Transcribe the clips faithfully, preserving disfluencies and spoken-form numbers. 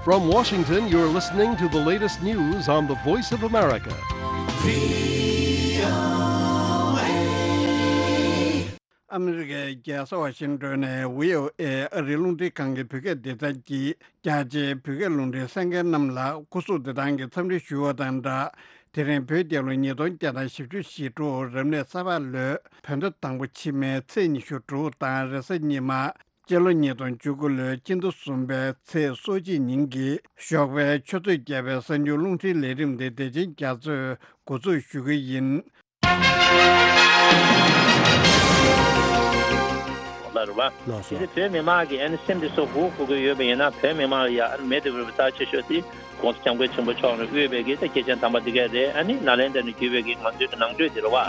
From Washington, you're listening to the latest news on the Voice of America. ཨ་མི་རི་ཀའི་རྒྱལ་ས་ཝ་ཤིང་ཏོན་ནས་བྷི་ཨོ་ཨེ་ཨ་རིའི་རླུང་འཕྲིན་ཁང་གི་བོད་སྐད་སྡེ་ཚན་གྱིས་རྒྱ་ཆེའི་བོད་སྐད་རླུང་འཕྲིན་གསན་མཁན་རྣམས་ལ་སྐུ་གཟུགས་བདེ་ཐང་གི་འཚམས་འདྲི་ཞུ་བ་དང་སྦྲགས། དེ་རིང་བོད་རྒྱལ་ལོ་ཉིས་སྟོང་བརྒྱ་དང་བཞི་བཅུ་ཞེ་དྲུག་རབ་གནས་ས་ཕག་ལོའི་བོད་ཟླ་དང་པོ་ཕྱི་མའི་ཚེས་ཉི་ཤུ་དྲུག་དང་རེས་གཟའ་ཉི་མ། སྤྱི་ལོ་ཉིས་སྟོང་བཅུ་དགུ་ལོའི་སྤྱི་ཟླ་གསུམ་པའི་ཚེས་སོ་གཅིག་ཉིན་གྱི་ཞོགས་པའི་ཆུ་ཚོད་བརྒྱད་པའི་གསར་འགྱུར་རླུང་འཕྲིན་ལས་རིམ་དེ་བདེ་ཆེན་རྒྱ་མཚོས་འགོ་འཛུགས་ཞུ་གི་ཡིན། ལ་རུ་བ། ལགས་སོ། དེ་བོད་མི་མང་གི་ཨ་ནི་སེམས་དེ་སོ་སྒུག་སྒུག་གི་ཡོད་པ་ཡིན་ན་བོད་མི་མང་ལ་ཡ་ཨ་ནི་མེད་དུ་རུ་བ་རྩ་ཆེ་ཤོས་དེ་༸གོང་ས་༸སྐྱབས་མགོན་ཆེན་པོ་མཆོག་ནས་དབུས་པའི་གི་ད་སྐྱེས་ཆེན་དམ་པ་འདི་གས་རེད། ཨ་ནི་ནཱ་ལེནྡྲ་ནས་བརྒྱུད་པའི་གི་ང་ཚོའི་གི་ནང་ཆོས་དེ་རུ་བ།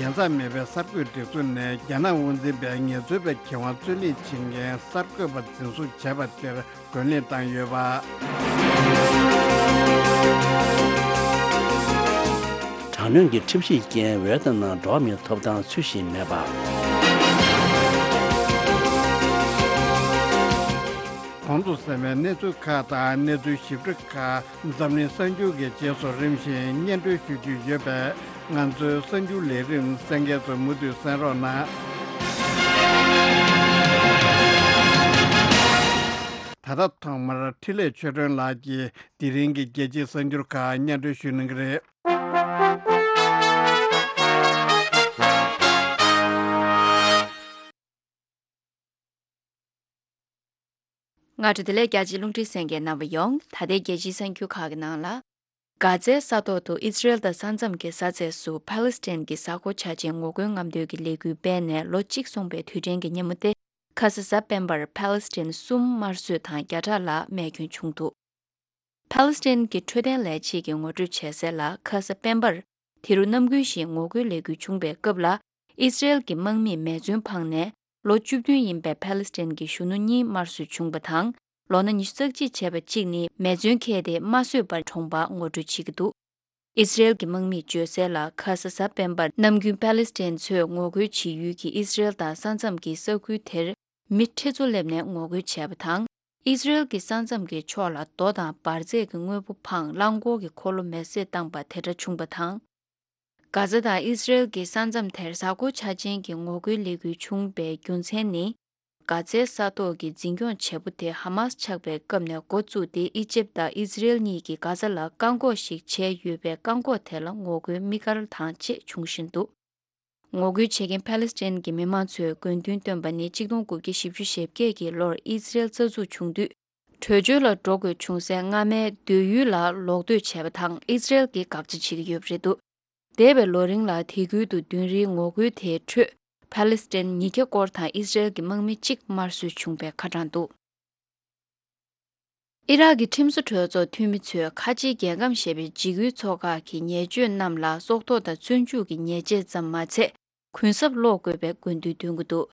རྒྱལ་མཚམས་མེད་པའི་གསར་འགོད་སྒྲིག་འཛུགས་ནས་རྒྱ་ནག་དབང་འཛིན་པའི་ངལ་རྩོལ་པའི་གྱེན་དབང་རྩོད་ལེན་བྱེད་མཁན་གསར་འགོད་པ་འཛིན་བཟུང་བྱས་པ་དེར། རྒོལ་ལན་བཏང་ཡོད་པ། དྲག་གནོན་གྱི་ཁྲིམས་གཞིའི་རྐྱེན་ཝེ་ཏི་ནམ་འགྲོ་བ་མིའི་ཐོབ་ཐང་ཚུལ་བཞིན་མེད་པ། གོང་དུ་གསན་པའི་གནས་ཚུལ་ཁག་དང་གནས་ཚུལ་ཞིབ་ཕྲ་ཁག་འཛམ་གླིང་གསར་འགྱུར་གྱི་རྗེས་སུ་རིམ་བཞིན་སྙན་སྒྲོན་ཞུ་རྒྱུ་ཡོད་པས། ང་ཚོའི་གསར་འགྱུར་ལས་རིམ་གསན་མཁན་ཚོ་མུ་མཐུད་གསན་རོགས་གནང་། ད་ལྟ་ཐོག་མར་འཕྲིན་ལས་ཆོས་སྒྲོན་ལགས་ཀྱིས་དེ་རིང་གི་རྒྱལ་སྤྱིའི་གསར་འགྱུར་ཁག་སྙན་སྒྲོན་ཞུ་གནང་གི་རེད། སྔ་དྲོ་བདེ་ལེགས། རྒྱ་ཆེའི་རླུང་འཕྲིན་གསན་མཁན་རྣམ་པ་ཡོངས། ད་ལྟའི་རྒྱལ་སྤྱིའི་གསར་འགྱུར་ཁག་གི་ནང་ལ། གྷ་ཛའི་ས་ཐོག་ཏུ་ཨི་སི་རེལ་དང་ས་མཚམས་ཀྱི་ས་ཚད་སུ་ཕཱ་ལེ་སི་ཐན་གྱི་གཟའ་འཁོར་འཆར་ཅན་ངོ་རྒོལ་རྔམ་སྟོན་གྱི་ལས་འགུལ་སྤེལ་ནས་ལོ་གཅིག་སོང་པའི་དུས་དྲན་གྱི་ཉིན་མོ་སྟེ། ཁ་ས་གཟའ་སྤེན་པར་ཕཱ་ལེ་སི་ཐན་གསུམ་དམར་གསོད་དང་བརྒྱ་ཕྲག་ལྷག་རྨས་སྐྱོན་བྱུང་འདུག་ཕཱ་ལེ་སི་ཐན་གྱི་འཕྲོད་བསྟེན་ལས་བྱེད་ཀྱིས་ངོ་སྤྲོད་བྱས་གསལ་ལ། ཁ་ས་སྤེན་པར་དེ་རུ་ནམ་རྒྱུན་བཞིན་ངོ་རྒོལ་ལས་འགུལ་བྱུང་བའི་སྐབས་ལ། ཨི་སི་རེལ་གྱི་དམག་མིས་མེ་མཚོན་འཕངས་ནས། ལོ་བཅུ་བདུན་ཡིན་པའི་ཕཱ་ལེ་སི་ཐན་གྱི་གཞོན་ནུ་གཉིས་དམར་གསོད་བྱུང་བ་དང་། ལོ་ན་ཉི་ཤུ་རྩ་གཅིག་བྱས་པ་གཅིག་ནི་མེ་མཚོན་འཁྱེར་ཏེ་དམར་གསོད་པར་གྲོངས་པ་ངོ་སྤྲོད་བྱེད་ཀྱི་འདུག་ཨི་སི་རེལ་གྱི་དམག་མིས་བརྗོད་གསལ་ལ། ཁ་ས་གཟའ་སྤེན་པར་ནམ་རྒྱུན་ཕཱ་ལེ་སི་ཐན་ཚོས་ངོ་རྒོལ་བྱེད་ཡུལ་གྱི་ཨི་སི་རེལ་དང་ས་མཚམས་ཀྱི་ས་ཁུལ་དེར་མི་ཁྲི་ཚོ་སླེབས་ནས་ངོ་རྒོལ་བྱས་པ་དང་། ཨི་སི་རེལ་གྱི་ས་མཚམས་ཀྱི་ཕྱོགས་ལ་རྡོ་དང་འབར་རྫས་ཀྱི་དངོས་པོ་འཕངས། རླངས་འཁོར་གྱི་འཁོར་ལོ་མེ་བསྲེགས་བཏང་པ་དེ་འདྲ་བྱུང་བ་དང་། གྷ་ཛ་དང་ཨི་སི་རེལ་གྱི་ས་མཚམས་དེར་གཟའ་འཁོར་འཆར་ཅན་གྱི་ངོ་རྒོལ་ལས་འགུལ་བྱུང་བའི་རྒྱུ་མཚན་ནི། གྷ་ཛའི་ས་ཐོག་གི་འཛིན་སྐྱོང་བྱེད་པོ་དེ་ཧ་མཱས་ཆགས་པའི་སྐབས་ནས་འགོ་བཙུགས་ཏེ། ཨི་ཇེབ་དང་ཨི་སི་རེལ་གཉིས་ཀྱིས་གྷ་ཛ་ལ་བཀག་འགོག་ཞིག་བྱས་ཡོད་པའི་བཀག་འགོག་དེ་ལ་ངོ་རྒོལ་དམིགས་བཀར་དང་བཅས་བྱུང་བཞིན་འདུག་ངོ་རྒོལ་བྱེད་མཁན་ཕཱ་ལེ་སི་ཐན་གྱི་མི་མང་ཚོས་དགོས་འདུན་བཏོན་པ་ནི། གཅིག་སྟོང་དགུ་བརྒྱ་བཞི་བཅུ་ཞེ་བརྒྱད་ཀྱི་ལོར་ཨི་སི་རེལ་རྩ་འཛུགས་བྱུང་དུས། བྲོས་བྱོལ་ལ་འགྲོ་དགོས་བྱུང་སའི་སྔ་མའི་སྡོད་ཡུལ་ལ་ལོག་སྡོད་བྱས་པ་དང་། ཨི་སི་རེལ་གྱིས་དགག་བྱ་བྱེད་ཀྱི་ཡོད་པ་རེད་འདུག་འདས་པའི་ལོ་རིང་ལ་དེ་ཁུལ་དུ་མདུན་རིའི་ངོ་རྒོལ་དེའི་ཁྲོད། ཕཱ་ལེ་སི་ཐན་ཉིས་བརྒྱ་སྐོར་དང་ཨི་སི་རེལ་གྱི་དམག་མི་གཅིག་དམར་གསོད་བྱུང་བའི་ཁ་གྲངས་འདུག་ཨི་རག་གི་ཁྲིམས་བཟོ་གྲོས་ཚོགས་འཐུས་མི་ཚོས་ཁ་ཆེའི་རྒྱལ་ཁམས་ཞེས་པའི་འཇིགས་སྐུལ་ཚོགས་ཁག་གི་ཉེས་སྤྱོད་རྣམས་ལ་སྲོག་ཐོག་དང་བཙོན་འཇུག་གི་ཉེས་ཆད་ཙམ་མ་ཚད། གུན་གསབ་སློག་དགོས་པའི་དགོས་འདུན་འདོན་གྱི་འདུག་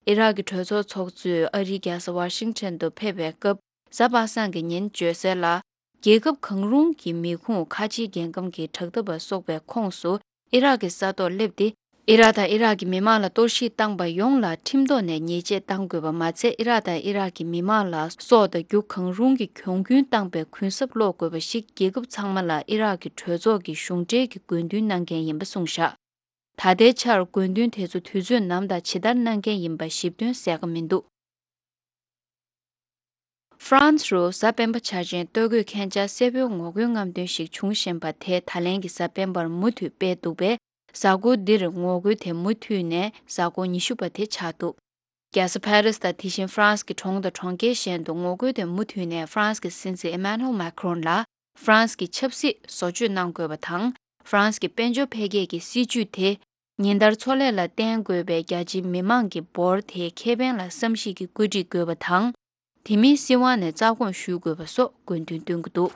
ཨི་རག་གི་གྲོས་ཚོགས་ཚོགས་གཙོས་ཨ་རིའི་རྒྱལ་ས་ཝ་ཤིང་ཊོན་དུ་ཕེབས་པའི་སྐབས། གཟའ་པ་སངས་ཀྱི་ཉིན་བརྗོད་གསལ་ལ། རྒྱལ་ཁབ་གང་རུང་གི་མི་ཁུངས་ཁ་ཆེའི་རྒྱལ་ཁམས་ཀྱི་དྲག་འཐབ་པ་སོགས་པའི་ཁོངས་སུ་ཨི་རག་གི་ས་ཐོག་སླེབས་ཏེ། ཨི་རག་དང་ཨི་རག་གི་མི་མང་ལ་གཏོར་བཤིག་བཏང་པ་ཡོངས་ལ་ཁྲིམས་ཐོག་ནས་ཉེས་ཆད་གཏང་དགོས་པ་མ་ཚད། ཨི་རག་དང་ཨི་རག་གི་མི་མང་ལ་སྲོག་དང་རྒྱུ་གང་རུང་གི་གྱོང་གུན་བཏང་པའི་གུན་གསབ་སློག་དགོས་པ་ཞིག་རྒྱལ་ཁབ་ཚང་མ་ལ་ཨི་རག་གི་གྲོས་ཚོགས་ཀྱི་གཞུང་འབྲེལ་གྱི་དགོས་འདུན་གནང་མཁན་ཡིན་པ་གསུངས་བཞག་ད་ལྟའི་ཆར་དགོས་འདུན་དེ་ཚོ་དུས་ཚོད་ནམ་དང་ཇི་ལྟར་གནང་མཁན་ཡིན་པ་ཞིབ་དོན་གསལ་ཁ་མི་འདུག་ཧྥ་རན་སི་རུ་གཟའ་སྤེན་པ་འཆར་ཅན་ལྟོ་གོས་ཁྱེད་ཅག་སེར་པོའི་ངོ་རྒོལ་རྔམ་སྟོན་ཞིག་བྱུང་བཞིན་པ་དེ་ད་ལན་གྱི་གཟའ་སྤེན་པར་མུ་མཐུད་སྤེལ་འདུག་པས། གཟའ་འཁོར་འདིར་ངོ་རྒོལ་དེ་མུ་མཐུད་ནས་གཟའ་འཁོར་ཉི་ཤུ་པ་དེ་ཆགས་འདུག་རྒྱལ་ས་ཕ་རི་སི་དང་དེ་བཞིན་ཧྥ་རན་སི་གི་གྲོང་དང་གྲོང་ཁྱེར་གཞན་དུ་ངོ་རྒོལ་དེ་མུ་མཐུད་ནས་ཧྥ་རན་སི་གི་སྲིད་འཛིན་ཨེ་མ་ནུ་ཨེལ་མེ་ཁྲོན་ལ་ཧྥ་རན་སི་གི་ཆབ་སྲིད་བཟོ་བཅོས་གནང་དགོས་པ་དང་། ཧྥ་རན་སི་གི་དཔལ་འབྱོར་འཕེལ་རྒྱས་ཀྱི་སྲིད་ཇུས་དེ། ཉིན་ལྟར་འཚོ་ལས་ལ་བརྟེན་དགོས་པའི་རྒྱ་ཆེའི་མི་མང་གི་འབོར་དེའི་ཁེ་ཕན་ལ་བསམ་གཞིག་གིས་བཀོད་སྒྲིག་དགོས་པ་དང་། དེ་མིན་སྲིད་དབང་ནས་རྩ་དགོངས་ཞུ་དགོས་པ་སོགས་དགོས་འདུན་བཏོན་གྱི་འདུག་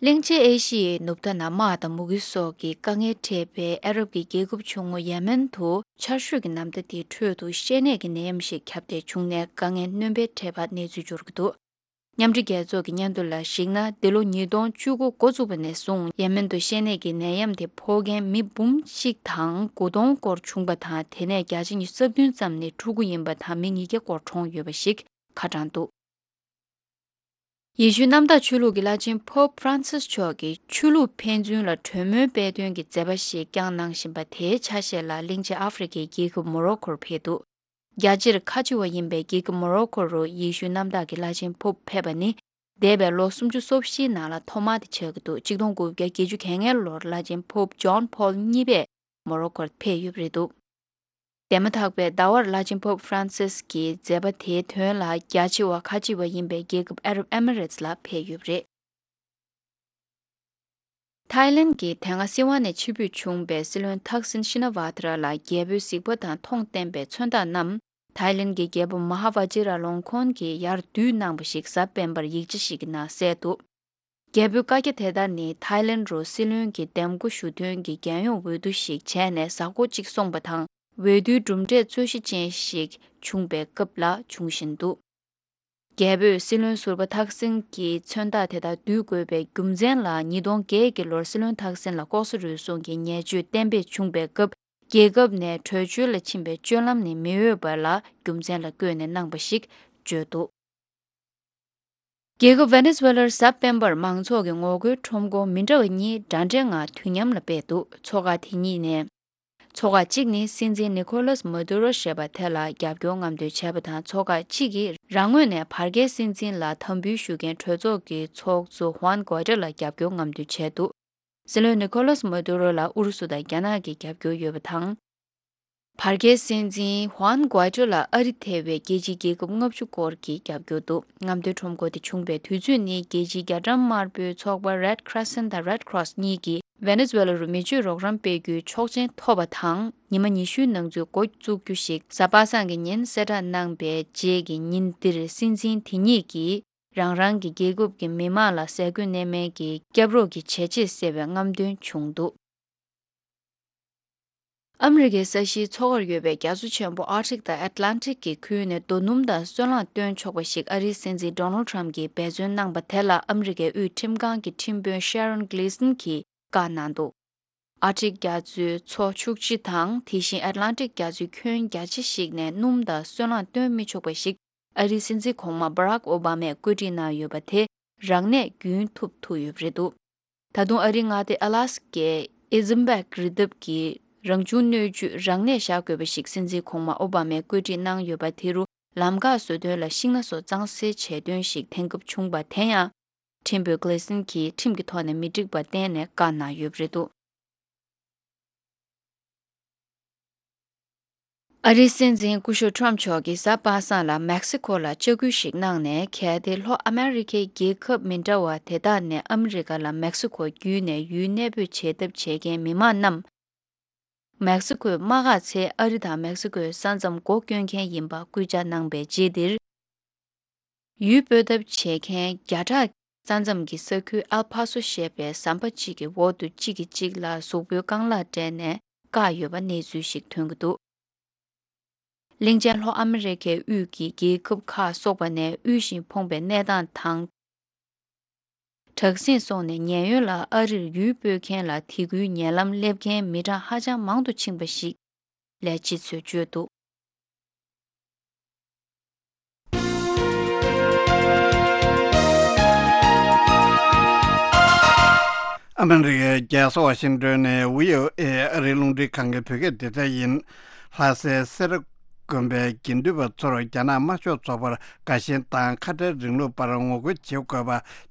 གླིང་ཆེན་ཨེ་ཤི་ཡའི་ནུབ་མཐའ་ན་དམག་དང་མུ་གེ་སོགས་ཀྱི་དཀའ་ངལ་འཕྲད་པའི་ཨ་རབ་ཀྱི་རྒྱལ་ཁབ་ཆུང་ངུ་ཡེ་མེན་དུ་ཆར་ཞོད་ཀྱི་ནམ་ཟླ་དེའི་ཁྲོད་དུ་བཤལ་ནད་ཀྱི་ནད་ཡམས་ཤིག་ཁྱབ་གདལ་བྱུང་ནས་དཀའ་ངལ་སྣོན་པ་འཕྲད་པ་གནས་ཚུལ་འབྱོར་གྱི་འདུག་མཉམ་འབྲེལ་རྒྱལ་ཚོགས་ཀྱི་སྙན་ཐོ་ལ་གཞིགས་ན། འདི་ལོ་ཉིས་སྟོང་བཅུ་དགུ་འགོ་བཙུགས་པ་ནས་བཟུང་ཡེ་མེན་དུ་ཤེས་ནད་ཀྱི་ནད་ཡམས་དེ་ཕོག་མཁན་མི་འབུམ་གཅིག་དང་དགུ་སྟོང་སྐོར་བྱུང་པ་དང་། དེ་ནས་བརྒྱ་ཆ་ཉི་ཤུ་རྩ་བདུན་ཙམ་ནི་ཕྲུ་གུ་ཡིན་པ་དང་མི་ཉིས་བརྒྱ་སྐོར་གྲོངས་ཡོད་པ་ཞིག་ཁ་བགྲངས་འདུག་ཡེ་ཤུའི་གནམ་བདག་ཆོས་ལུགས་ཀྱི་བླ་ཆེན་Pope Francis་མཆོག་གིས་ཆོས་ལུགས་ཕན་ཚུན་ལ་གྲོས་མོལ་སྤེལ་དོན་གྱི་མཛད་པ་ཞིག་བསྐྱངས་གནང་བཞིན་པ་དེའི་ཆ་ཤས་ལ་གླིང་ཆེན་ཨ་ཧྥེ་རི་ཁའི་རྒྱལ་ཁབ་མོ་རོ་ཁོར་ཕེབས་འདུག་རྒྱལ་སྤྱིར་ཁ་ཆེ་བ་ཡིན་པའི་རྒྱལ་ཁབ་མོ་རོ་ཁོ་རུ་ཡེ་ཤུའི་གནམ་བདག་གི་བླ་ཆེན་Pope་ཕེབས་པ་ནི་འདས་པའི་ལོ་སུམ་ཅུ་སོ་བཞིའི་ནང་ལ་ཐོག་མ་དེ་ཆགས་ཀྱི་འདུག་གཅིག་སྟོང་དགུ་བརྒྱ་བརྒྱད་ཅུ་གྱ་ལྔའི་ལོར་བླ་ཆེན་Pope་ཇོན་པོལ་གཉིས་པས་མོ་རོ་ཁོར་ཕེབས་ཡོད་པ་རེད་འདུག་དེ་མ་ཐག་པའི་ཟླ་བར་བླ་ཆེན་Pope་Francis་གྱི་མཛད་པ་དེའི་དོན་ལ་རྒྱ་ཆེ་བ་ཁ་ཆེ་བ་ཡིན་པའི་རྒྱལ་ཁབ་ཨ་རབ་ཨེ་མི་རེ་ཊི་ལ་ཕེབས་ཡོད་པ་རེད། ཐའི་ལན་གྱི་དེ་སྔ་སྲིད་དབང་ནས་ཕྱིར་འབུད་བྱུང་བའི་སྲིད་བློན་ཐག་སིན་ཤི་ན་ཝ་ཐ་ར་ལ་རྒྱལ་པོའི་གཟིགས་པ་དང་མཐོང་བསྟན་པའི་མཚོན་རྟགས་རྣམས་ཐའི་ལན་གྱི་རྒྱལ་པོ་མ་ཧ་ཝ་ཇི་ར་ལོང་ཁོན་གྱིས་ཡར་བསྡུས་གནང་བ་ཞིག་གཟའ་སྤེན་པར་ཡིག་ཆ་ཞིག་གི་ནང་གསལ་འདུག་རྒྱལ་པོའི་བཀའ་རྒྱ་དེ་ལྟར་ནི་ཐའི་ལན་རུ་སྲིད་བློན་གྱི་འདེམས་བསྐོ་ཞུ་དོན་གྱི་རྒྱལ་ཡོངས་འོས་བསྡུ་ཞིག་བྱས་ནས་གཟའ་འཁོར་གཅིག་སོང་པ་དང་། འོས་བསྡུའི་གྲུབ་འབྲས་རྩོད་གཞི་ཅན་ཞིག་བྱུང་བའི་སྐབས་ལ་འབྱུང་བཞིན་འདུག་རྒྱལ་པོས་སྲིད་བློན་ཟུར་པ་ཐག་སིན་གྱི་མཚོན་རྟགས་དེ་དག་བསྡུ་དགོས་པའི་རྒྱུ་མཚན་ལ། ཉིས་སྟོང་བརྒྱད་ཀྱི་ལོར་སྲིད་བློན་ཐག་སིན་ལ་ལྐོག་ཟ་རུལ་སུངས་ཀྱི་ཉེས་སྤྱོད་གཏན་འབེབས་བྱུང་བའི་སྐབས། རྒྱལ་ཁབ་ནས་བྲོས་བྱོལ་ལ་ཕྱིན་པའི་སྤྱོད་ལམ་ནི་མི་འོས་པ་ལ་རྒྱུ་མཚན་ལ་བཀོད་ནས་གནང་བ་ཞིག་བརྗོད་འདུག་རྒྱལ་ཁབ་ཝེ་ནེ་ཛུ་ཝེ་ལར་གཟའ་སྤེན་པར་མང་ཚོགས་ཀྱི་ངོ་རྒོལ་ཁྲོམ་སྐོར་མི་འདྲ་བ་གཉིས་འདྲ་འདྲའི་ངང་དུས་མཉམ་ལ་སྤེལ་འདུག་ཚོགས་ཁག་དེ་གཉིས་ནས། ཚོགས་ཁག་གཅིག་ནི་སྲིད་འཛིན་ནི་ཁོ་ལཱས་མ་དུ་རོ་ཞེས་པ་དེ་ལ་རྒྱབ་སྐྱོར་རྔམ་སྟོན་བྱས་པ་དང་། ཚོགས་ཁག་གཅིག་གིས་རང་ངོས་ནས་བར་བརྒལ་སྲིད་འཛིན་ལ་དམ་འབུལ་ཞུ་མཁན་གྲོས་ཚོགས་ཀྱི་ཚོགས་གཙོ་ཧུའན་གོ་ཏྲ་ལ་རྒྱབ་སྐྱོར་རྔམ་སྟོན་བྱས་འདུག་སྲིད་བློན་ནི་ཁོ་ལཱས་མ་དུ་རོ་ལ་ཨུ་རུ་སུ་དང་རྒྱ་ནག་གིས་རྒྱབ་སྐྱོར་ཡོད་པ་དང་། བར་བརྒལ་སྲིད་འཛིན་ཧུའན་གོ་ཏྲ་ལ་ཨ་རི་ཐེ་བའི་རྒྱལ་སྤྱིའི་རྒྱལ་ཁབ་ལྔ་བཅུ་སྐོར་གྱིས་རྒྱབ་སྐྱོར་འདུག་རྔམ་སྟོན་ཁྲོམ་སྐོར་དེ་བྱུང་བའི་དུས་ཚོད་ནི་རྒྱལ་སྤྱིའི་རྒྱ་གྲམ་དམར་པོའི་ཚོགས་པ་Red Crescent་དང་Red Cross་གཉིས་ཀྱིས་ཝེ་ནེ་ཛུ་ཝེ་ལ་རུ་མི་ཆོས་རོགས་རམ་སྤེལ་རྒྱུའི་ཆོག་མཆན་ཐོབ་པ་དང་། ཉི་མ་ཉི་ཤུའི་ནང་ཚུད་འགོ་བཙུགས་རྒྱུ་ཞིག་གཟའ་པ་སངས་ཀྱི་ཉིན་གསལ་བསྒྲགས་གནང་པའི་རྗེས་ཀྱི་ཉིན་འདིར་སྲིད་འཛིན་དེ་གཉིས་ཀྱིས་རང་རང་གི་རྒྱལ་ཁབ་ཀྱི་མི་མང་ལ་ཟས་གོས་གནས་མལ་གྱི་སྐྱབས་རོགས་ཀྱི་བྱས་རྗེས་གསལ་བའི་རྔམ་སྟོན་བྱུང་འདུག་ཨ་མི་རི་ཀའི་ས་གཞིའི་མཚོ་ཁར་ཡོད་པའི་རྒྱ་མཚོ་ཆེན་པོ་Arctic་དང་Atlantic་གི་ཁུལ་ནས་རྡོ་སྣུམ་དང་སོལ་རླངས་བཏོན་ཆོག་པ་ཞིག་ཨ་རིའི་སྲིད་འཛིན་Donald Trump་གྱིས་འབད་བརྩོན་གནང་པ་དེ་ལ་ཨ་མི་རི་ཀའི་དབུས་ཁྲིམས་ཁང་གི་ཁྲིམས་དཔོན་Sharon Gleason་གྱིས་བཀའ་གནང་འདུག Arctic་རྒྱ་མཚོའི་མཚོ་ཕྱུགས་སྤྱི་དང་དེ་བཞིན་Atlantic་རྒྱ་མཚོའི་ཁྱོན་རྒྱ་ཆེ་ཞིག་ནས་སྣུམ་དང་སོལ་རླངས་བཏོན་མི་ཆོག་པ་ཞིག་ཨ་རིའི་སྲིད་འཛིན་གོང་མ་Barack Obama་ཡིས་བཀོད་སྒྲིག་གནང་ཡོད་པ་དེ་རང་ནས་རྒྱུན་མཐུད་ཐུབ་ཡོད་པ་རེད་འདུག་ད་དུང་ཨ་རིའི་མངའ་སྡེ་Alaskaའི་Isimbeck་རི་འདབས་ཀྱི་རང་བྱུང་སྣོད་བཅུད་རང་ནས་བཞག་དགོས་པ་ཞིག་སྲིད་འཛིན་གོང་མ་ཨོ་བྷ་མས་བཀོད་སྒྲིག་གནང་ཡོད་པ་དེ་རུ་ལམ་འགག་བཟོ་དོན་ལ་ཤིང་སྣ་སོགས་གཙང་སེལ་བྱས་དོན་ཞིག་འཐེན་ཁབ་བྱུང་པ་དེ་ཡང་ཁྲིམས་དཔོན་Gleason་གྱིས་ཁྲིམས་ཀྱི་ཐོག་ནས་མི་འགྲིག་པ་བསྟན་ནས་བཀའ་གནང་ཡོད་པ་རེད་འདུག་ཨ་རིའི་སྲིད་འཛིན་སྐུ་ཞབས་Trump་མཆོག་གིས་གཟའ་པ་སངས་ལ་མེག་སི་ཁོ་ལ་བཅར་སྐུལ་ཞིག་གནང་ནས། གལ་ཏེ་ལྷོ་ཨ་མེ་རི་ཁའི་རྒྱལ་ཁབ་མི་འདྲ་བ་དེ་དག་ནས་ཨ་མི་རི་ཀ་ལ་མེག་སི་ཁོ་བརྒྱུད་ནས་ཡུལ་གནས་སྤོས་བྱེད་ཐབས་བྱེད་མཁན་མི་མང་རྣམས། མེག་སི་ཁོའི་དམག་སྒར་ཚེ་ཨ་རི་དང་མེག་སི་ཁོའི་ས་མཚམས་སྒོ་སྐྱོན་མཁན་ཡིན་པ་སྐུལ་ལྕག་གནང་པའི་རྗེས་འདིར། ཡུལ་སྤོས་ཐབས་བྱེད་མཁན་བརྒྱ་ཕྲག་ས་མཚམས་ཀྱི་ས་ཁུལ་ཨལ་ཕ་སོ་ཞེས་པའི་ཟམ་པ་གཅིག་གི་འོག་ཏུ་གཅིག་གིས་གཅིག་ལ་གཟུགས་པོའི་རྐང་ལག་སྤྲད་ནས་བཀག་ཡོད་པ་གནས་ཚུལ་ཞིག་ཐོན་གྱི་འདུག་གླིང་ཆེན་ལྷོ་ཨ་མི་རི་ཁའི་དབུས་ཀྱི་རྒྱལ་ཁབ་ཁག་སོགས་པ་ནས་དབུལ་ཞིང་ཕོངས་པའི་གནས་སྟངས་དང་། དྲག་ཟིང་སོགས་ནས་ཉེན་གཡོལ་ལ་ཨ་རིར་ཡུལ་སྤོས་མཁན་ལ་དེ་ཁུལ་ཉེ་ལམ་སླེབས་མཁན་མི་གྲངས་ཧ་ཅང་མང་དུ་ཕྱིན་པ་ཞིག་ལས་བྱེད་ཚོས་བརྗོད་འདུག་ཨ་མི་རི་ཀའི་རྒྱལ་ས་ཝ་ཤིང་ཏོན་ནས་བྷི་ཨོ་ཨེ་ཨ་རིའི་རླུང་འཕྲིན་ཁང་གི་བོད་སྐད་སྡེ་ཚན་ཡིན། ལྷ་སའི་སེ་ར་དགོན་པའི་དགེ་འདུན་པ་ཚོར་རྒྱ་ནག་དམར་ཤོག་ཚོགས་པར་དགའ་ཞེན་དང་ཁ་བྲལ་རིང་ལུགས་པར་ངོ་རྒོལ་བྱེད་དགོས་པ་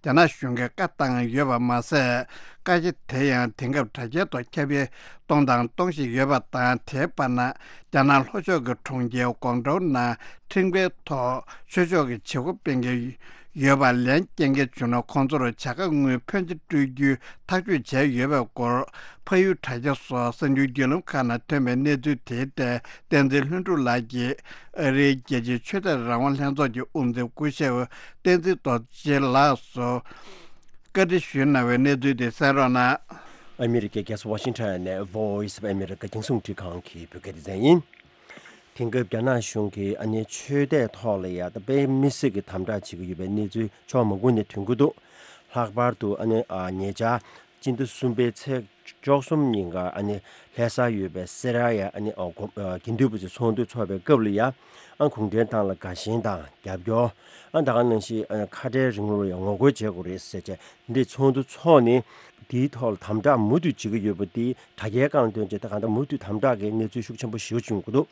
རྒྱ་ནག་གཞུང་གིས་བཀའ་བཏང་ཡོད་པ་མ་ཟད། བཀའ་རྒྱ་དེ་ཡང་དེང་སྐབས་དྲ་རྒྱའི་ཐོག་ཁྱབ་སྤེལ་གཏོང་དང་གཏོང་བཞིན་ཡོད་པ་དང་། དེའི་བར་ན་རྒྱ་ནག་ལྷོ་ཕྱོགས་ཀྱི་གྲོང་ཁྱེར་ཀོང་ཀྲོའུ་ནང་ཁྲིམས་འགལ་ཐོག་ཆོས་ཕྱོགས་ཀྱི་བྱེད་སྒོ་སྤེལ་མཁན་ཡོད་པ་ལན་སྐྱེལ་མཁན་བྱུང་ན་ཁོང་ཚོར་བྱ་དགའ་དངུལ་ཕོན་ཆེ་སྤྲོད་རྒྱུའི་ཐག་གཅོད་བྱས་ཡོད་པའི་སྐོར། ཕ་ཡུལ་དྲ་རྒྱ་སོགས་གསར་འགྱུར་བརྒྱུད་ལམ་ཁག་ནང་ཐོན་པའི་གནས་ཚུལ་དེའི་ཐད་བསྟན་འཛིན་ལྷུན་གྲུབ་ལགས་ཀྱིས་ཨ་རིའི་རྒྱལ་སྤྱིའི་ཆོས་དད་རང་དབང་ལྷན་ཚོགས་ཀྱི་དབུ་འཛིན་སྐུ་ཞབས་བསྟན་འཛིན་རྡོ་རྗེ་ལགས་སུ་བཀའ་འདྲི་ཞུས་གནང་བའི་གནས་ཚུལ་དེ་གསན་རོགས་གནང་། ཨ་མི་རི་ཀའི་རྒྱལ་ས་ཝ་ཤིང་ཊོན་ནས་Voice of America་རྒྱང་སྲིང་རླུང་འཕྲིན་ཁང་གི་བོད་སྐད་སྡེ་ཚན་ཡིན། དེང་སྐབས་རྒྱ་ནག་གཞུང་གིས་ཨ་ནི་ཆོས་དད་ཐོག་ལ་ཡ་ད་དཔེ་མི་སྲིད་ཀྱི་དམ་དྲག་བྱེད་ཀྱི་ཡོད་པའི་གནས་ཚུལ་ཕྱོགས་མང་པོ་ནས་ཐོན་གྱི་འདུག། ལྷག་པར་དུ་ཨ་ནི་ཨ་ཉེ་ཆར་སྤྱི་ཟླ་གསུམ་པའི་ཚེས་བཅུ་གསུམ་ཉིན་ཀ་ཨ་ནི་ལྷ་སར་ཡོད་པའི་སེ་ར་ཡ་ཨ་ནི་ཨ་དགོན་ཨ་དགེ་འདུན་པ་ཚོས་ཚོགས་འདུ་འཚོགས་པའི་སྐབས་ལ་ཡ་ཨ་གུང་ཁྲན་ཏང་ལ་དགའ་ཞེན་དང་རྒྱབ་སྐྱོར། ཨ་ད་ག་ནང་བཞིན་ཨ་ཁ་བྲལ་རིང་ལུགས་ལ་ཡང་ངོ་རྒོལ་བྱེད་དགོས་རེད་ཟེར་བྱས་འདི་ཚོགས་འདུ་འཚོགས་ནས་དེའི་ཐོག་ལ་དམ་དྲག་མུ་མཐུད་བྱེད་ཀྱི་ཡོད་པ་དེ་དྲ་རྒྱའི་སྒང་ཐོན་བྱས་ད་གང་ལྟར་མུ་མཐུད་དམ་དྲག་གི་གནས་ཚུལ་ཤུགས་ཆེན་པོ་ཞེ་པོ་བྱུང་གི་འདུག།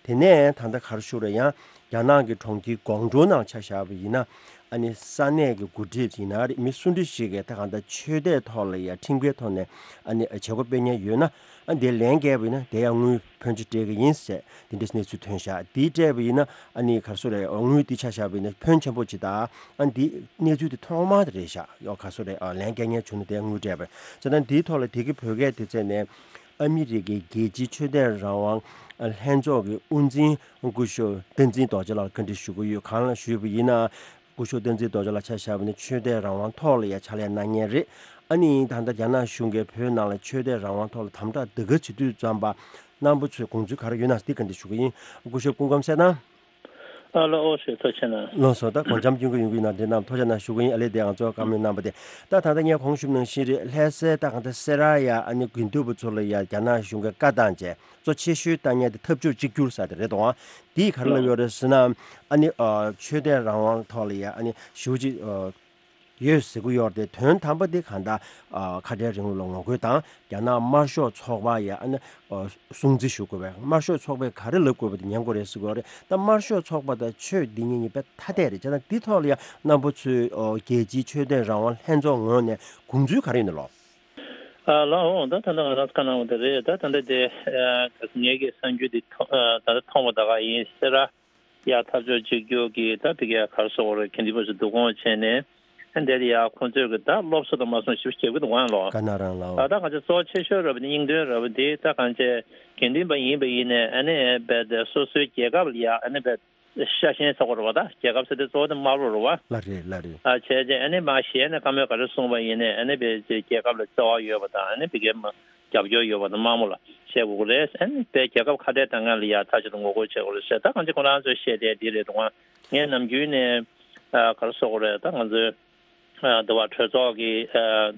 དེ་ནས་ད་ལྟ་ག་རེ་ཞུ་རེད་ཡང་རྒྱ་ནག་གི་གྲོང་ཁྱེར་ཀོང་ཀྲོའུ་ནང་ཆ་བཞག་པ་ཡིན་ན་ཨ་ནི་ས་གནས་ཀྱི་འགོ་ཁྲིད་ཡིན་ན་རེད་མི་སུ་འདྲ་ཞིག་གིས་ད་གང་ལྟར་ཆོས་དད་ཐོག་ལ་ཡང་ཁྲིམས་འགལ་ཐོག་ནས་ཨ་ནི་བྱེད་སྒོ་སྤེལ་མཁན་ཡོད་ན་ཨ་འདིར་ལན་བརྒྱབ་པ་ཡིན་ན་དེ་ཡང་དངུལ་ཕོན་ཆེ་སྤྲད་ཀྱི་ཡིན་ཟེར། དེ་འདྲའི་གནས་ཚུལ་ཐོན་ཤག། དེའི་སྤྲད་པ་ཡིན་ན་ཨ་ནི་ག་རེ་ཟེར་རེད། དངུལ་དེ་ཆ་བཞག་པ་ཡིན་ན་ཕོན་ཆེན་པོ་ཅིག་དང་ཨ་འདི་གནས་ཚུལ་དེ་ཐོག་མ་དེ་རེད་ཤག། ཡོ་ག་རེ་ཟེར་རེད། ལན་སྐྱེལ་མཁན་བྱུང་ན་དེ་དངུལ་སྤྲད་པ་བྱས་ཙང་དེའི་ཐོག་ལ་དེ་གི་བོད་སྐད་དེ་བཙལ་ནས་ཨ་མི་རི་ཀའི་རྒྱལ་སྤྱིའི་ཆོས་དད་རང་དབང་ལྷན་ཚོགས་ཀྱི་དབུ་འཛིན་སྐུ་ཞབས་བསྟན་འཛིན་རྡོ་རྗེ་ལགས་བཀའ་འདྲི་ཞུ་གི་ཡོད། གང་ལ་ཞུས་པ་ཡིན་ན། སྐུ་ཞབས་བསྟན་འཛིན་རྡོ་རྗེ་ལགས་ཆ་བཞག་པ་ཡིན་ན་ཆོས་དད་རང་དབང་ཐོག་ལ་ཡ་ཕྱག་ལས་གནང་མཁན་རེད། ཨ་ནི་ད་ལྟ་རྒྱ་ནག་གཞུང་གིས་བོད་ནང་ལ་ཆོས་དད་རང་དབང་ཐོག་ལ་དམ་དྲག་འདི་ག་བྱེད་དུས་ཙམ་པ་རྣམ་པ་ཚོས་དགོངས་ཚུལ་ག་རེ་ཡོད་ན་འདི་བཀའ་འདྲི་ཞུ་གི་ཡིན། སྐུ་ཞབས་སྐུ་ཁམས་གསལ་ཐང་། ཨ་ལོ་ཨོ་ཞེས་ཐུགས་རྗེ་ཆེ་གནང་། ལགས་སོ། ད་དགོངས་འཆར་སྐྱོན་གྱི་ཡོང་གི་ཡིན་ན་འདི་རྣམས་ཐུགས་རྗེ་གནང་ཞུ་གི་ཡིན། ཨ་ལས་དེ་ང་ཚོ་བཀའ་མོལ་གནང་པ་དེ་ད་ད་ལྟ་ངས་གོང་ཞུས་ནང་བཞིན་རེད། ལྷ་སའི་ད་གང་ལྟར་སེ་ར་ཡ་ཨ་ནི་དགེ་འདུན་པ་ཚོ་ལ་ཡ་རྒྱ་ནག་གཞུང་གིས་བཀའ་བཏང་བྱས། གཙོ་ཆེ་ཤོས་བཏང་མཁན་དེ་འཐབ་ཕྱོགས་གཅིག་གྱུར་ཟེར་དེ་རེད་དོ། འདིས་ག་རེ་ལབ་ཡོད་རེད་ཟེར་ན། ཨ་ནི་ཨ་ཆོས་དད་རང་དབང་ཐོག་ལ་ཡ་ཨ་ནི་ཞེ་པོ་ཅིག་ཨ་ཡོད་ཟེར་གྱི་ཡོད་རེད་དེ། དོན་དམ་པ་དེ་གང་ལྟར་ཨ་ཁ་བྲལ་རིང་ལུགས་ལ་ངོ་རྒོལ་དང་རྒྱ་ནག་དམར་ཤོག་ཚོགས་པ་ཡ་ཨ་ནི་ཨ་སྲུང་བརྩི་ཞུ་དགོས་པས། དམར་ཤོག་ཚོགས་པས་ག་རེ་ལབ་དགོས་པ་དེ་ཉན་དགོས་རེད་ཟེར་གྱི་ཡོད་རེད། ད་དམར་ཤོག་ཚོགས་པ་དང་ཆོས་འདི་གཉིས་གཉིས་དཔེ་ཐ་དད་རེད། བྱས་ཙང་འདི་ཐོག་ལ་ཡ་རྣམ་པ་ཚོས་ཨ་རྒྱལ་སྤྱིའི་ཆོས་དད་རང་དབང་ལྷན་ཚོགས་ངོས་ནས་དགོངས་ཚུལ་ག་རེ་ཡིན་ནམ་ལགས། ཨ་ལགས་འོང་། ད་ད་ལྟ་ང་རང་བཀའ་གནང་བ་དེ་རེད། ད་ད་ལྟ་དེ་ཨ་ད་ངེད་ཀྱི་གསར་འགྱུར་འདི་ཐོ་ཨ་ད་ལྟ་མཐོང་བ་ད་ག་ཡིན་ཟེར་ར། ཡ་འཐབ་ཕྱོགས་གཅིག་གྱུར་གྱི་ད་ཕ་གིའི་ག་རེ་ཟེར་དགོས་རེད། དགེ་འདུན་པ་ཚོ་བསྡུ་སྐོང་བྱས་ནས་ཨ་འདིར་ཡ་ཁོང་ཚོས་གི་ད་སློབ་གསོ་དང་མ་སོང་ཞིབ་བྱེད་ཀྱི་འདུག་ཨང་ལོ། ག་ན་རང་ལགས། ཨ་ད་གང་ཅི་གཙོ་ཆེ་ཤོས་ར་བ་དེ་སྙིང་དོན་ར་བ་དེ་ད་གང་ཅི་དགེ་འདུན་པ་ཡིན་པ་ཡིན་ནས་ཨ་ནི་བས་དེ་སོ་སོའི་རྒྱལ་ཁབ་ལ་ཡ་ཨ་ནི་བས། ཤ་ཞེན་ཚོགས་པ་རེད་བ། ད་རྒྱལ་ཁབ་ཟེར་དུས་གཙོ་བོ་དེ་དམར་པོ་རེད་བ། ལགས་རེད་ལགས་རེད། ཨ་བྱས་རྗེས་ཨ་ནི་མ་གཞི་ཨ་ནི་བཀའ་མོལ་ག་རེ་གསུངས་པ་ཡིན་ནའི་ཨ་ནི་བས་རྒྱལ་ཁབ་ལ་བརྩེ་བ་ཡོད་པ་དང་ཨ་ནི་བི་གའི་མ་རྒྱབ་སྐྱོར་ཡོད་པ་དང་དམར་མོ་ལ་བཤད་དགོས་ཀྱི་རེད། ཨ་ནི་བས་རྒྱལ་ཁབ་ཁ་བྲལ་བཏང་མཁན་ལ་ཡ་མཐའ་གཅིག་ཏུ་ངོ་རྒོལ་བྱེད་དགོས་རེད་ཟེར། ད་གང་ཅི་ཁོ་རང་ཚོས་བཤད་བསྡད་འདི་རེད་འདུག་ཨ། ངས་ནམ་རྒྱུན་ནས་ཨ་ག་རེ་ཟེར་དགོས་རེད། ད་ང་ཚོའི་ཨ་འདི་བ་གྲོས་ཚོགས་ཀྱི་ཨ་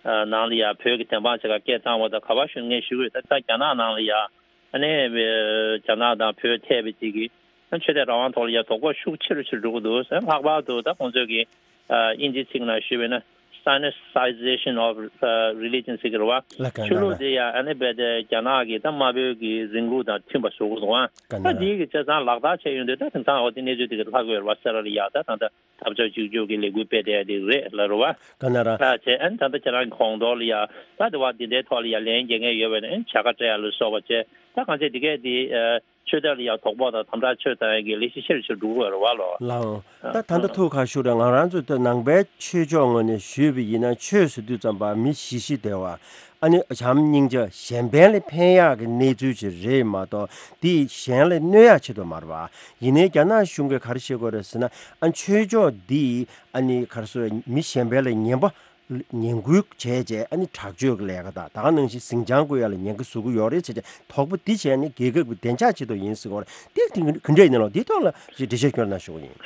ཨ་ནང་ལ་ཡ་བོད་ཀྱི་བདེན་དཔང་བྱེད་ག་སྐད་བཏང་བ་དང་ག་པར་ཞུ་ངས་ཞུ་གི་ཡོད། ད་ད་རྒྱ་ནག་ནང་ལ་ཡ། ཨ་ནི་རྒྱ་ནག་དང་བོད་ཐད་པའི་ཅིག་གི་ཆོས་དད་རང་དབང་ཐོག་ལ་ཡ་དོགས་པ་ཤུགས་ཆེ་རུ་ཆེ་རུ་འགྲོ་གི་འདུག་ཟེར། ལྷག་པར་དུ་ད་ཁོང་ཚོས་ཀྱི་ཨ་དབྱིན་ཇིའི་ཚིག་ནང་ཞུས་པ་ཡིན་ན་Sinicization of Religion ཟེར་གི་རེད་བ། ལགས་ཀ་ཆོས་ལུགས་ན་དེ་ཡ་ཨ་ནི་རྦད་དེ་རྒྱ་ནག་གི་ད་དམར་པོའི་གི་རིང་ལུགས་དང་མཐུན་པ་བཟོ་དགོས་འདུག་ཨ། ཀ་ན་ད་ར་འདིའི་གི་བྱས་ཙང་ལག་བསྟར་བྱས་ཡོང་དུས་ད་དེང་སང་འོ་དེ་གནས་ཚུལ་དེ་གི་ལྷག་གི་ཡོད་རེད་བ། སེ་ར་ལ་ཡ་ད་ད་ད། འཐབ་ཕྱོགས་གཅིག་གྱུར་གྱི་ལས་འགུལ་སྤེལ་བསྡད་ཡ་དེ་རེད་ལབ་རེད་བ། ག་ན་ར། ད་བྱས་ཨ་ནི་ད་ལྟ་ཁྱེད་རང་གི་གོང་ཐོག་ལ་ཡ་ད་དེ་བ་འདི་འདྲའི་ཐོག་ལ་ཡ་ལན་རྒྱག་མཁན་ཡོད་པ་ཡིན་ན་ཨ་ནི་བྱ་དགའ་སྤྲད་ཡ་ལ་སོགས་པ་བྱས། ད་གང་ཅི་འདི་གས་འདི་ཨ་ཆོས་དད་ལ་ཡ་དོགས་པ་དང་དམ་དྲག་ཆོས་བཏང་ཡ་གི་ལས་གཞི་ཆེ་རུ་ཆེ་རུ་འགྲོ་གི་ཡོད་རེད་བ་ལོ། ལགས་འོང་། ད་ད་ལྟ་ཐུགས་ཁ་ཤུ་རེད། ང་རང་ཚོ་ད་ནང་པའི་ཆོས་ཕྱོགས་ངོས་ནས་ཞུས་པ་ཡིན་ན་ཆོས་ཟེར་དུས་ཙམ་པ་མི་ཞི་ཞི་བདེ་བ། ཨ་ནི་བྱམས་སྙིང་རྗེ་གཞན་ཕན་ལ་ཕན་ཡག་གི་གནས་ཚུལ་ཅིག་རེད་མ་གཏོགས་འདིས་གཞན་ལ་གནོད་ཡག་ཆེད་དུ་མ་རེད་བ། ཡིན་ནའི་རྒྱ་ནག་གཞུང་གིས་ག་རེ་བཤད་ཀྱི་ཡོད་རེད་ཟེར་ན། ཨ་ནི་ཆོས་ཕྱོགས་འདིས་ཨ་ནི་ག་རེ་ཟེར་མི་གཞན་ཕན་ལ་ངན་པ་ངན་སྐུལ་བྱས་རྗེས་ཨ་ནི་དྲག་སྤྱོད་ཀྱི་ལས་ཀ་དང་ད་ག་ནང་བཞིན་ཟིང་ཆ་བཀོད་ཡག་ལ་ཉེན་ཁ་བཟོ་གི་ཡོད་རེད་ཟེར་བྱས་དོགས་པ་འདི་བྱས་ནས་རྒྱལ་ཁབ་ཀྱི་བདེ་འཇགས་ཆེད་དུ་ཡིན་ཟེར་གྱི་ཡོད་རེད། འདི་དེ་ག་འདྲ་ཡིན་ནའང་འདིའི་ཐོག་ལ་ཅིག་འགྲེལ་བཤད་སྐྱོན་གནང་ཞུ་གི་ཡིན།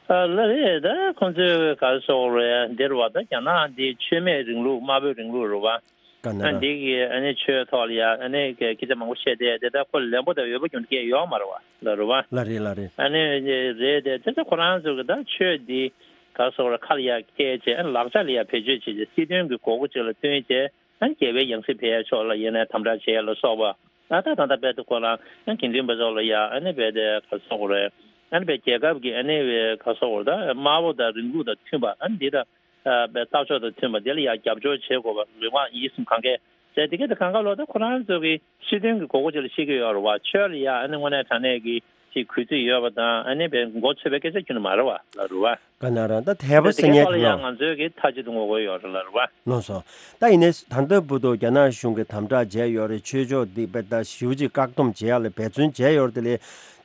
ཨ་ལགས་རེད། ད་ཁོང་ཚོས་ག་རེ་ཟེར་དགོས་རེད། འདིར་བ་ད་རྒྱ་ནག་འདི་ཆོས་མེད་རིང་ལུགས་དམར་པོའི་རིང་ལུགས་རེད་བ། ག་ན་ཨ་ར། འདི་གི་ཨ་ནི་ཆོས་ཐོག་ལ་ཡ་ཨ་ནི་སྐད་ཆ་མང་པོ་བཤད་བསྡད་དེ་ད་ཁོ་ལན་པོ་དང་འོས་པ་ཀྱང་སྐད་ཡོད་མ་རེད་བ་ལ་རེད་བ། ལ་རེད་ལ་རེད། ཨ་ནི་རེད་དེ་དེ་ཚོ་ཁོ་རང་ཚོ་གི་ད་ཆོས་འདི་ག་རེ་ཟེར་དགོས་རེད། ཁ་ལ་ཡ་སྐད་བྱས་ཨ་ནི་ལག་ཆ་ལ་ཡ་བེད་སྤྱོད་བྱས་ཏེ་སྲིད་དོན་གི་དགོས་མཁོ་ཅིག་ལ་བསྟུན་བྱས་ཨ་ནི་རྒྱལ་བའི་ཡང་སྲིད་འཕེལ་ཡ་ཕྱོགས་ལ་ཡིན་ནའི་དམ་དྲག་བྱེད་ཡ་ལ་སོགས་པ། ད་ད་ད་ད་དཔེ་དེ་ཁོ་རང་ཨ་དགེ་འདུན་པ་ཚོ་ལ་ཡ་ཨ་ནི་དཔེ་དེ་ག་རེ་ཟེར་དགོས་རེད། ཨ་ནི་དཔེ་རྒྱལ་ཁབ་ཀྱི་ཨ་ནི་དཔེ་ག་རེ་ཟེར་དགོས་རེད། ད་དམར་པོ་དང་རིང་ལུགས་དང་མཐུན་པ་ཨ་ནི་འདི་ད་ཨ་དཔེ་ལྟ་ཕྱོགས་དང་མཐུན་པ་དེ་ལ་ཡ་རྒྱབ་སྐྱོར་བྱེད་དགོས་པ་རེ་བ་ཡིད་སེམས་གང་གས་བྱས་དེ་གས་དེ་གང་ག་ལོ་ད་ཁོ་རང་ཚོ་གི་སྲིད་དོན་གྱི་དགོས་མཁོ་ཅིག་ལ་བཤད་ཀྱི་ཡོད་རེད་བ། ཆོས་ལ་ཡ་ཨ་ནི་དངོས་གནས་དྲང་གནས་ཀྱི་ཅིག་གུས་བརྩི་ཡོད་པ་དང་ཨ་ནི་དཔེ་མགོ་ཚོས་པའི་སྐད་ཆ་ཁྱོན་ནས་མ་རེད་བ་ལ་རེད་བ། ག་ན་ར་ད་དད་པ་ཟེར་མཁན་དེ་གས་ལ་ཡང་ང་ཚོས་ཀྱི་མཐའ་གཅིག་ཏུ་ངོ་རྒོལ་ཡོད་རེད་ལ་རེད་བ། ལགས་སོ། ད་ཡིན་ནའི་ད་ལྟ་བར་དུ་རྒྱ་ནག་གཞུང་གིས་དམ་དྲག་བྱས་ཡོད་རེད། ཆོས་ཕྱོགས་འདི་དཔེ་ད་ཞེ་པོ་ཅིག་བཀག་སྡོམ་བྱེད་ཡག་ལ་འབད་བརྩོན་བྱས་ཡོད་རེད། དེ་ལས་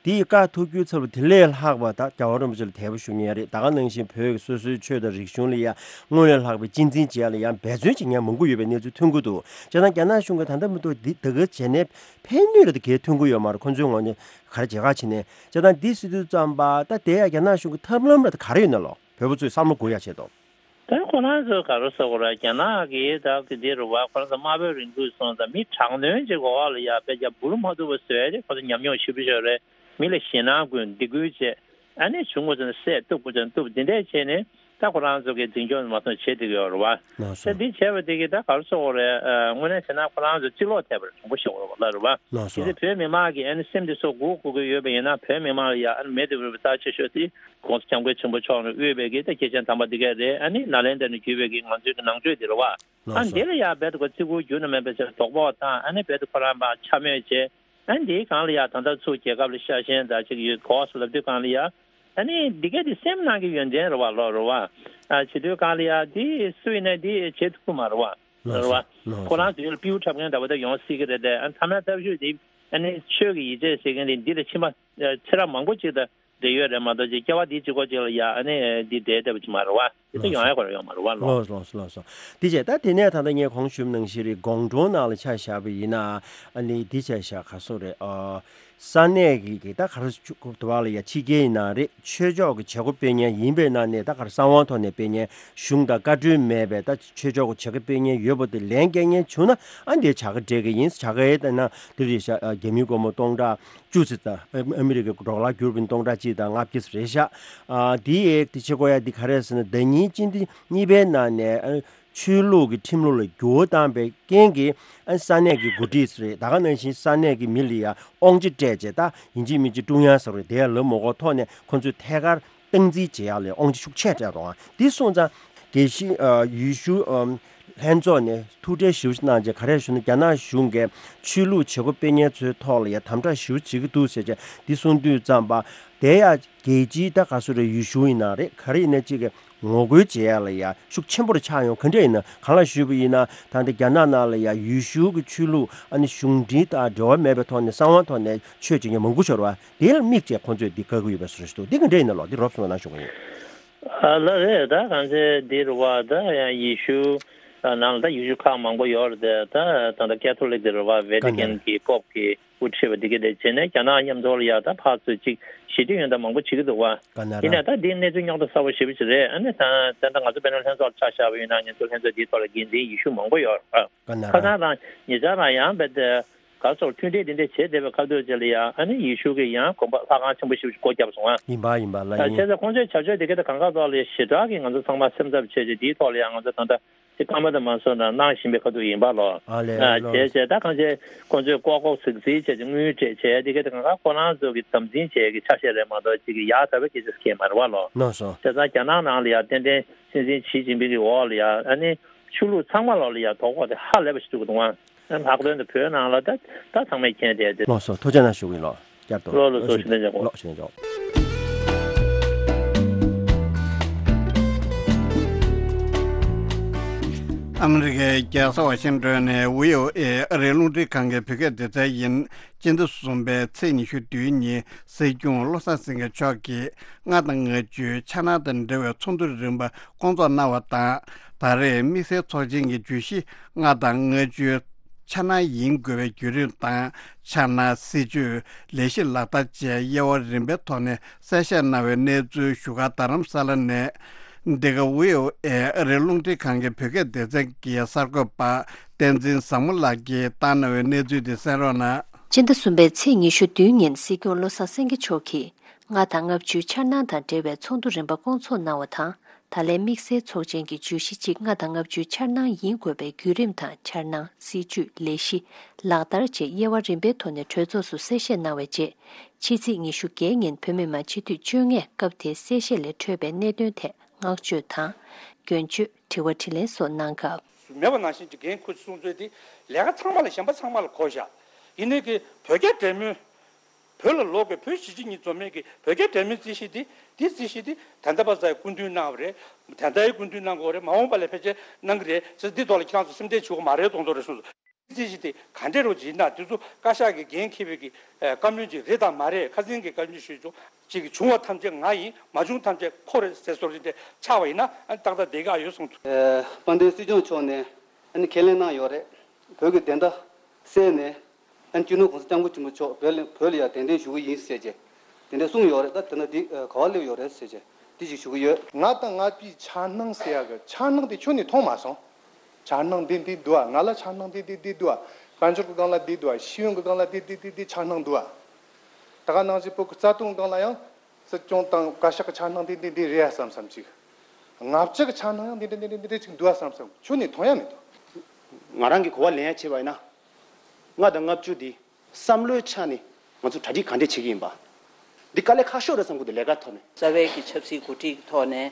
དེ་ཡི་བཀའ་ཐུགས་རྒྱུད་ཚར་བ་དེ་ལས་ལྷག་པ་ད་རྒྱལ་བ་རིན་པོ་ཆེ་ལ་དད་པ་ཞུ་མཁན་རེད། ད་ག་ནང་བཞིན་བོད་ཀྱི་སོ་སོའི་ཆོས་དང་རིག་གཞུང་ལ་ཡང་སྔོན་ལས་ལྷག་པའི་གཅེས་འཛིན་བྱེད་ཡ་ལ་ཡང་འབད་བརྩོན་བྱེད་མཁན་མང་པོ་ཡོད་པའི་གནས་ཚུལ་ཐོན་གྱི་འདུག་བྱས་ཙང་རྒྱ་ནག་གཞུང་གིས་ད་ལྟ་མི་ཐོག་འདི་ད་ག་བྱས་ནས་ཕན་ནུས་རེ་ད་གས་ཐོན་གྱི་ཡོད་མ་རེད། ཁོ་ཚོའི་ངོས་ནས་ག་རེ་བྱེད་ག་བྱེད་ནས་བྱས་ཙང་འདི་སྲིད་དུས་ཙམ་པ་ད་དེ་ཡང་རྒྱ་ནག་གཞུང་གི་ཐབས་ལམ་རེ་ད་ག་རེ་ཡོད་ན་ལོ་བོད་པ་ཚོས་བསམ་བློ་འགུག་ཡ་ཆེད་དུ། ད་ཁོ་རང་ཚོ་ག་རེ་ཟེར་དགོས་རེད། རྒྱ་ནག་གིས་ད་གི་འདི་རུ་བ་ཁོ་རང་ཚོ་དམར་པོའི་རིང་ལུགས་སོང་ཙང་མི་དྲག་གནོན་ཅིག་འོག་ལ་ཡ་དཔེ་རྒྱ་འབུར་མ་ཐུབ་པ་བཟོས་ཏེ་ཁོ་ཚོ་ཉམས་མྱོང་ཞེ་པོ་ཅིག་ཡོད་རེད། མི་ལ་ཞེད་སྣང་སྐུལ་སྡིགས་སྐུལ་བྱས་ཨ་ནི་བྱུང་དགོས་ཟེར་ན་བསད་གཏུབ་དགོས་ཟེར་ན་གཏུབ་འདི་འདྲས་བྱས་ནས་ད་ཁོ་རང་ཚོ་གི་འཛིན་སྐྱོང་མ་སོང་བྱེད་བསྡད་ཀྱི་ཡོད་རེད་བ། ལགས་སོ། ད་འདི་བྱས་པ་དེ་གིས་ད་ག་རེ་ཟེར་དགོས་རེད། དངོས་གནས་བྱས་ན་ཁོ་རང་ཚོ་གཅིག་ལོག་ཐེབས་པ་རེད། དྲང་པོ་བཤད་དགོས་རེད་བ་ལ་རེད་བ། ལགས་སོ། དེ་ཚེ་བོད་མི་མང་གིས་ཨ་ནི་སེམས་འདི་ཚོ་སྒུག་དགོས་ཀྱི་ཡོད་པ་ཡིན་ན་བོད་མི་མང་ལ་ཡ་ཨ་ནི་མེད་དུ་མེད་པའི་རྩ་ཆེ་ཤོས་དེ། གོང་ས་སྐྱབས་མགོན་ཆེན་པོ་མཆོག་ནས་དབུས་པའི་གི་ད་སྐྱེས་ཆེན་དམ་པ་འདི་ག་རེད། ཨ་ནི་ནཱ་ལེནྡྲ་ནས་བརྒྱུད་པའི་གི་ང་ཚོའི་གི་ནང་ཆོས་འདི་རེད་བ། ཨ་ལགས་སོ། འདི་ལ་ཡང་རྦད་དེ་ཁོ་བརྩི་བཀུར་རྒྱུན་དུ་མེད་པའི་ཆེད་དོགས་པ་དང་ཨ་ནི་རྦད་དེ་ཁོ་རང་པ་འཕྱ་སྨོད་བྱས། ཨ་ནི་འདིའི་སྒང་ལ་ཡང་ད་ལྟ་ཚུར་རྒྱལ་ཁབ་ལ་ཤ་ཞེན་དང་ཅིག་ཡོད་གོ་སོ་ལབ་དུས་སྒང་ལ་ཡང་ཨ་ནི་འདི་ག་འདི་སེམས་ནང་གི་ཡོན་ཏན་རེད་བ་ལོ་རེད་བ། ཨ་བྱེད་དུས་སྒང་ལ་ཡང་འདི་སུ་ཡིན་ན་འདི་བྱེད་ཐུབ་ཀྱི་མ་རེད་བ། ལགས་རེད་སོ། བ། ལགས་ཁོ་སོ། རང་ཚོ་ཡུལ་པིའུ་འཁྲབ་མཁན་འདྲ་བོ་ད་ཡོང་སྲིད་ཀྱི་རེད་དེ། ཨ་ཐ་ན་ཐབས་ཤུགས་འདི་ཨ་ནི་ཆོས་ཀྱི་ཡིད་ཆེས་ཟེར་མཁན་འདི་འདི་ལ་ཕྱིན་པ་ཚེ་རབས་མང་པོ་ཅིག་ད། འབྲེལ་ཡོད་རེད་མ་གཏོགས་ཅིག་སྐྱེ་བ་འདིའི་གཅིག་པོ་གཅིག་ལ་ཡ་ཨ་ནི་འདི་འབྲེལ་བསྡད་པ་ཅིག་མ་རེད་བ། དེ་ཚོ་ཡོང་ཡ་གོ་ར་ཡོང་མ་རེད་བ་ལོ། ལགས་ལགས་ལགས་སོ། དེ་བྱས་ད་དེ་ནས་ད་ལྟ་ངས་གོང་ཞུས་ནང་བཞིན་རེད། དགོང་དྲོ་ནང་ལ་ཆ་བཞག་པ་ཡིན་ན་ཨ་ནི་འདི་ཆ་བཞག་ག་སོ་རེད། ཨ་ས་གནས་ཀྱི་གི་ད་ག་རེ་ཆུ་དུ་བ་ལ་ཡ་ཕྱི་རྒྱལ་ཡིན་ན་རེད། ཆོས་ཕྱོགས་ཀྱི་བྱེད་སྒོ་སྤེལ་མཁན་ཡིན་པའི་ནང་ནས་ད་ག་རེ་གསང་བའི་ཐོག་ནས་སྤེལ་མཁན་གཞུང་དང་བཀའ་འཁྲོལ་མེད་པའི་ད་ཆོས་ཕྱོགས་ཀྱི་བྱེད་སྒོ་སྤེལ་མཁན་ཡོད་པ་དེ་ལན་སྐྱེལ་མཁན་བྱུང་ན་ཨ་འདི་བྱ་དགའ་སྤྲད་ཀྱི་ཡིན། བྱ་དགའ་ཡི་ད་ན་དེ་རེད་ཤག་རྒྱ་མིའི་སྒོར་མོ་སྟོང་ཕྲག་བཅུ་ཙམ་དང་ཨ་མི་རི་ཀའི་ཌོ་ལར་བསྒྱུར་བའི་སྟོང་ཕྲག་གཅིག་དང་ལྔ་བརྒྱ་ཙམ་རེད་ཤག་ཨ་དེ་ཡས་དེ་བྱེད་དགོས་ཡ་དེ་ག་རེ་ཟེར་ན་ཟླ་ཉིན་སྤྱི་ཟླ་གཉིས་པའི་ནང་ནས་ཨ་ཆོས་ལུགས་ཀྱི་ཁྲིམས་ལུགས་ལ་འགྱུར་བ་བཏང་པའི་རྐྱེན་གྱིས་ཨ་ས་གནས་ཀྱི་འགོ་ཁྲིད་རེད། ད་ག་ནང་བཞིན་ས་གནས་ཀྱི་མི་ལ་ཡ་དབང་ཆ་སྤྲད་བྱས་ད་ཡིན་གཅིག་མིན་གཅིག་བཀྲུ་ཡ་ཟེར་བ་རེད། དེ་ཡ་ལབ་མ་དགོས་ཐོག་ནས་ཁོ་ཚོས་ཐད་ཀར་སྟངས་འཛིན་བྱེད་ཡག་ལ་དབང་ཆ་ཤུགས་ཆེ་སྤྲད་འདུག་དེ་སོང་ཙང་དགེ་བཤེས་ཨ་ཡུལ་ཤུལ་ཨམ་ལྷན་ཚོགས་ནས་ཐུགས་ཁྲལ་ཞེ་པོ་ཅིག་གནང་རྗེས་ག་རེ་ཞུ་ན་རྒྱ་ནག་གཞུང་གིས་ཆོས་ལུགས་བྱེད་སྒོ་སྤེལ་མཁན་ཚོའི་ཐོག་ལ་ཡ་དམ་དྲག་ཞེ་པོ་བྱེད་ཀྱི་འདུག་ཟེར་བྱས་འདི་གསུངས་དུས་ཙམ་པ་དེ་ཡ་རྒྱལ་སྤྱིའི་ད་ག་སོ་རེད། ཡུལ་ཤུལ་ཡིན་ན་རེད། ག་རེ་ཡིན་ན་ཅིག་གི་ངོ་རྒོལ་བྱེད་ཡ་ལ་ཡ་ཤུགས་ཆེན་པོ་རུ་ཆགས་ཡོང་ག་འདྲ་ཡིན་ན། གང་ལ་ཞུས་པ་ཡིན་ན་ད་ལྟ་རྒྱ་ནག་ནང་ལ་ཡ་ཡུལ་ཤུལ་གྱི་ཆོས་ལུགས་ཨ་ནི་གཞུང་འབྲེལ་དང་འབྲེལ་བ་མེད་པའི་ཐོག་ནས་གསང་བའི་ཐོག་ནས་ཆོས་བྱེད་མཁན་མང་པོ་ཤོར་བ། དེ་ལ་དམིགས་བྱས་ཁོང་ཚོས་འདི་བཀག་གི་ཡོད་པའི་བཟོ་འདྲ་ཞིག་འདུག་འདི་ག་འདྲ་ཡིན་ན་ལོ། འདི་རོབ་ཙམ་གནང་ཞུ་གི་ཡིན། ཨ་ལ་རེད། ད་གང་ཚེ་འདི་རུ་བ་ད་ཡང་ཡེ་ཤུ་ནང་ལ་ད་ཡེ་ཤུ་ཁག་མང་པོ་ཡོད་རེད་དེ། ད་ད་ལྟ་ཀེ་ཐོ་ལིག་འདི་རུ་བ་ཝེ་ཏི་ཀན་གི་པོབ་གི་དབུ་ཁྲིད་པ་འདི་གི་དེ་བྱས་ནས་རྒྱ་ནག་མཉམ་དུ་ལ་ཡ་ད་ཕར་ཚུར་ཅིག་ཞི་བདེ་ཡོན་ད་མང་པོ་བྱེད་ཀྱི་འདུག་བ། ཡིན་ནའི་ད་འདི་གནས་ཚུལ་རྙོག་དྲ་གསར་པ་ཞེ་པོ་ཅིག་རེད། ཨ་ནི་ད་ད་ལྟ་ང་ཚོ་དཔེར་ན་ལྷན་ཚོགས་ལ་ཆ་བཞག་པ་ཡིན་ན་ང་ཚོ་ལྷན་ཚོགས་འདིའི་ཐོག་ལ་འགན་འཛིན་ཡེ་ཤུ་མང་པོ་ཡོད་རེད། ཁ་སང་རང་ཉེ་ཆར་རང་ཡང་བས་ཏེ་ག་སོགས་མཐུན་སྒྲིལ་འདི་འདྲ་བྱེད་བསྡད་པའི་ཁ་ཐུག་ཅིག་ལ་ཡང་ཨ་ནི་ཡེ་ཤུ་གི་ཡང་དགོན་པ་ལྷ་ཁང་ཆེན་པོ་ཞིག་སྒོ་བརྒྱབ་སོང་ཨ། ཡིན་པ་ཡིན་པ་ལ་ཡིན། བྱས་ཙང་ཁོང་ཚོའི་བྱ་སྤྱོད་དེ་ག་ད་གང་ག་ཐོག་ལ་ཞེ་དྲག་གི་ང་ཚོ་ཚང་མ་སེམས་འཚབ་བྱས་ཏེ་འདིའི་ཐོག་ལ་ཡང་ང་ཚོ་ད་ལྟ་དེ་སྐར་མ་དང་མ་སོང་ན་གནང་བཞིན་པའི་ཁ་ཐུག་ཡིན་པ་ལོ། ཨ་ལས་ལོ། བྱས་བྱས་ད་གང་བྱས་ཁོང་ཚོས་ལྐོག་ལྐོག་ཟིག་ཟིག་བྱས་ཏེ་དངུལ་སྤྲད་བྱས་དེ་ག་ད་གང་ག་ཁོ་རང་ཚོ་གི་དམ་འཛིན་བྱས་ཀྱི་ཆ་ཤས་རེད་མ་གཏོགས་ཅིག་གི་ཡག་ད་བའི་སྐད་ཆ་སྐད་མ་རེད་བ་ལོ། ལགས་སོ། བྱས་ཙང་རྒྱ་ནག་ནང་ལ་ཡང་ཏན་ཏན་སྲིད་འཛིན་ཞི་ཅིན་ཕིང་གི་འོག་ལ་ཡང་ཨ་ནི་ཆོས་ལུགས་ཚང་མ་ལོག་ལ་ཡང་དོ་ཕོག་དེ་ཧ་ལས་པ་ཞིག་བྱུང་གི་འདུག་ཨ། ལྷག་དོན་དུ་བོད་ནང་ལ་ད་ད་ཚང་མས་མཁྱེན་བསྡད་དེ། ལགས་སོ། ཐུགས་རྗེ་གནང་ཞུ་གི་ཡིན་ལོ། བསྐྱར་དུ་ལོ་ལོ་ལོ་ཞུ་ལེན་ཆོག་གོ། ལོ་ཞུ་ལེན་ཆོག། ཨ་མི་རི་ཀའི་རྒྱལ་ས་ཝ་ཤིང་ཏོན་ནས་བྷི་ཨོ་ཨེ་ཨ་རིའི་རླུང་འཕྲིན་ཁང་གི་བོད་སྐད་སྡེ་ཚན་ཡིན། སྤྱི་ཟླ་གསུམ་པའི་ཚེས་ཉི་ཤུ་བདུན་ཉིན་སྲིད་སྐྱོང་བློ་བཟང་སེང་གེ་མཆོག་གིས་ལྔ་དང་ལྔ་བཅུའི་འཆར་སྣང་དང་འབྲེལ་བའི་ཚོགས་འདུ་རིམ་པ་སྐོང་ཚོགས་གནང་བ་དང་། ད་རེས་དམིགས་བསལ་ཚོགས་ཆེན་གྱི་བརྗོད་གཞི་ལྔ་དང་ལྔ་བཅུའི་འཆར་སྣང་ཡིན་དགོས་པའི་བརྒྱུད་རིམ་དང་། འཆར་སྣང་། སྲིད་ཇུས། ལས་གཞི་ལག་བསྟར་བཅས་དབྱེ་བ་རིམ་པའི་ཐོག་ནས་གསལ་བཤད་གནང་བའི་གནས་ཚུལ་བཞུགས་སྒར་རྡ་རམ་ས་ལ་ནས། འདི་ག་བྷི་ཨོ་ཨེ་ཨ་རིའི་རླུང་འཕྲིན་ཁང་གི་བོད་སྐད་སྡེ་ཚན་གྱི་གསར་འགོད་པ་བསྟན་འཛིན་བཟང་མོ་ལགས་ཀྱིས་བཏང་གནང་བའི་གནས་ཚུལ་དེ་གསན་རོགས་གནང་། སྤྱི་ཟླ་གསུམ་པའི་ཚེས་ཉི་ཤུ་བདུན་ཉིན་སྲིད་སྐྱོང་བློ་བཟང་སེང་གེ་མཆོག་གིས་ལྔ་དང་ལྔ་བཅུའི་འཆར་སྣང་དང་འབྲེལ་བའི་ཚོགས་འདུ་རིམ་པ་སྐོང་ཚོགས་གནང་བ་དང་། ད་ལན་དམིགས་བསལ་ཚོགས་ཆེན་གྱི་བརྗོད་གཞི་གཅིག་ལྔ་དང་ལྔ་བཅུའི་འཆར་སྣང་ཡིན་དགོས་པའི་བརྒྱུད་རིམ་དང་། འཆར་སྣང་། སྲིད་ཇུས། ལས་གཞི། ལག་བསྟར་བཅས་དབྱེ་བ་རིམ་པའི་ཐོག་ནས་གྲོས་ཚོགས་སུ་གསལ་བཤད་གནང་བའི་རྗེས། ཕྱི་ཚེས་ཉི་ཤུ་བརྒྱད་ཉིན་བོད་མི་མང་སྤྱི་འཐུས་བཅོ་ལྔས་སྐབས་དེའི་གསལ་བཤད་ལས་འཕྲོས་པའི་གནད་དོན་ཐད་བསྔགས་བརྗོད་དང་། སྐྱོན་བརྗོད། དྲི་བ་དྲིས་ལན་སོགས་གནང་སྐབས། མེད་པ་ནང་བཞིན་གྱི་འགན་འཁུར་གསུང་ཚུལ་དེ་ལས་ཀ་ཚང་མ་ལ་གཞན་པ་ཚང་མ་ལ་གོ་བཞག་ཡིན་ནའི་གི་བོད་རྒྱ་འབྲེལ་མོལ། བོད་ལ་ལོག་གི་བོད་གཞིས་བྱེས་གཉིས་འཛོམས་མེད་ཀྱི་བོད་རྒྱ་འབྲེལ་མོལ་རྩིས་གཞི་འདི་འདི་རྩིས་གཞི་འདི་ད་ལྟ་པ་ཚོས་སྐུ་མདུན་གནང་བ་རེད། ད་ལྟའི་སྐུ་མདུན་གནང་དགོས་རེད། མ་འོངས་པ་ལ་ཕལ་ཆེར་གནང་གི་རེད་ཟེར། འདི་ཐོག་ལ་ཁྱེད་རང་ཚོ་སེམས་ཁྲལ་བྱེད་དགོས་མ་རེད་མདོག་མདོག་རེད་གསུངས་སོང་། རྩིས་གཞི་དེ་ག་འདྲས་རོ་ཇི་ན་དེ་ཚོ་བཀའ་ཤག་གི་འགན་འཁྱེར་བའི་གི་ཨ་བཀའ་མོལ་ཅིག་རེད་དམ་མ་རེད། ཁ་སང་གི་བཀའ་མོལ་ཞུས་ཆོག་ཅིག་བྱུང་བ་ཐམས་ཅད་ང་ཡིན། མ་བྱུང་ཐམས་ཅད་ཁོ་རེད་ཟེར་སོགས་ཅིག་དེ་ཆགས་པ་ཡིན་ན་ཨ་ནི་ཏག་ཏག་བསྡད་ག་ཡོད་གསུངས་ཐུབ། ཨ་དཔལ་ལྡན་སྲིད་སྐྱོང་མཆོག་ནས་ཨ་ནི་ཁས་ལེན་གནང་ཡོད་རེད། བོད་ཀྱི་བདེན་མཐའ་གསལ་ནས། ཨ་ནི་སྤྱི་ནོར་༸གོང་ས་༸སྐྱབས་མགོན་ཆེན་པོ་མཆོག་བོད་ལ་བོད་ལ་ཡང་གདན་འདྲེན་ཞུ་གི་ཡིན་ཟེར་བྱས་དེ་འདྲ་གསུངས་ཡོད་རེད། ད་དེ་ན་འདི་ག་བ་སླེབས་ཡོད་རེད་ཟེར་བྱས་འདི་ཞིག་ཞུ་གི་ཡོད། ང་དང་ང་པའི་འཆར་སྣང་ཟེར་ཡག་གི་འཆར་སྣང་དེ་ཁྱོན་ནས་མཐོང་མ་སོང་། འཆར་སྣང་འདི་འདི་འདུག་ཨ། ང་ལ་འཆར་སྣང་འདི་འདི་འདི་འདུག་ཨ། དཔལ་འབྱོར་གི་སྒང་ལ་འདི་འདུག་ཨ། ཤེས་ཡོན་གི་སྒང་ལ་འདི་འདི་འདི་འདི་འཆར་སྣང་འདུག་ཨ། ད་ག་ནང་བཞིན་བོད་ཀྱི་རྩ་དོན་སྒང་ལ་ཡང་། སྲིད་སྐྱོང་དང་བཀའ་ཤག་གི་འཆར་སྣང་དེ་འདི་འདི་རེད་ཡ་བསམ་བསམ་ཅིག་ལྔ་བཅུ་གི་འཆར་སྣང་ཡང་འདི་འདྲ་འདི་འདྲ་འདི་འདྲ་ཅིག་འདུག་ཡ་བསམ་བསམ་ཁྱོན་ནས་མཐོང་ཡ་མི་འདུག་ང་རང་གི་གོ་བ་ལེན་ཡ་བྱས་པ་ཡིན་ན། ལྔ་དང་ལྔ་བཅུ་འདི་བསམ་བློའི་ཆ་ནས་ང་ཚོ་གྲ་སྒྲིག་ག་འདྲས་བྱེད་ཀྱི་ཡིན་པ། འདི་དཀའ་ལས་ཁག་ཤོས་རེད་བསམ་གྱི་འདུག་ལས་ཀ་ཐོག་ནས། རྩ་བའི་གི་ཆབ་སྲིད་འགོ་ཁྲིད་ཀྱི་ཐོག་ནས་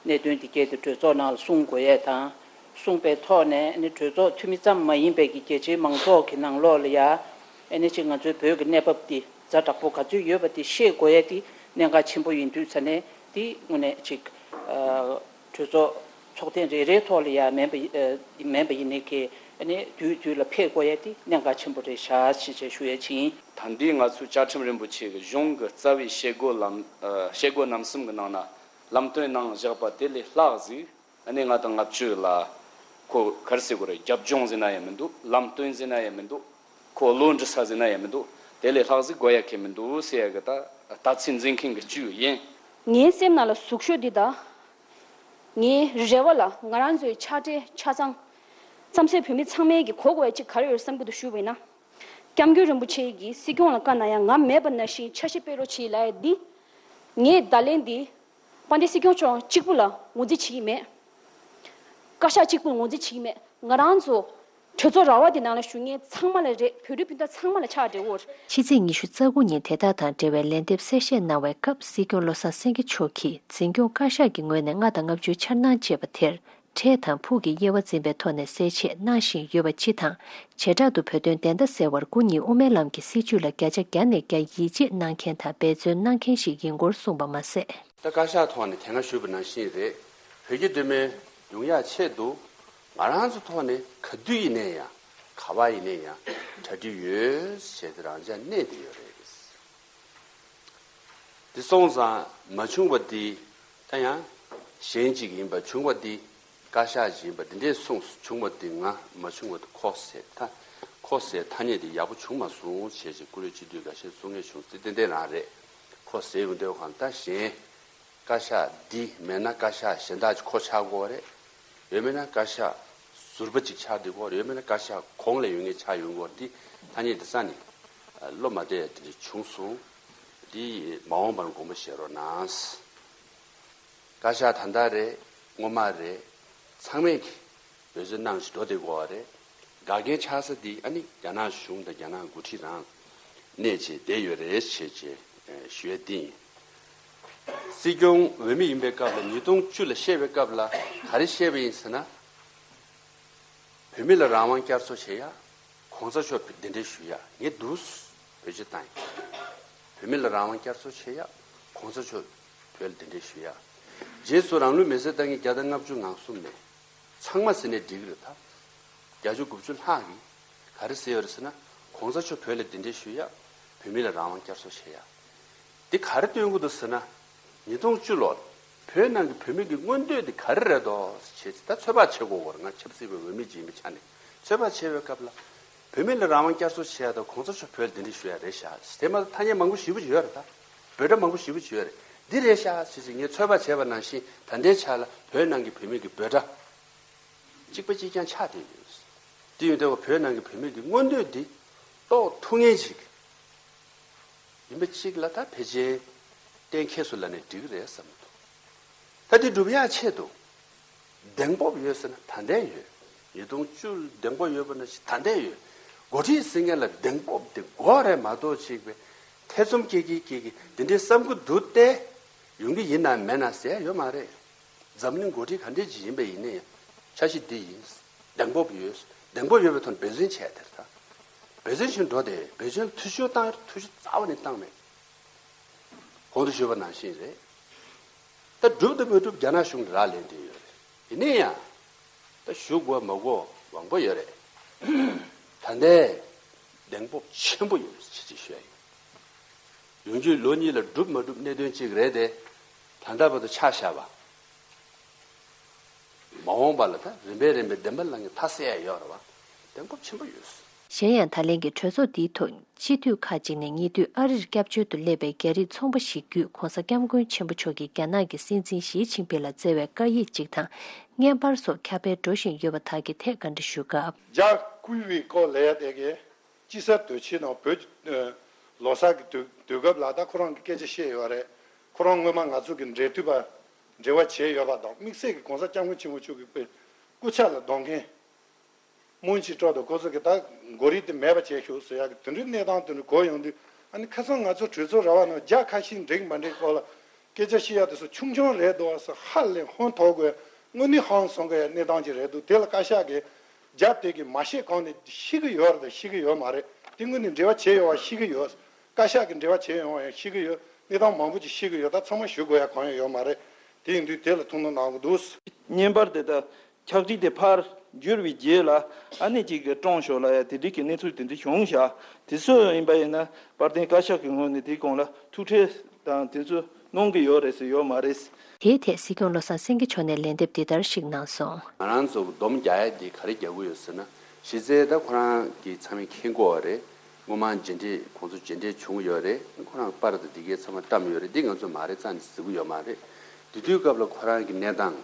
གནད་དོན་འདི་གས་དེ་གྲོས་ཚོགས་ནང་ལ་གསུང་དགོས་ཡས་དང་། གསུངས་པའི་ཐོག་ནས་ནི་གྲོས་ཚོགས་འཐུས་མི་ཙམ་མ་ཡིན་པའི་གི་རྒྱ་ཆེའི་མང་ཚོགས་ཀྱི་ནང་ལོགས་ལ་ཡ། ཨ་ནི་ཅིག་ང་ཚོའི་བོད་ཀྱི་གནས་བབ་འདི་ཛ་དྲག་པོ་ག་ཚོད་ཡོད་པ་དེ་ཤེས་དགོས་ཡས་དེ་གནད་འགག་ཆེན་པོ་ཡིན་དུས་ཙ་ནས་དེ་དངོས་གནས་ཅིག་ཨ་གྲོས་ཚོགས་ཚོགས་ཐེངས་རེ་རེའི་ཐོག་ལ་ཡ་མིན་པ་ཨ་མིན་པ་ཡིན་ནའི་གི་ཨ་ནི་དུས་དུས་ལ་ཕེབས་དགོས་ཡས་དེ་གནད་འགག་ཆེན་པོ་རེད་ཤག་ཞེས་བྱས་ཞུ་ཡས་ཅིག་ཡིན། ད་འདི་ང་ཚོའི་བཅའ་ཁྲིམས་རིན་པོ་ཆེ་གི་གཞུང་གི་རྩ་བའི་བྱེད་སྒོ་ལམ་ཨ་བྱེད་སྒོ་རྣམ་གསུམ་གི་ནང་ན་ལམ་སྟོན་གནང་བཞག་པ་དེ་ལས་ལྷག་ཟིག་ཨ་ནི་ལྔ་དང་ལྔ་བཅུ་ལ་ཁོ་ག་རེ་ཟེར་དགོས་རེད། རྒྱབ་ལྗོངས་ཟེར་ན་ཡང་མི་འདུག་ལམ་སྟོན་ཟེར་ན་ཡང་མི་འདུག་ཁོ་བློ་འདྲི་ས་ཟེར་ན་ཡང་མི་འདུག་དེ་ལས་ལྷག་ཟིག་དགོས་ཡ་གི་མི་འདུག་ཟེར་ཡ་གི་ད་ལྟ་ཚུལ་འཛིན་མཁན་གི་གཅིག་ཡིན། ངའི་སེམས་ནང་ལ་ཟུག་ཤོས་འདི་དང་། ངའི་རེ་བ་ལ་ང་རང་ཚོའི་ཕྱག་སྦྲེལ་ཆ་ཚང་། རྩམ་ཟན་བོད་མི་ཚང་མས་ཀྱི་གོ་དགོས་ཡ་གཅིག་ག་རེ་ཡོད་བསམ་གྱི་འདུག་ཞུས་པ་ཡིན་ན། སྐྱབས་མགོན་རིན་པོ་ཆེ་གིས་སྲིད་སྐྱོང་ལ་བཀའ་གནང་ཡ་ང་མེད་པ་ནང་བཞིན་འཆར་གཞི་སྤེལ་རོགས་བྱེད་ལབ་ཡ་འདི། ངས་བརྡ་ལན་འདི། དཔལ་ལྡན་སྲིད་སྐྱོང་མཆོག་གཅིག་པུ་ལ་ངོས་འཛིན་བྱེད་ཀྱི་མེད། བཀའ་ཤག་གཅིག་པུ་ལ་ངོས་འཛིན་བྱེད་ཀྱི་མེད། ང་རང་ཚོ་གྲོས་ཚོགས་ར་བ་དེ་ནང་ལ་བཞུགས་མཁན་ཚང་མ་ལ་རེད། བོད་རིགས་སྤུན་ཟླ་ཚང་མ་ལ་ཕྱག་འབྲེལ་འོར། ཕྱི་ཚེས་ཉི་ཤུ་རྩ་དགུ་ཉིན་དེ་དག་དང་འབྲེལ་བའི་ལན་འདེབས་གསལ་བཤད་གནང་བའི་སྐབས་སྲིད་སྐྱོང་བློ་བཟང་སེང་གེ་མཆོག་གིས་འཛིན་སྐྱོང་བཀའ་ཤག་གི་ངོས་ནས་ལྔ་དང་ལྔ་བཅུའི་འཆར་སྣང་ཅེས་པ་དེར། འཕྲལ་དང་ཕུགས་ཀྱི་དབྱེ་བ་འཛིན་པའི་ཐོག་ནས་གསལ་བཤད་གནང་བཞིན་ཡོད་པ་སྤྱི་དང་། བྱེ་བྲག་ཏུ་བོད་དོན་བདེན་མཐའ་གསལ་བར་སྐུ་ཉིད་དབུ་མའི་ལམ་གྱི་སྲིད་བྱུས་ལ་བརྒྱ་ཆ་བརྒྱ་ནས་བརྒྱ་ཡིད་ཆེས་གནང་མཁན་དང་འབད་བརྩོན་གནང་མཁན་ཞིག་ཡིན་སྐོར་གསུངས་པ་མ་ཟད། ད་བཀའ་ཤག་ཐོག་ནས་དེ་སྔ་ཞུས་པ་ནང་བཞིན་རེད། བོད་ཀྱི་གདོད་མའི་ཡོང་ཡག་ཆེད་དུ་ང་རང་ཚོ་ཐོག་ནས་ག་དུས་ཡིན་ནའི་ཡང་ག་བ་ཡིན་ནའི་ཡང་གྲ་སྒྲིག་ཡོད་ཞེས་དེ་རང་འཇགས་གནས་བསྡད་ཡོད་རེད། དེ་སོང་ཙང་མ་བྱུང་བ་དེ་ད་ཡང་གཞན་ཅིག་ཡིན་པ། བྱུང་བ་དེ་བཀའ་ཤག་ཅིག་ཡིན་པ། དེ་འདྲས་གསུངས། བྱུང་བ་དེ་ང་མ་བྱུང་བ་དེ་ཁོ་ཟེར། ད་ཁོ་ཟེར་ཐ་སྙད་དེ་ཡག་པོ་བྱུང་མ་སོང་བྱས་ཅིག་བཀུར་འོས་སྤྱི་འཐུས་འགའ་ཤས་གསུང་མཁན་བྱུང་། དེ་ཏན་ཏན་རང་རེད། ཁོ་ཟེར་ཡོང་དུས་གང་ལྟར་གཞན། བཀའ་ཤག་འདི་མེད་ན་བཀའ་ཤག་གཞན་དག་ཅིག་ཁོ་ཆགས་དགོས་རེད། ཡོད་མེད་ན་བཀའ་ཤག་ཟུར་པ་ཅིག་ཆགས་བསྡད་དགོས་རེད། ཡོད་མེད་ན་བཀའ་ཤག་གོང་ལ་ཡོད་མཁན་ཆགས་ཡོང་དགོས་རེད། འདི་ཐ་སྙད་འདི་རྩ་ནས་བློ་མ་བདེ་ཡ་དེ་འདྲ་བྱུང་སོང་། འདི་མ་འོངས་པར་དགོངས་པ་བཞེས་རོགས་གནང་། བཀའ་ཤག་ད་ལྟ་རེད། སྔོན་མ་རེད། ཚང་མས་ཀྱི་འབད་བརྩོན་གནང་བཞིན་འགྲོ་བསྡད་དགོས་པ་རེད། འགལ་རྐྱེན་ཆགས་ས་འདི་ཨ་ནི་རྒྱ་ནག་གཞུང་དང་རྒྱ་ནག་འགོ་ཁྲིད་རང་གནས་བྱས་བསྡད་ཡོད་རེད་ཞེས་བྱས་ཞུ་ཡ་འདི་ཡིན། སྲིད་སྐྱོང་འོས་མི་ཡིན་པའི་སྐབས་ལ། ཉིས་སྟོང་བཅུ་ལ་བཤད་པའི་སྐབས་ལ་ག་རེ་བཤད་པ་ཡིན་ཟེར་ན། བོད་མི་ལ་རང་དབང་བསྐྱར་གསོ་བྱེད་ཡ། གོང་ས་མཆོག་གདན་འདྲེན་ཞུ་ཡ། ངས་འདུག་བེད་སྤྱོད་བཏང་ཡ། བོད་མི་ལ་རང་དབང་བསྐྱར་གསོ་བྱེད་ཡ། གོང་ས་མཆོག་བོད་ལ་གདན་འདྲེན་ཞུ་ཡ། རྗེས་སུ་རང་ལུས་མེར་སྲེག་བཏང་མཁན་བརྒྱ་དང་ལྔ་བཅུ་ང་གསུམ་མེད། ཚང་མ་ཟེར་ནས་འགྲིག་གི་རེད་ད། བརྒྱད་ཅུ་གོ་བཅུ་ལྷག་གིས་ག་རེ་ཟེར་ཡོད་རེད་ཟེར་ན། གོང་ས་མཆོག་བོད་ལ་གདན་འདྲེན་ཞུ་ཡ། བོད་མི་ལ་རང་དབང་བསྐྱར་གསོ་བྱེད་ཡ། འདི་ག་རེ་སྟོན་གྱི་འདུག་ཟེར་ན། ཉིས་སྟོང་བཅུ་ལོར་བོད་ནང་གི་བོད་མི་གི་མངོན་འདོད་འདི་ག་རེ་རེད་དོ་ཞེས་ད་ཚོད་དཔག་བྱེད་དགོས་ཀྱི་རེད། ང་ཆབ་སྲིད་པའི་འོས་མི་ཅིག་ཡིན་པའི་ཆ་ནས་ཚོད་དཔག་བྱེད་པའི་སྐབས་ལ། བོད་མི་ལ་རང་དབང་བསྐྱར་གསོ་བྱེད་ཡ་དང་གོང་ས་མཆོག་བོད་ལ་གདན་འདྲེན་ཞུ་ཡ་རེད་ཤག་དེ་མ་གཏོགས་ཐ་སྙད་མང་པོ་ཞེ་པོ་ཅིག་ཡོད་རེད་ད། འབོད་སྒྲ་མང་པོ་ཞེ་པོ་ཅིག་ཡོད་རེད། འདི་རེད་ཤག་ཞེས་ཞེས་ངས་ཚོད་དཔག་བྱས་པ་ནང་བཞིན་ད་ལྟའི་ཆ་ལ་བོད་ནང་གི་བོད་མི་གི་འབོད་སྒྲ་གཅིག་པ་གཅིག་རྐྱང་ཆགས་བསྡད་ཡོད། དེ་ཡིན་དུས་བོད་ནང་གི་བོད་མི་གི་མངོན་འདོད་འདི་རྟོགས་ཐུབ་མཁན་ཅིག་ཡིན་པ་གཅིག་ལ་ད་ཕལ་ཆེར་གཏན་འཁེལ་སོང་ལབ་ནས་འགྲིག་གི་རེད་བསམ་གྱི་འདུག་ད་འདི་སྒྲུབ་ཡག་ཆེད་དུ་གདེང་སྤོབས་ཡོད་ཟེར་ན་ད་ལྟའི་ཡོད། ཉིས་སྟོང་བཅུ་གདེང་སྤོབས་ཡོད་པ་ནང་བཞིན་ད་ལྟའི་ཡོད། འགོ་ཁྲིད་ཟེར་མཁན་ལ་གདེང་སྤོབས་དེ་དགོས་རེད་མ་གཏོགས་ཅིག་པའི་ཐེ་ཚོམ་སྐྱེ་གི་སྐྱེ་གི་འདི་འདྲའི་བསམ་གྱི་འདུག་སྟེ། ཡོང་གི་ཡིན་ནམ་མེད་ན་ཟེར་ཡ་ཡོད་མ་རེད། འཛམ་གླིང་འགོ་ཁྲིད་ག་འདྲས་ཅིག་ཡིན་པ་ཡིན་ནའི་འཆར་གཞི་འདི་ཡིན། གདེང་སྤོབས་ཡོད། གདེང་སྤོབས་ཡོད་པའི་ཐོག་ནས་འབད་བརྩོན་བྱས་དེར་ད། འབད་བརྩོན་བྱས་འགྲོ་དེ་འབད་བརྩོན་ལ་ཐུགས་ཤུགས་བཏང་ཡ་ཐུགས་ཤུགས་རྩ་བ་ནས་བཏང་མེད། གོང་དུ་ཞུས་པ་ནང་བཞིན་རེད། ད་སྒྲུབ་དང་མ་སྒྲུབ་རྒྱ་ནག་གཞུང་ལ་རག་ལས་བསྡད་ཡོད་རེད། ཡིན་ན་ཡང་། ད་ཞུ་དགོས་མ་དགོས་དབང་པོ་ཡོད་རེད། ད་ལྟའི་གདེང་སྤོབས་ཆེན་པོ་ཡོད་ཅེས་ཅིག་ཞུ་ཡ་ཡིན། ཡོང་རྒྱུའི་ལོ་གཉིས་ལ་འགྲུབ་མ་འགྲུབ་གནད་དོན་གཅིག་རེད་དེ། ད་ལྟ་བར་དུ་ཆ་བཞག་པ། མ་འོངས་པ་ལ་ད་རིམ་པས་རིམ་པས་བདེན་པ་ལ་ངས་མཐའ་གསལ་ཡ་ཡོད་རེད་བ། གདེང་སྤོབས་ཆེན་པོ་ཡོད། གཞན་ཡང་ད་ལན་གྱི་གྲོས་ཚོགས་འདིའི་ཐོག་སྤྱི་འཐུས་ཁག་ཅིག་ནས་ཉེ་དུས་ཨ་རིར་སྐྱབས་བཅོལ་དུ་སླེབས་པའི་རྒྱ་རིགས་ཚོང་པ་ཞིག་བརྒྱུད་༧གོང་ས་༧སྐྱབས་མགོན་ཆེན་པོ་མཆོག་གིས་རྒྱ་ནག་གི་སྲིད་འཛིན་ཞི་ཅིན་ཕིང་ལ་བསྩལ་བའི་བཀའ་ཡིག་ཅིག་དང་བརྙན་པར་སོགས་ཁྱབ་སྤེལ་འགྲོ་བཞིན་ཡོད་པ་དག་གི་ཐད་བཀའ་འདྲི་ཞུ་སྐབས། རྒྱ་བསྐུལ་བའི་སྐོར་ལས་དེ་གའི་དཔྱིད་གསར་དུས་ཆེན་དང་བོད་ཀྱི་ལོ་གསར་གྱི་དུས་དུས་སྐབས་ལ་ད་ཁོ་རང་གི་སྐད་ཆ་བཤད་ཡོད་རེད། ཁོ་རང་སྔོན་མ་ང་ཚོ་གི་འབྲེལ་མཐུད་པ་འབྲེལ་བ་བྱས་ཡོད་པ་དང་དམིགས་བསལ་གྱི་༧གོང་ས་༧སྐྱབས་མགོན་ཆེན་པོ་མཆོག་གི་དཔེ་སྐུ་ཕྱྭ་ལ་གདོང་མཁན། སྨོན་ཅིག་སྤྲོ་དང་ཁོ་ཚོ་གི་ད་མགོ་རིལ་དེ་མེད་པ་བྱས་ཤོག་ཟེར་ཡག་གི་དེ་འདྲའི་གནས་སྟངས་དེ་འདྲ་གོ་ཡོང་དུས། ཨ་ནི་ཁ་སང་ང་ཚོ་གྲོས་ཚོགས་ར་བ་ནང་རྒྱ་ཁ་ཤས་འགྲིག་མ་འགྲིག་སྐོར་ལ་སྐད་ཆ་བཤད་ཡག་དེ་ཚོ་ཆུང་ཆུང་རེད་འདུག་བ་ཟེར་ཧ་ལས་ཧོན་ཐོག་དགོས། དངོས་གནས་ཧང་སང་དགོས་ཡག་གནས་སྟངས་ཅིག་རེད་འདུག་དེ་ལ་བཀའ་ཤག་གིས་རྒྱ་དེ་གི་མ་བཤད་གོང་ནས་ཤེས་ཀྱི་ཡོད་རེད་དང་ཤེས་ཀྱི་ཡོད་མ་རེད། དེ་དངོས་གནས་འབྲེལ་བ་བྱས་ཡོད་པ་ཤེས་ཀྱི་ཡོད། བཀའ་ཤག་གིས་འབྲེལ་བ་བྱས་ཡོང་བ་ཡང་ཤེས་ཀྱི་ཡོད། གནས་སྟངས་མང་པོ་ཅིག་ཤེས་ཀྱི་ཡོད། ད་ཚང་མ་ཞུ་དགོས་ཡག་གང་ཡང་ཡོད་མ་རེད། དེ་ཡིན་དུས་དེ་ལ་ཐུགས་སྣང་གནང་དགོས་འདུག་བརྙན་པར་དེ་དག་ཕྱག་བྲིས་དེ་ཕར་བསྒྱུར་བའི་རྗེས་ལ་ཨ་ནེ་གཅིག་གིས་བཀྲོངས་ཤོག་ལབ་ཡ་དེ་འདྲའི་གི་གནས་ཚུལ་དེ་འདྲ་བྱུང་བཞག་དེ་ཚོ་ཡིན་པ་ཡིན་ན་དཔལ་ལྡན་བཀའ་ཤག་གི་ངོས་ནས་དེའི་གོང་ལ་ཐུགས་ཁྲལ་དང་དེ་ཚོ་གནང་གི་ཡོད་རེད་ཟེར་ཡོད་མ་རེད། དེའི་ཐད་སྲིད་སྐྱོང་བློ་བཟང་སེང་གེ་མཆོག་ནས་ལན་འདེབས་འདི་ལྟར་ཞིག་གནང་སོང་། ང་རང་ཚོ་སྡོམ་རྒྱག་ཡ་འདི་ག་རེ་རྒྱག་གི་ཡོད་ཟེར་ན། གཞི་རྩའི་ད་ཁོ་རང་གི་ཚང་མས་མཁྱེན་གྱི་ཡོད་རེད། སྔོན་མ་མཇལ་འཕྲད་ཁོང་ཚོ་མཇལ་འཕྲད་བྱུང་ཡོད་རེད། ཁོ་རང་པར་དང་འདི་གའི་ཚང་མ་བཀྲམ་ཡོད་རེད། འདི་ང་ཚོ་མ་རེད་རྩ་ནས་གཟིགས་ཀྱི་ཡོད་མ་རེད། དེ་དུས་སྐབས་ལ་ཁོ་རང་གི་གནས་སྟངས།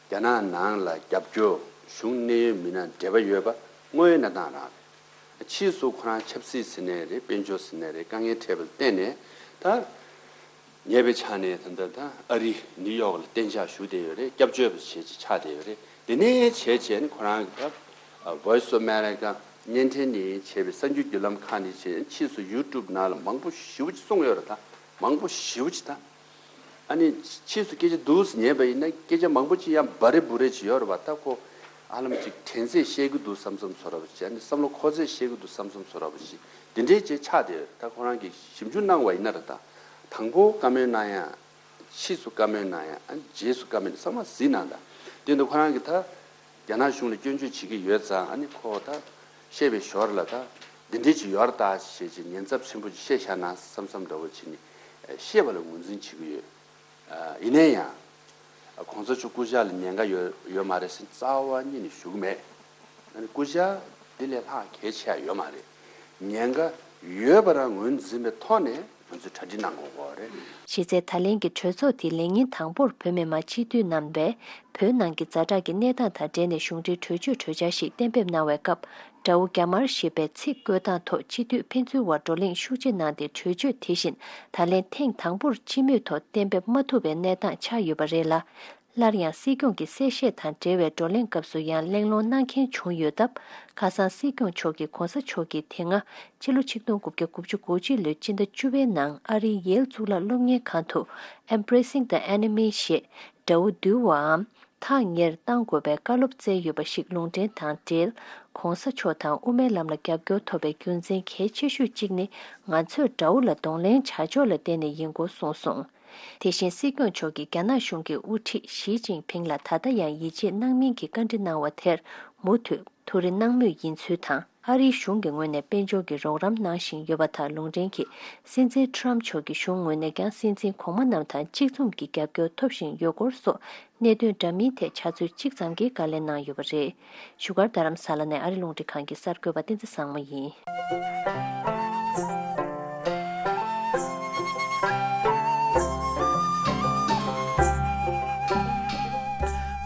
རྒྱ་ནག་ནང་ལ་རྒྱབ་སྐྱོར། གཞུང་གནད་ཡོད་མི་སྣ་འབྲེལ་བ་ཡོད་པ་དངོས་ཡོད་གནས་སྟངས་རང་རེད། ཕྱིས་སུ་ཁོ་རང་ཆབ་སྲིད་ཟེར་ནའི་རེད། དཔལ་འབྱོར་ཟེར་ནའི་རེད། དཀའ་ངལ་འཕྲད་པ་ལ་བརྟེན་ནས་ད་ཉེ་བའི་ཆར་ནས་ད་ལྟ་ད་ཨ་རི་ནིའུ་ཡོག་ལ་གཏན་འཇགས་བཞུགས་བསྡད་ཡོད་རེད། སྐྱབས་བཅོལ་བ་བྱས་ཅིག་ཆགས་བསྡད་ཡོད་རེད། དེ་ནས་བྱས་བྱས་ནས་ཁོ་རང་གི་ད་Voice of America བརྙན་འཕྲིན་ནས་བྱས་པའི་གསར་འགྱུར་བརྒྱུད་ལམ་ཁག་ནས་བྱས། ཕྱིས་སུ་ཡུ་ཊུབ་ནང་ལ་མང་པོ་ཞེ་པོ་ཅིག་གསུངས་ཡོད་རེད། ད་མང་པོ་ཞེ་པོ་ཅིག་ད། ཨ་ནི་ཕྱིས་སུ་སྐད་ཆ་འདུག་སེ་ཉན་པ་ཡིན་ན་སྐད་ཆ་མང་པོ་ཅིག་ཡང་འབའ་རེ་འབུ་རེ་ཅིག་ཡོད་རེད་པ། ད་ཁོ་ཧ་ལམ་ཅིག་དྲན་ཚད་ཤེས་ཀྱི་འདུག་བསམ་བསམ་བཟོ་འདྲ་པོ་ཅིག་ཨ་ནི་བསམ་བློ་འཁོར་ཚད་ཤེས་ཀྱི་འདུག་བསམ་བསམ་བཟོ་འདྲ་པོ་ཅིག་འདི་འདྲས་ཅིག་ཆགས་བསྡད་ཡོད་རེད། ད་ཁོ་རང་གིས་ཞིབ་འཇུག་གནང་བ་ཡིན་ན་རེད། ད་དང་པོ་བཀའ་མོལ་གནང་ཡ། ཕྱིས་སུ་བཀའ་མོལ་གནང་ཡ། ཨ་ནི་རྗེས་སུ་བཀའ་མོལ་གནང་ཚང་མ་གཟིགས་གནང་དང་། དེ་འདི་ཁོ་རང་གིས་ད་རྒྱ་ནག་གཞུང་ལ་སྐྱོན་བརྗོད་བྱེད་ཀྱི་ཡོད་ཙང་། ཨ་ནི་ཁོ་ད་བཤད་པའི་ཞོར་ལ་ད་འདི་འདྲས་ཅིག་ཡོད་རེད་ད་ཞེས་ཅིག་ཉེན་ཚབས་ཆེན་པོ་ཅིག་བཤད་བཞག་ན་བསམ་བསམ་འདྲ་པོ་བྱས་ནས་བཤད་པ་ལ་ངོས་འཛིན་བྱེད་ཀྱི་ཡོད། ཡིན་ན་ཡང་། གོང་ས་མཆོག་སྐུ་ཕྱྭ་ལ་ཉེན་ཁ་ཡོད་ཡོད་མ་རེད་ཟེར་རྩ་བ་ཉིད་ནས་ཞུ་གི་མེད། ཨ་ནི་སྐུ་ཕྱྭ་འདི་ལས་ལྷག་གལ་ཆེ་ཡ་ཡོད་མ་རེད། ཉེན་ཁ་ཡོད་པ་རང་ངོས་འཛིན་པའི་ཐོག་ནས་ང་ཚོས་གྲ་སྒྲིག་གནང་དགོས་ཀྱི་རེད། གཞི་རྩའི་ད་ལན་གྱི་གྲོས་ཚོགས་དེ་ལས་ཉིན་དང་པོར་བོད་མི་མང་སྤྱི་འཐུས་རྣམ་པས་བོད་ནང་གི་ཛ་དྲག་གི་གནས་སྟངས་དང་འབྲེལ་ནས་གཞུང་འབྲེལ་གྲོས་ཆོད་གྲོས་འཆར་ཞིག་གཏན་འབེབས་གནང་བའི་སྐབས། དགྲ་བོ་རྒྱ་དམར་ཞེས་པའི་ཚིག་བཀོལ་སྟངས་ཐོག་སྤྱི་འཐུས་ཕན་ཚུན་དབར་བགྲོ་གླེང་ཤུགས་ཆེ་གནང་སྟེ། གྲོས་ཆོད་དེ་བཞིན་ད་ལན་ཐེངས་དང་པོར་སྤྱི་མོས་ཐོག་གཏན་འབེབས་མ་ཐུབ་པའི་གནས་སྟངས་ཆགས་ཡོད་པ་རེད་ལ། སླར་ཡང་སྲིད་སྐྱོང་གི་གསལ་བཤད་དང་འབྲེལ་བའི་བགྲོ་གླེང་སྐབས་སུ་ཡང་གླེང་སློང་གནང་མཁན་བྱུང་ཡོད་སྟབས། ཁ་སང་སྲིད་སྐྱོང་མཆོག་གིས་གོང་ས་མཆོག་གིས་དེ་སྔ་ཕྱི་ལོ་ཆིག་སྟོང་དགུ་བརྒྱ་དགུ་བཅུ་གོ་གཅིག་ལོའི་སྤྱི་ཟླ་བཅུ་པའི་ནང་ཨ་རིའི་ཡེལ་གཙུག་ལག་སློབ་གཉེར་ཁང་དུ་Embracing the Enemy ཞེས་དགྲ་བོ་འདུལ་བའམ། ཐག་ཉེར་གཏང་དགོས་པའི་བཀའ་སློབ་སྩལ་ཡོད་པ་ཞིག་ལུང་འདྲེན་དང་འབྲེལ། གོང་ས་མཆོག་དང་དབུ་མའི་ལམ་ལ་རྒྱབ་སྐྱོར་ཐོབ་པའི་རྒྱུ་མཚན་གལ་ཆེ་ཤོས་གཅིག་ནི། ང་ཚོས་དགྲ་བོ་ལ་གདོང་ལེན་བྱ་ཕྱོགས་ལ་བརྟེན་ནས་ཡིན་སྐོར་གསུངས་སོང་། དེ་བཞིན་སྲིད་སྐྱོང་མཆོག་གིས་རྒྱ་ནག་གཞུང་གི་དབུ་ཁྲིད་ཞི་ཅིན་ཕིང་ལ་ད་ལྟ་ཡང་ཡིད་ཆེས་གནང་མིན་གྱི་བཀའ་འདྲི་གནང་བ་དེར་མུ་མཐུད་ཐུགས་རེ་གནང་མུས་ཡིན་ཚུལ་དང་། ཨ་རིའི་གཞུང་གི་ངོས་ནས་དཔལ་འབྱོར་གྱི་རོགས་རམ་གནང་བཞིན་ཡོད་པ་དང་། ལུང་འདྲེན་གྱིས་སྲིད་འཛིན་ཁྲམ་མཆོག་གི་གཞུང་ངོས་ནས་ཀྱང་སྲིད་འཛིན་གོང་མ་རྣམས་དང་གཅིག་མཚུངས་ཀྱི་རྒྱབ་སྐྱོར་ཐོབ་བཞིན་ཡོད་སྐོར་སོགས་གནད་དོན་འདྲ་མིན་ཐད་ཕྱག་ཚོད་གཅིག་ཙམ་གྱི་བཀའ་ལན་གནང་ཡོད་པ་རེད། བཞུགས་སྒར་རྡ་རམ་ས་ལ་ནས་ཨ་རི་རླུང་འཕྲིན་ཁང་གི་གསར་འགོད་པ་བསྟན་འཛིན་བཟང་མོ་ཡིན།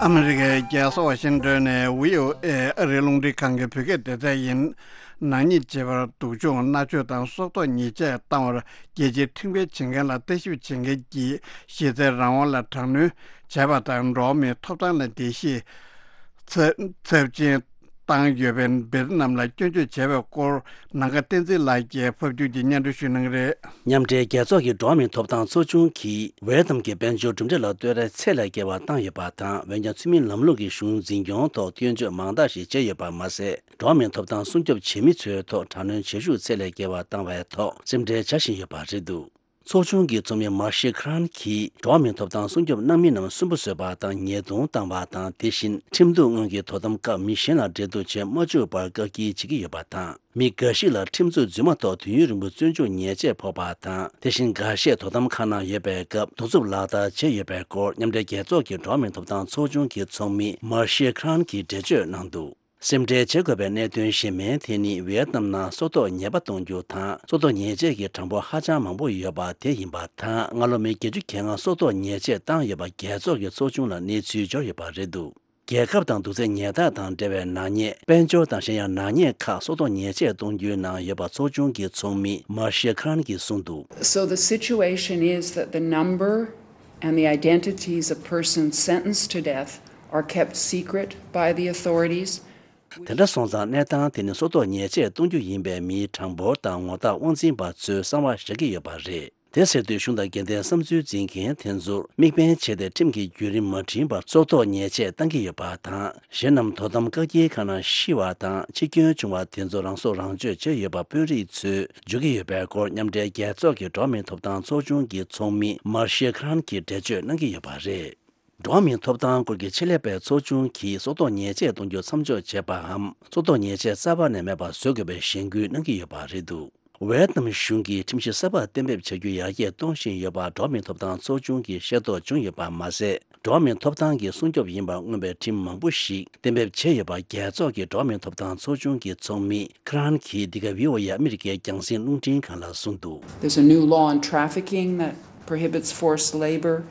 ཨ་མི་རི་ཀའི་རྒྱལ་ས་ཝ་ཤིང་ཏོན་ནས་བྷི་ཨོ་ཨེ་ཨ་རིའི་རླུང་འཕྲིན་ཁང་གི་བོད་སྐད་སྡེ་ཚན་ཡིན། ནག་ཉེས་བྱེད་པར་སྡུག་སྦྱོང་མནར་གཅོད་དང་སྲོག་ཐོག་ཉེས་ཆད་བཏང་བར་རྒྱལ་སྤྱིའི་ཁྲིམས་འགལ་བྱེད་མཁན་ལ་ལྟ་ཞིབ་བྱེད་མཁན་གྱིས་གཞི་རྩའི་རང་དབང་ལ་དྲག་གནོན་བྱས་པ་དང་། འགྲོ་བ་མིའི་ཐོབ་ཐང་ལ་འགྲེལ་བཤད་ཚབས་ཚབས་ཆེན་བཏང་ཡོད་པའི་བེ་ཏི་ནམ་ལ་སྐྱོན་བརྗོད་བྱས་པའི་སྐོར། ནམ་མཁའ་བསྟན་འཛིན་ལགས་ཀྱིས་ཕབ་བསྒྱུར་གྱིས་སྙན་སྒྲོན་ཞུ་གནང་གི་རེད། མཉམ་འབྲེལ་རྒྱལ་ཚོགས་ཀྱི་འགྲོ་བ་མིའི་ཐོབ་ཐང་ཚོགས་ཆུང་གིས་ཝེ་ཏམ་གྱི་དཔལ་འབྱོར་གྲུབ་འབྲས་ལ་གཏོད་རེས་ཚད་ལས་བརྒལ་བ་བཏང་ཡོད་པ་དང་། འོན་ཀྱང་ཚུལ་མིན་ལམ་ལུགས་ཀྱི་གཞུང་འཛིན་སྐྱོང་ཐོག་སྐྱོན་བརྗོད་མང་དག་ཞིག་བྱས་ཡོད་པ་མ་ཟད། འགྲོ་བ་མིའི་ཐོབ་ཐང་སྲུང་སྐྱོབ་བྱེད་མི་ཚོའི་ཐོག་དྲག་གནོན་བྱེད་ཤུགས་ཚད་ལས་བརྒལ་བ་བཏང་བའི་ཐོག་སེམས་ཁྲལ་བྱ་བཞིན་ཡོད་པ་རེད་འདུག། ཚོགས་ཆུང་གི་ཚོགས་མི་མར་ཤེ་ཁྲན་གྱིས་འགྲོ་བ་མིའི་ཐོབ་ཐང་སྲུང་སྐྱོབ་གནང་མི་རྣམས་སུན་པོ་བཟོས་པ་དང་ཉེས་རྡུང་བཏང་བ་དང་། དེ་བཞིན་ཁྲིམས་གཏུག་སྔོན་གྱི་དོ་དམ་སྐབས་མི་གཞན་ལ་འབྲེལ་གཏུག་བྱེད་མ་བཅུག་པར་བཀག་སྐྱིལ་བྱེད་ཀྱི་ཡོད་པ་དང་། མི་འགའ་ཞིག་ལ་ཁྲིམས་རྩོད་རྫུན་མ་ཐོག་དུས་ཡུན་རིང་པོ་བཙོན་འཇུག་ཉེས་ཆད་ཕོག་པ་དང་། དེ་བཞིན་འགའ་ཤས་དོ་དམ་ཁང་ནང་ཡོད་པའི་སྐབས་གདུག་རྩུབ་ལག་བསྟར་བྱས་ཡོད་པའི་སྐོར་མཉམ་འབྲེལ་རྒྱལ་ཚོགས་ཀྱི་འགྲོ་བ་མིའི་ཐོབ་ཐང་ཚོགས་ཆུང་གི་ཚོགས་མི་མར་ཤེ་ཁྲན་གྱིས་འགྲེལ་བརྗོད་གནང་འདུག་སེམས་ཁྲལ་བྱེད་དགོས་པའི་གནད་དོན་གཞན་མའི་ཐད་ནི། ཝེ་ཏི་ནམ་ནང་སྲོག་ཐོག་ཉེས་པ་གཏོང་རྒྱུ་དང་སྲོག་ཐོག་ཉེས་ཆད་ཀྱི་གྲངས་འབོར་ཧ་ཅང་མང་པོ་ཡོད་པ་དེ་ཡིན་པ་དང་། སྔ་ལོ་མི་བརྒྱད་ཅུ་གྱ་ལྔ་སྲོག་ཐོག་ཉེས་ཆད་བཏང་ཡོད་པ་རྒྱལ་ཚོགས་ཀྱི་ཚོགས་ཆུང་ལ་གནས་ཚུལ་འབྱོར་ཡོད་པ་རེད་འདུག་རྒྱལ་ཁབ་དང་དུག་རྫས་ཉལ་ཐག་དང་འབྲེལ་བའི་ནག་ཉེས། དཔལ་འབྱོར་དང་གཞན་ཡང་ནག་ཉེས་ཁག་སྲོག་ཐོག་ཉེས་ཆད་གཏོང་རྒྱུའི་ནང་ཡོད་པ་ཚོགས་ཆུང་གི་ཚོགས་མི་མར་ཤེ་ཁྲན་གྱིས་གསུངས་འདུག So the situation is that the number and the identities of persons sentenced to death are kept secret by the authorities. དེ་འདྲ་སོང་ཙང་གནས་སྟངས་དེ་ནི་སྲོག་ཐོག་ཉེས་ཆད་གཏོང་རྒྱུ་ཡིན་པའི་མིའི་གྲངས་འབོར་དང་ངོ་རྟགས་དབང་འཛིན་པ་ཚོས་གསང་བ་བཞག་གི་ཡོད་པ་རེད། དེ་ཟེར་དུས་གཞུང་དང་འགལ་ཟླའི་བསམ་ཚུལ་འཛིན་མཁན་དེ་ཚོར་དམིགས་འབེན་བྱས་ཏེ་ཁྲིམས་ཀྱི་བརྒྱུད་རིམ་མ་འགྲིམས་པར་སྲོག་ཐོག་ཉེས་ཆད་གཏང་གི་ཡོད་པ་དང་། གཞན་རྣམས་དོ་དམ་བཀག་སྐྱིལ་ཁང་ནང་ཤི་བ་དང་འཆི་སྐྱོན་བྱུང་བ་དེ་ཚོ་རང་སྲོག་རང་གཅོད་བྱས་ཡོད་པ་དཔོན་རིགས་ཚོས་བརྗོད་ཀྱི་ཡོད་པའི་སྐོར་མཉམ་འབྲེལ་རྒྱལ་ཚོགས་ཀྱི་འགྲོ་བ་མིའི་ཐོབ་ཐང་ཚོགས་ཆུང་གི་ཚོགས་མི་མར་ཤེ་ཁྲན་གྱིས་འགྲེལ་བརྗོད་གནང་གི་ཡོད་པ་རེད། འགྲོ་བ་མིའི་ཐོབ་ཐང་སྐོར་གྱི་ཆེད་ལས་པའི་ཚོགས་ཆུང་གིས་སྲོག་ཐོག་ཉེས་ཆད་གཏོང་རྒྱུ་མཚམས་འཇོག་བྱས་པའམ། སྲོག་ཐོག་ཉེས་ཆད་རྩ་བ་ནས་མེད་པ་བཟོ་དགོས་པའི་གཞེན་སྐུལ་གནང་གི་ཡོད་པ་རེད་འདུག་ཝེ་ཏི་ནམ་གཞུང་གིས་ཁྲིམས་གཞི་གསར་པ་གཏན་འབེབས་བྱ་རྒྱུ་ཡར་རྒྱས་གཏོང་བཞིན་ཡོད་པ་འགྲོ་བ་མིའི་ཐོབ་ཐང་ཚོགས་ཆུང་གིས་ཤེས་རྟོགས་བྱུང་ཡོད་པ་མ་ཟད། འགྲོ་བ་མིའི་ཐོབ་ཐང་གི་སྲུང་སྐྱོབ་ཡིན་པར་མངོན་པའི་ཁྲིམས་མང་པོ་ཞིག་གཏན་འབེབས་བྱས་ཡོད་པ་རྒྱལ་ཚོགས་ཀྱི་འགྲོ་བ་མིའི་ཐོབ་ཐང་ཚོགས་ཆུང་གི་ཚོགས་མི་ཁྲན་གྱིས་འདི་ག་བྷི་ཨོ་ཨེ་ཨ་མི་རི་ཀའི་རྒྱང་སྲིང་རླུང་འཕྲིན་ཁང་ལ་གསུངས་འདུག There's a new law on trafficking that prohibits forced labor.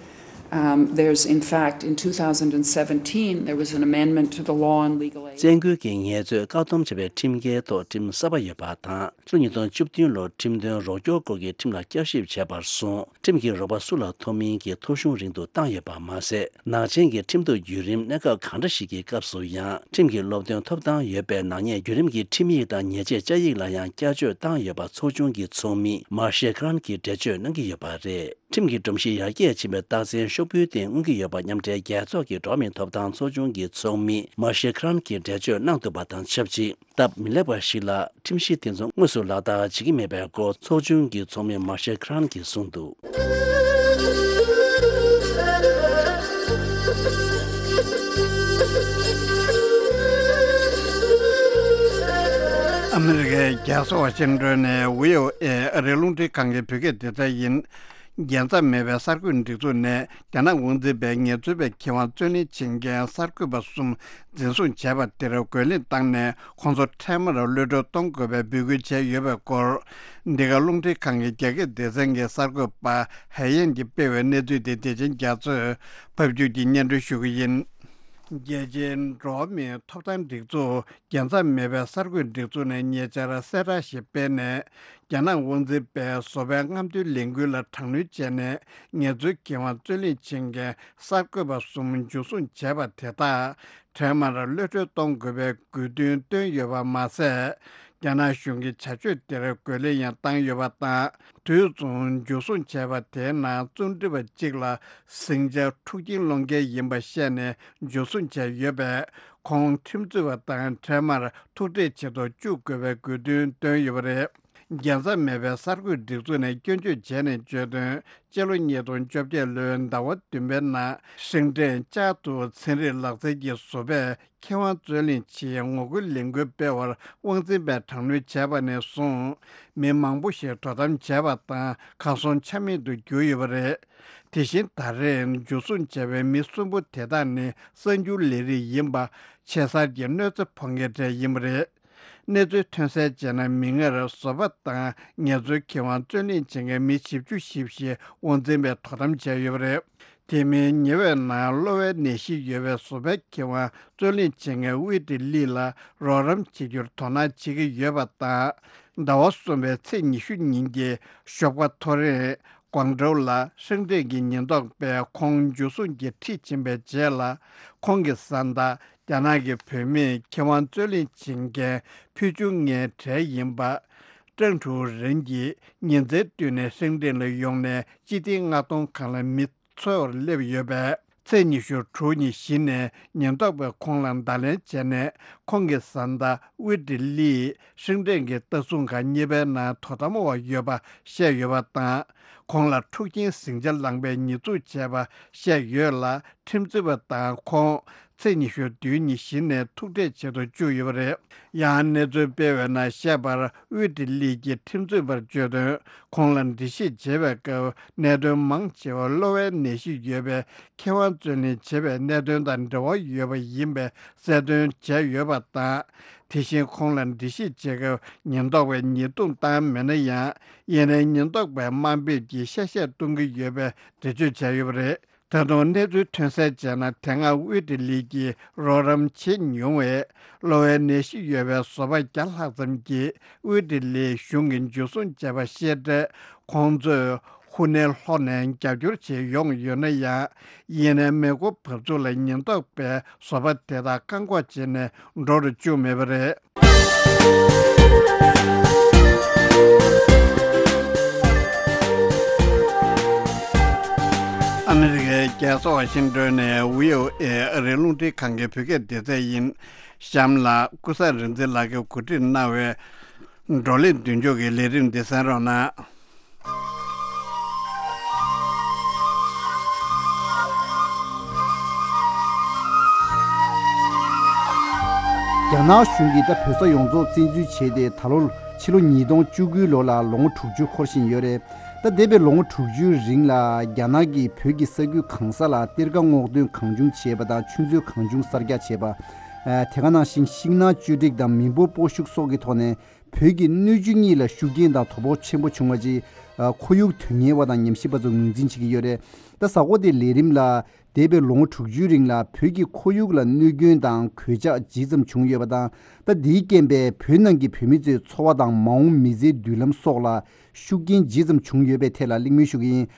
Um, there's, in fact, in two thousand seventeen, there was an amendment to the law on legal aid. བཙན་རྒོལ་གྱི་ངལ་རྩོལ་བཀག་སྡོམ་བྱ་བའི་ཁྲིམས་འགལ་ཐོག་ཁྲིམས་གསར་པ་ཡོད་པ་དང་། ཕྱི་ལོ་ཉིས་སྟོང་བཅུ་བདུན་ལོར་ཁྲིམས་དོན་རོགས་སྐྱོར་སྐོར་གྱི་ཁྲིམས་ལ་བསྐྱར་ཞིབ་བྱས་པར་སོང་། ཁྲིམས་ཀྱི་རོགས་པ་སུ་ལ་ཐོབ་མིན་གྱི་ཐོ་གཞུང་རིང་དུ་བཏང་ཡོད་པ་མ་ཟད། ནག་ཅན་གྱི་ཁྲིམས་གཏུག་བརྒྱུད་རིམ་གནས་སྐབས་གང་འདྲ་ཞིག་གི་སྐབས་སུ་ཡང་ཁྲིམས་ཀྱི་སློབ་སྟོན་ཐོབ་ཐང་ཡོད་པའི་ནག་ཉེས་བརྒྱུད་རིམ་གྱི་ཁྲིམས་ཡིག་དང་ཉེས་ཆད་བཅའ་ཡིག་ལ་ཡང་བསྐྱར་བཅོས་བཏང་ཡོད་པ་ཚོགས་ཆུང་གི་ཚོགས་མི་མར་ཤེ་ཁྲན་གྱིས་འགྲེལ་བརྗོད་གནང་གི་ཡོད་པ་རེད། ཁྲིམས་ཀྱི་སྒྲོམ་གཞི་ཡར་རྒྱས་ཕྱིན་པའི་རྟགས་མཚན་ཤོག་བུའི་སྟེང་མངོན་གྱི་ཡོད་པ་མཉམ་འབྲེལ་རྒྱལ་ཚོགས་ཀྱི་འགྲོ་བ་མིའི་ཐོབ་ཐང་ཚོགས་ཆུང་གི་ཚོགས་མི་མར་ཤེ་ཁྲན་གྱིས་འགྲེལ་བརྗོད་གནང་འདུག་པ་དང་ཆབས་ཅིག་སྟབས་མི་ལེགས་པ་ཞིག་ལ་ཁྲིམས་གཞི་དེ་ཚོ་དངོས་སུ་ལག་བསྟར་བྱེད་ཀྱི་མེད་པའི་སྐོར་ཚོགས་ཆུང་གི་ཚོགས་མི་མར་ཤེ་ཁྲན་གྱིས་གསུངས་འདུག་ཨ་མི་རི་ཀའི་རྒྱལ་ས་ཝ་ཤིང་ཏོན་ནས་བྷི་ཨོ་ཨེ་ཨ་རིའི་རླུང་འཕྲིན་ཁང་གི་བོད་སྐད་སྡེ་ཚན་ཡིན། རྒྱལ་མཚམས་མེད་པའི་གསར་འགོད་སྒྲིག་འཛུགས་ནས་རྒྱ་ནག་དབང་འཛིན་པའི་ངལ་རྩོལ་པའི་ཁེ་དབང་རྩོད་ལེན་བྱེད་མཁན་གསར་འགོད་པ་གསུམ་འཛིན་བཟུང་བྱས་པ་དེར་རྒོལ་ལན་བཏང་ནས་ཁོང་ཚོ་འཕྲལ་མར་གློད་གྲོལ་གཏོང་དགོས་པའི་འབོད་སྐུལ་བྱས་ཡོད་པའི་སྐོར། འདི་ག་རླུང་འཕྲིན་ཁང་གི་རྒྱ་སྐད་སྡེ་ཚན་གྱི་གསར་འགོད་པ་ཧའེ་ཡན་གྱིས་སྤེལ་བའི་གནས་ཚུལ་དེ་བདེ་ཆེན་རྒྱ་མཚོས་ཕབ་སྒྱུར་གྱིས་སྙན་སྒྲོན་ཞུ་གི་ཡིན། རྒྱལ་སྤྱིའི་འགྲོ་བ་མིའི་ཐོབ་ཐང་སྒྲིག་འཛུགས་རྒྱལ་མཚམས་མེད་པའི་གསར་འགོད་སྒྲིག་འཛུགས་ནས་ཉེ་ཆར་གསལ་བསྒྲགས་ཤིག་སྤེལ་ནས། རྒྱ་ནག་དབང་འཛིན་པས་བཟོ་པའི་རྔམ་སྟོན་ལས་འགུལ་ལ་དྲག་གནོན་བྱས་ནས་ངལ་རྩོལ་ཁེ་དབང་རྩོད་ལེན་བྱེད་མཁན་གསར་འགོད་པ་གསུམ་འཇུ་བཟུང་བྱས་པ་དེ་དག་འཕྲལ་མར་གློད་གྲོལ་གཏོང་དགོས་པའི་དགོས་འདུན་བཏོན་ཡོད་པ་མ་ཟད། རྒྱ་ནག་གཞུང་གི་བྱ་སྤྱོད་དེར་རྒོལ་ལན་ཡང་བཏང་ཡོད་པ་དང་། དུས་མཚུངས་འཇུ་བཟུང་བྱས་པ་དེའི་ནང་རྩོམ་སྒྲིག་པ་གཅིག་ལ་ཟིང་ཆ་འཁྲུག་རྐྱེན་སློང་མཁན་ཡིན་པ་བཤད་ནས་འཇུ་བཟུང་བྱས་ཡོད་པས། ཁོང་ཁྲིམས་རྩོད་པ་དང་འཕྲལ་མར་ཐུག་འཕྲད་བྱེད་དུ་བཅུག་དགོས་པའི་དགོས་འདུན་བཏོན་ཡོད་པ་རེད། རྒྱལ་མཚམས་མེད་པའི་གསར་འགོད་སྒྲིག་འཛུགས་ནས་སྐྱོན་བརྗོད་བྱས་ནས་བརྗོད་དོན། སྤྱི་ལོ་ཉིས་སྟོང་བཅོ་བརྒྱད་ལོའི་ཟླ་བ་བདུན་པའི་ནང་ཧྲེང་ཀྲེན་ཅཱ་ཏུའུ་ཚན་རིག་ལག་རྩལ་གྱི་བཟོ་པས་ཁེ་དབང་རྩོད་ལེན་ཆེད་ངོ་རྒོལ་ལས་འགུལ་སྤེལ་བར་དབང་འཛིན་པས་དྲག་གནོན་བྱས་པ་ནས་བཟུང་། མི་མང་པོ་ཞིག་དོ་དམ་བྱས་པ་དང་གར་སོང་ཆ་མེད་དུ་གྱུར་ཡོད་པ་རེད། དེ་བཞིན་ད་རེས་འཇུ་བཟུང་བྱས་པའི་མི་གསུམ་པོ་དེ་དག་ནི་གསར་འགྱུར་ལས་རིགས་ཡིན་པ་ཆེ་སར་གྱི་གནོད་འཚེ་ཕོག་མཁན་གྲས་ཡིན་པ་རེད། གནས་ཚུལ་ཐོན་གསལ་བྱས་ན། མིག་སྔར་བཟོ་པ་དང་ངལ་རྩོལ་ཁེ་དབང་རྩོད་ལེན་བྱེད་མཁན་མི་བཞི་བཅུ་ཞིག་དབང་འཛིན་པས་དོ་དམ་བྱས་ཡོད་པ་རེད། དེ་མིན་ཉེ་བའི་ནང་གློ་བའི་ནད་གཞི་ཡོད་པའི་བཟོ་པའི་ཁེ་དབང་རྩོད་ལེན་བྱེད་མཁན་ཝེ་ཏི་ལི་ལ་རོགས་རམ་བྱེད་རྒྱུར་དོ་སྣང་བྱེད་ཀྱི་ཡོད་པ་དང་། ཟླ་བ་གསུམ་པའི་ཚེས་ཉི་ཤུ་ཉིན་གྱི་ཞོགས་པ་ཐོ་རེངས་ཀོང་ཀྲོའུ་ལ་ཧྲེང་ཀྲེན་གྱི་ཉེན་རྟོག་པས་ཁོང་འཇུ་བཟུང་གིས་ཁྲིད་ཕྱིན་པའི་རྗེས་ལ། ཁོང་གི་བཟའ་ཟླ་རྒྱ་ནག་གི་བུད་མེད་ཁེ་དབང་རྩོད་ལེན་བྱེད་མཁན་ཕུལ་བྱུང་ལྔའི་གྲས་ཡིན་པ། ཀྲང་ཀྲུའུ་རེན་གྱིས་ཉིན་མཚན་བསྟུན་ནས་ཧྲེང་ཀྲེན་ལ་ཡོང་ནས་སྤྱི་བདེའི་མངགས་གཏོང་ཁང་ལ་མི་འཚོལ་བར་སླེབས་ཡོད་པས། ཚེས་ཉི་ཤུ་དྲུག་ཉིན་གཞི་ནས་ཉེན་རྟོག་པས་ཁོང་ལ་བརྡ་ལན་བྱས་ནས། ཁོང་གི་བཟའ་ཟླ་དབུས་ཏི་ལིས་ཧྲིན་ཀྲེན་གྱི་ལྟ་སྲུང་ཁང་གཉིས་པའི་ནང་དོ་དམ་འོག་ཡོད་པ་བཤད་ཡོད་པ་དང་། ཁོང་ལ་འཁྲུག་རྐྱེན་ཟིང་ཆ་ལངས་པའི་ཉེས་འཛུགས་བྱས་པ་བཤད་ཡོད་ལ། ཁྲིམས་རྩོད་པ་དང་ཁོང་ཚེས་ཉི་ཤུ་བདུན་ཉིན་གཞི་ནས་ཐུག་འཕྲད་བྱེད་དུ་བཅུག་ཡོད་པ་རེད། ཡང་གནས་ཚུལ་སྤེལ་བའི་ནང་བཤད་པར། དབུས་ཏི་ལིས་ཀྱི་ཁྲིམས་རྩོད་པར་བརྗོད་དོན། ཁོང་ལ་འགྲེལ་བཤད་བྱེད་པའི་སྐབས། གནད་དོན་མང་ཆེ་བ་གློ་བའི་ནད་གཞི་ཡོད་པའི་མཁས་དབང་རྩོད་ལེན་བྱེད་པའི་གནད་དོན་དང་འབྲེལ་བ་ཡོད་པ་ཡིན་པའི་གསལ་སྟོན་བྱས་ཡོད་པ་དང་། དེ་བཞིན་ཁོང་ལ་འགྲེལ་བཤད་བྱེད་སྐབས། ཉེན་རྟོག་པས་ཉེས་རྡུང་བཏང་མེད་ན་ཡང་། ཡིན་ནའི་ཉེན་རྟོག་པས་དམའ་འབེབས་ཀྱིས་གཤེ་གཤེ་གཏོང་གི་ཡོད་པའི་འགྲེལ་བརྗོད་བྱས་ཡོད་པ་རེད། ད་དུང་གནས་ཚུལ་ཐོན་གསལ་བྱས་ན། དེ་སྔ་དབུས་ཏི་ལི་གིས་རོགས་རམ་བྱེད་མྱོང་བའི་གློ་བའི་ནད་གཞི་ཡོད་པའི་བཟོ་པ་བརྒྱ་ལྷག་ཙམ་གྱིས་དབུས་ཏི་ལིའི་གཞུང་གི་འཇུ་བཟུང་བྱས་པ་ཤེས་འཕྲལ། ཁོང་ཚོས་ཧུ་ནན་ལྷོ་ནས་རྒྱབ་སྐྱོར་བྱེད་ཡོང་ཡོད་ན་ཡང་། ཡིན་ནའི་མེ་འཁོར་བབས་ཚུགས་ལ་ཉེན་རྟོག་པས་བཟོ་པ་དེ་དག་བཀག་འགོག་བྱས་ནས་འགྲོ་རུ་བཅུག་མེད་པ་རེད། ཨ་མི་རི་ཀའི་རྒྱལ་ས་ཝ་ཤིང་ཏོན་ནས་བྷི་ཨོ་ཨེ་ཨ་རིའི་རླུང་འཕྲིན་ཁང་གི་བོད་སྐད་སྡེ་ཚན་ཡིན། གཤམ་ལ་ཀུན་བཟང་རིག་འཛིན་ལགས་ཀྱིས་གོ་སྒྲིག་གནང་བའི་བགྲོ་གླེང་མདུན་ལྕོག་གི་ལས་རིམ་འདི་གསན་རོགས་གནང་། རྒྱ་ནག་གཞུང་གིས་ད་བོད་ས་ཡོངས་རྫོགས་བཙན་འཛུལ་བྱས་ཏེ། ད་ལོ་ཕྱི་ལོ་ཉིས་སྟོང་བཅུ་དགུའི་ལོ་ལ་ལོ་ངོ་དྲུག་ཅུ་འཁོར་བཞིན་ཡོད་རེད། ད་འདས་པའི་ལོ་ངོ་དྲུག་ཅུའི་རིང་ལ་རྒྱ་ནག་གིས་བོད་ཀྱི་ས་ཁུལ་གང་ས་ལ་གཏེར་ཁ་སྔོག་འདོན་གང་བྱུང་བྱས་པ་དང་། ཆུ་མཛོད་གང་བྱུང་གསར་རྒྱག་བྱས་པ། ཨ། དེ་ག་ནང་བཞིན་ཤིང་ནགས་གཅོད་འབྲེག་དང་མི་འབོར་སྤོ་བཤུག་སོགས་ཀྱི་ཐོག་ནས། བོད་ཀྱི་སྣོད་བཅུད་གཉིས་ལ་ཤུགས་རྐྱེན་དང་དོ་ཕོག་ཆེན་པོ་བྱུང་བ་ཅིག་ཨ། ཁོར་ཡུག་དོན་གཉེར་བ་དང་ཉམས་ཞིབ་པ་ཚོས་ངོས་འཛིན་བྱེད་ཀྱི་ཡོད་རེད། ད་གཟའ་འཁོར་དེའི་ལས་རིམ་ལ། འདས་པའི་ལོ་ངོ་དྲུག་ཅུའི་རིང་ལ་བོད་ཀྱི་ཁོར་ཡུག་ལ་གནོད་སྐྱོན་དང་གོད་ཆག་ཇི་ཙམ་བྱུང་ཡོད་པ་དང་། ད་འདིའི་རྐྱེན་པས་བོད་ནང་གི་བོད་མི་ཚོའི་འཚོ་བ་དང་མ་འོངས་མི་ཚེའི་མདུན་ལམ་སོགས་ལ་ཤུགས་རྐྱེན་ཇི་ཙམ་བྱུང་ཡོད་པའི་ཐད་ལ་གླེང་མོལ་ཞུ་གི་ཡིན།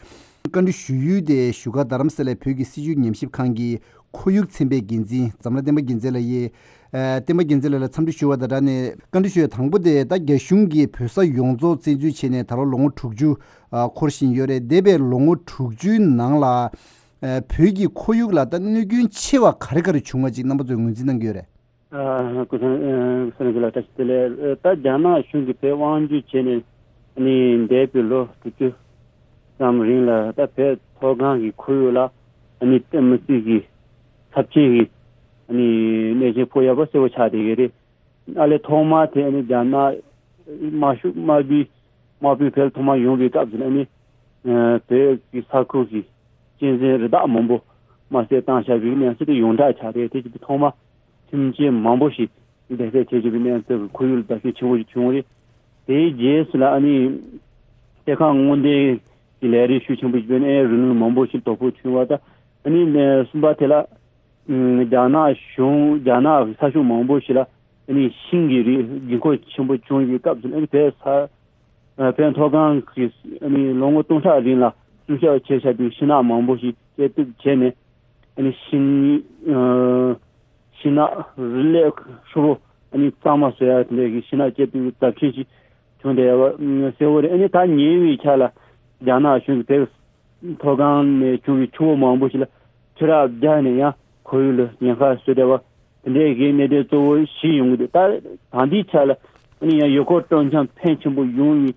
བཀའ་འདྲི་ཞུ་ཡུལ་དེ་བཞུགས་སྒར་རྡ་རམ་ས་ལའི་བོད་ཀྱི་སྲིད་བྱུས་ཉམས་ཞིབ་ཁང་གི་ཁོར་ཡུག་ཚན་པའི་འགན་འཛིན་འཛམ་ལྷ་བསྟན་པ་རྒྱལ་མཚན་ལགས་ཡིན། ཨ། བསྟན་པ་རྒྱལ་མཚན་ལགས་ལ་འཚམས་འདྲི་ཞུ་བ་དང་སྦྲགས་ནས། བཀའ་འདྲི་ཞུ་ཡ་དང་པོ་དེ། ད་རྒྱ་གཞུང་གིས་བོད་ས་ཡོངས་རྫོགས་བཙན་འཛུལ་བྱས་ནས་ད་ལོ་ལོ་ངོ་དྲུག་ཅུ་ཨ། འཁོར་བཞིན་ཡོད་རེད། འདས་པའི་ལོ་ངོ་དྲུག་ཅུའི་ནང་ལ། ཨ། བོད་ཀྱི་ཁོར་ཡུག་ལ་ད་གནོད་སྐྱོན་ཆེ་བ་ག་རེ་ག་རེ་བྱུང་བ་ཅིག་རྣམ་པ་ཚོས་ངོས་འཛིན་གནང་གི་ཡོད་རེད། ཨ། སྐུ་ཚང་། ཨ། སྐུ་ཚང་ལགས་བཀྲ་ཤིས་བདེ་ལེགས། ཨ། ད་རྒྱ་ནག་གཞུང་གིས་བོད་དབང་བསྒྱུར་བྱས་ནས་ནི་འདས་པའི་ལོ་དྲུག་ཅུ་ཙམ་རིང་ལ། ད་བོད་མཐོ་སྒང་གི་ཁོར་ཡུག་ལ་ཨ་ནི་དམིགས་བསལ་གྱི་ཚབས་ཆེན་གྱི་ཨ་ནི་གནོད་སྐྱོན་ཕོག་ཡག་པོ་གསལ་པོ་ཆགས་བསྡད་ཀྱི་རེད། ཨ་ལས་ཐོག་མར་དེ་ནི་རྒྱ་ནག་དམར་ཤོག་དམར་པོའི་དམག་དཔུང་བོད་ཐོག་མར་ཡོང་བའི་སྐབས་སུ་ནི། ཨ། བོད་ཀྱི་ས་ཁུལ་གྱི་གཅན་གཟན་རི་དྭགས་མང་པོ་དམར་བསད་བཏང་བཞག་པའི་གནས་ཚུལ་དེ་ཡོངས་གྲགས་ཆགས་རེད། དེ་བཞིན་དུ་ཐོག་མར་ཁྱིམ་ཆས་མང་པོ་ཞིག་འདེད་སྤྱོད་བྱེད་བཅུག་པའི་གནས་ཚུལ་གྱི་ཁོར་ཡུག་ལ་བརྡབ་གསིག་ཆེན་པོ་ཞིག་བྱུང་བ་རེད། དེའི་རྗེས་སུ་ལ་ཨ་ནི་གཏེར་ཁ་སྔོག་འདོན་གྱི་ལས་རིགས་ཤུགས་ཆེན་པོ་ཞིག་སྤེལ་ནས། ཨེ། རི་ལུང་མང་པོ་ཞིག་དོ་ཕོག་བྱུང་བ་དང་། ཨ་ནི་གསུམ་པ་དེ་ལ། ཨ། རྒྱ་ནག་གཞུང་། རྒྱ་ནག་ས་ཕྱོགས་མང་པོ་ཞིག་ལ་ཨ་ནི་ཤིང་གི་རིགས་རྒྱུན་འཁོར་ཆེན་པོ་བྱུང་བའི་སྐབས་སུ། ཨ་ནི་བོད་ས། ཨ། བོད་མཐོ་སྒང་གི་ཨ་ནི་ལོ་ངོ་སྟོང་ཕྲག་རིང་ལ་སྲུང་སྐྱོབ་བྱས་བཞག་པའི་ཤིང་ནགས་མང་པོ་ཞིག་བཅད་གཏུབ་བྱས་ནས། ཨ་ནི་ཤིང་། ཨ། ཤིང་ནགས་རི་ལས་ཧྲིལ་པོ་ཨ་ནི་གཙང་མ་བཟོ་ཡ་དེ་འདྲ་གི་ཤིང་ནགས་བཅད་གཏུབ་ཀྱི་རྫབ་ཆེན་ཞིག་བྱུང་བསྡད་ཡོད་པ་གསལ་པོ་རེད། ཨ་ནི་ད་ཉེ་བའི་ཆར་ལ་རྒྱ་ནག་གཞུང་གིས་བོད་མཐོ་སྒང་ནས་བྱུང་བའི་ཆུ་བོ་མང་པོ་ཞིག་ལ་ཆུ་རགས་བརྒྱབ་ནས་ཡང་ཁོར་ཡུག་ལ་ཉེན་ཁ་བཟོས་བསྡད་པ། དེ་འདྲའི་གི་གནད་དོན་གཙོ་བོ་བཞི་ཡོང་གི་འདུག་ད་ད་ལྟའི་ཆར་ལ་ཨ་ནི་ཡང་ཡུལ་སྐོར་སྤྲོ་འཆམ་ཕོན་ཆེན་པོ་ཡོང་བའི་